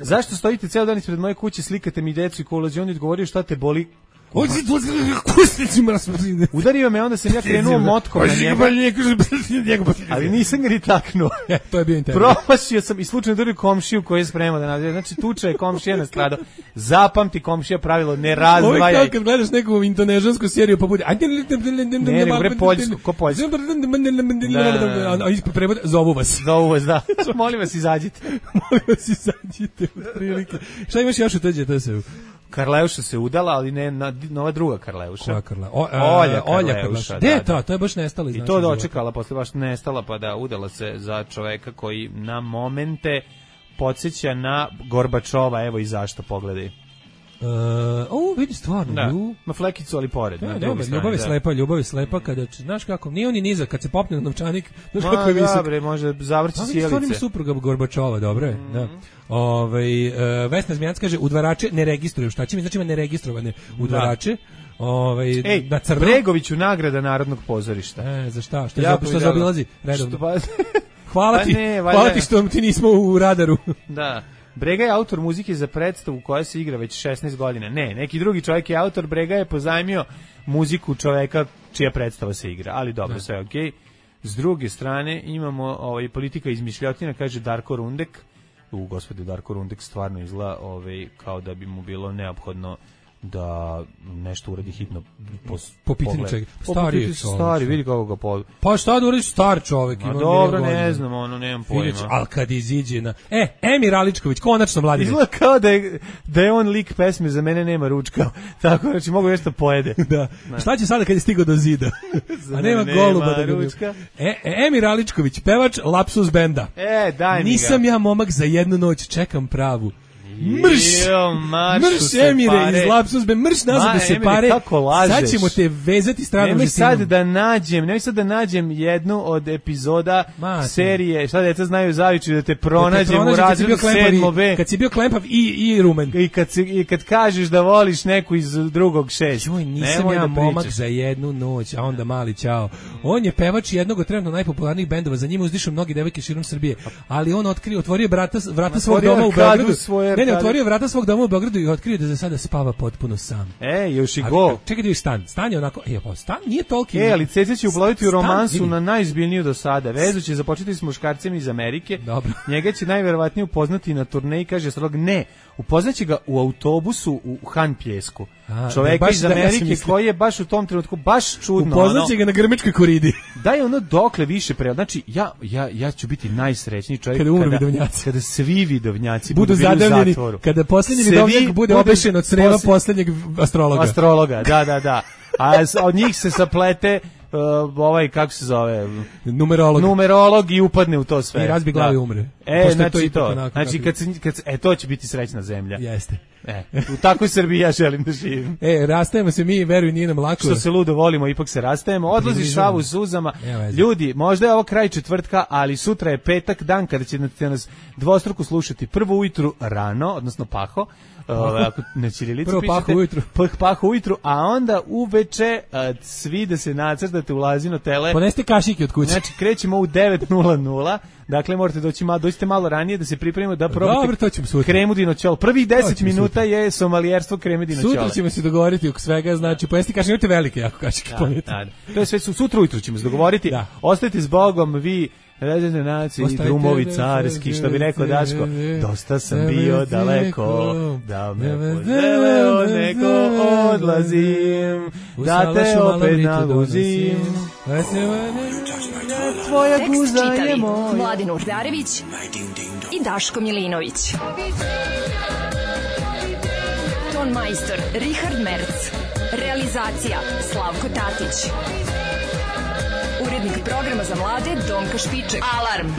Zašto stojite ceo dan ispred moje kuće, slikate mi decu i ko ulazi, on je odgovorio šta te boli. Udario me, onda sam ja krenuo motkom na njega, ali nisam ga ni taknuo. To je bio intervju. Promašio sam i slučajno udario komšiju koji je spremao da nađe. Znači, tuča je komšija nastradao. Zapamti komšija pravilo, ne razdvajaj. Ovo je kao kad gledaš neku indonežansku seriju pa bude... Ne, bre, Poljsku, ko Poljsku? A ispod prevod, zovu vas. Zovu vas, da. Molim vas, izađite. Šta imaš još u tuđe TSU? Karleuša se udala, ali ne nova druga Karleuša. Koja Karleuša? Olja Karleuša. Gde je to je baš nestalo iz i to dočekala, posle baš nestala, pa da udala se za čoveka koji na momente podsjeća na Gorbačova, evo i zašto, pogledaj. Vidi stvarno. Ma flekicu, ali pored. Ljubav je slepa kada, znaš kako, nije on ni nizak, kad se popne na novčanik, znaš kako je visok. Dobre, može zavrći sjelice. Stvarno ima supruga Gorbačova, dobro je. Vesna Zmijanac kaže, udvarače ne registruju, šta će mi, znači ima neregistrovane udvarače. Na crno. Bregoviću nagrada Narodnog pozorišta. Za šta? Što zaobilazi redovno? Hvala ti što ti nismo u radaru. Da. Brega je autor muzike za predstavu koja se igra već 16 godina. Ne, neki drugi čovjek je autor, Brega je pozajmio muziku čovjeka čija predstava se igra, ali dobro, sve okej. S druge strane imamo politika izmišljotina, kaže Darko Rundek. Gospode, Darko Rundek stvarno izgleda kao da bi mu bilo neophodno da nešto uradi hitno po pitanju čega. Stari, vidi kako ga pa šta da uradiš, star čovjek. A dobro, ne znam, nemam pojma. Ali kad iziđe na... Emir Aličković, konačno Vladimir. Izgleda kao da je on lik pesme Za mene nema ručka. Tako, znači mogu nešto pojede. Da. Šta će sada kad je stigao do zida? A nema goluba da ručka. Emir Aličković, pevač Lapsus benda. Daj mi ga. Nisam ja momak za jednu noć, čekam pravu. Mrš Emire iz Lapsus benda, mrš nazad da se pare. Sad ćemo te vezati stranom žestinom. Nemoj sad da nađem jednu od epizoda serije Šta deca znaju zavičaju, da te pronađem u razredu 7B. Kad si bio klempav i rumen. I kad kažeš da voliš neku iz drugog 6. Joj, nisam ja momak za jednu noć, a onda mali ćao. On je pevač jednog od trenutno najpopularnijih bendova, za njima uzdišu mnogi devojke širom Srbije, ali on otvorio vrata svog doma u Beogradu. Ne, otvorio vrata svog doma u Beogradu i otkrio da za sada spava potpuno sam. Još i go. Čekaj da je stan. Stan je onako, stan nije toliki. Ali Ceca će uploviti u romansu na najizbiljniju do sada. Vezu će započeti s muškarcem iz Amerike. Dobro. Njega će najverovatnije upoznati na turneji, kaže Astrolog. Ne, upoznaće ga u autobusu u Han Pjesku. Čoveka iz Amerike koji je baš u tom trenutku baš čudno. Upoznaće ga na Grmečkoj koridi. Da je ono dokle više znači ja ću biti najsrećniji čovjek kada svi vidovnjaci budu zadavljeni kada posljednji vidovnjak bude obešen od creva posljednjeg astrologa. Da. A od njih se saplete ovaj, kako se zove? Numerolog i upadne u to sve. I razbi glavu i umre. Znači to. Znači, to će biti srećna zemlja. Jeste. U takvoj Srbiji ja želim da živim. Rastajemo se mi, veruj, nije nam lako. Što se ludo volimo, ipak se rastajemo. Odlazi šavu u suzama. Ljudi, možda je ovo kraj četvrtka, ali sutra je petak, dan kada ćete nas dvostruko slušati. Prvo ujutru rano, odnosno paho, ako na ćirilici pišete, paho ujutru, a onda uveče svi da se nacrtate u Lazino tele. Poneste kašike od kuće. Znači, krećemo u 9:00. Dakle, morate doći malo ranije da se pripremimo da probate kremu dinoćol. Prvih 10 minuta je somalijerstvo kreme dinoćola. Sutra ćemo se dogovoriti oko svega, znači ponesti kašike, imate velike jako kašike. To je sve, sutra ujutru ćemo se dogovoriti. Ostajte s Bogom, vi ređene nacije i drumovi carski, što bi rekao Daško, dosta sam bio daleko, da me poželeo neko odlazim, da te opet naguzim. Tvoja guza je moja. Mladin Urdarević i Daško Milinović. Ton majstor Richard Merc. Realizacija Slavko Tatić. Urednik programa za mlade Donka Špiček. Alarm!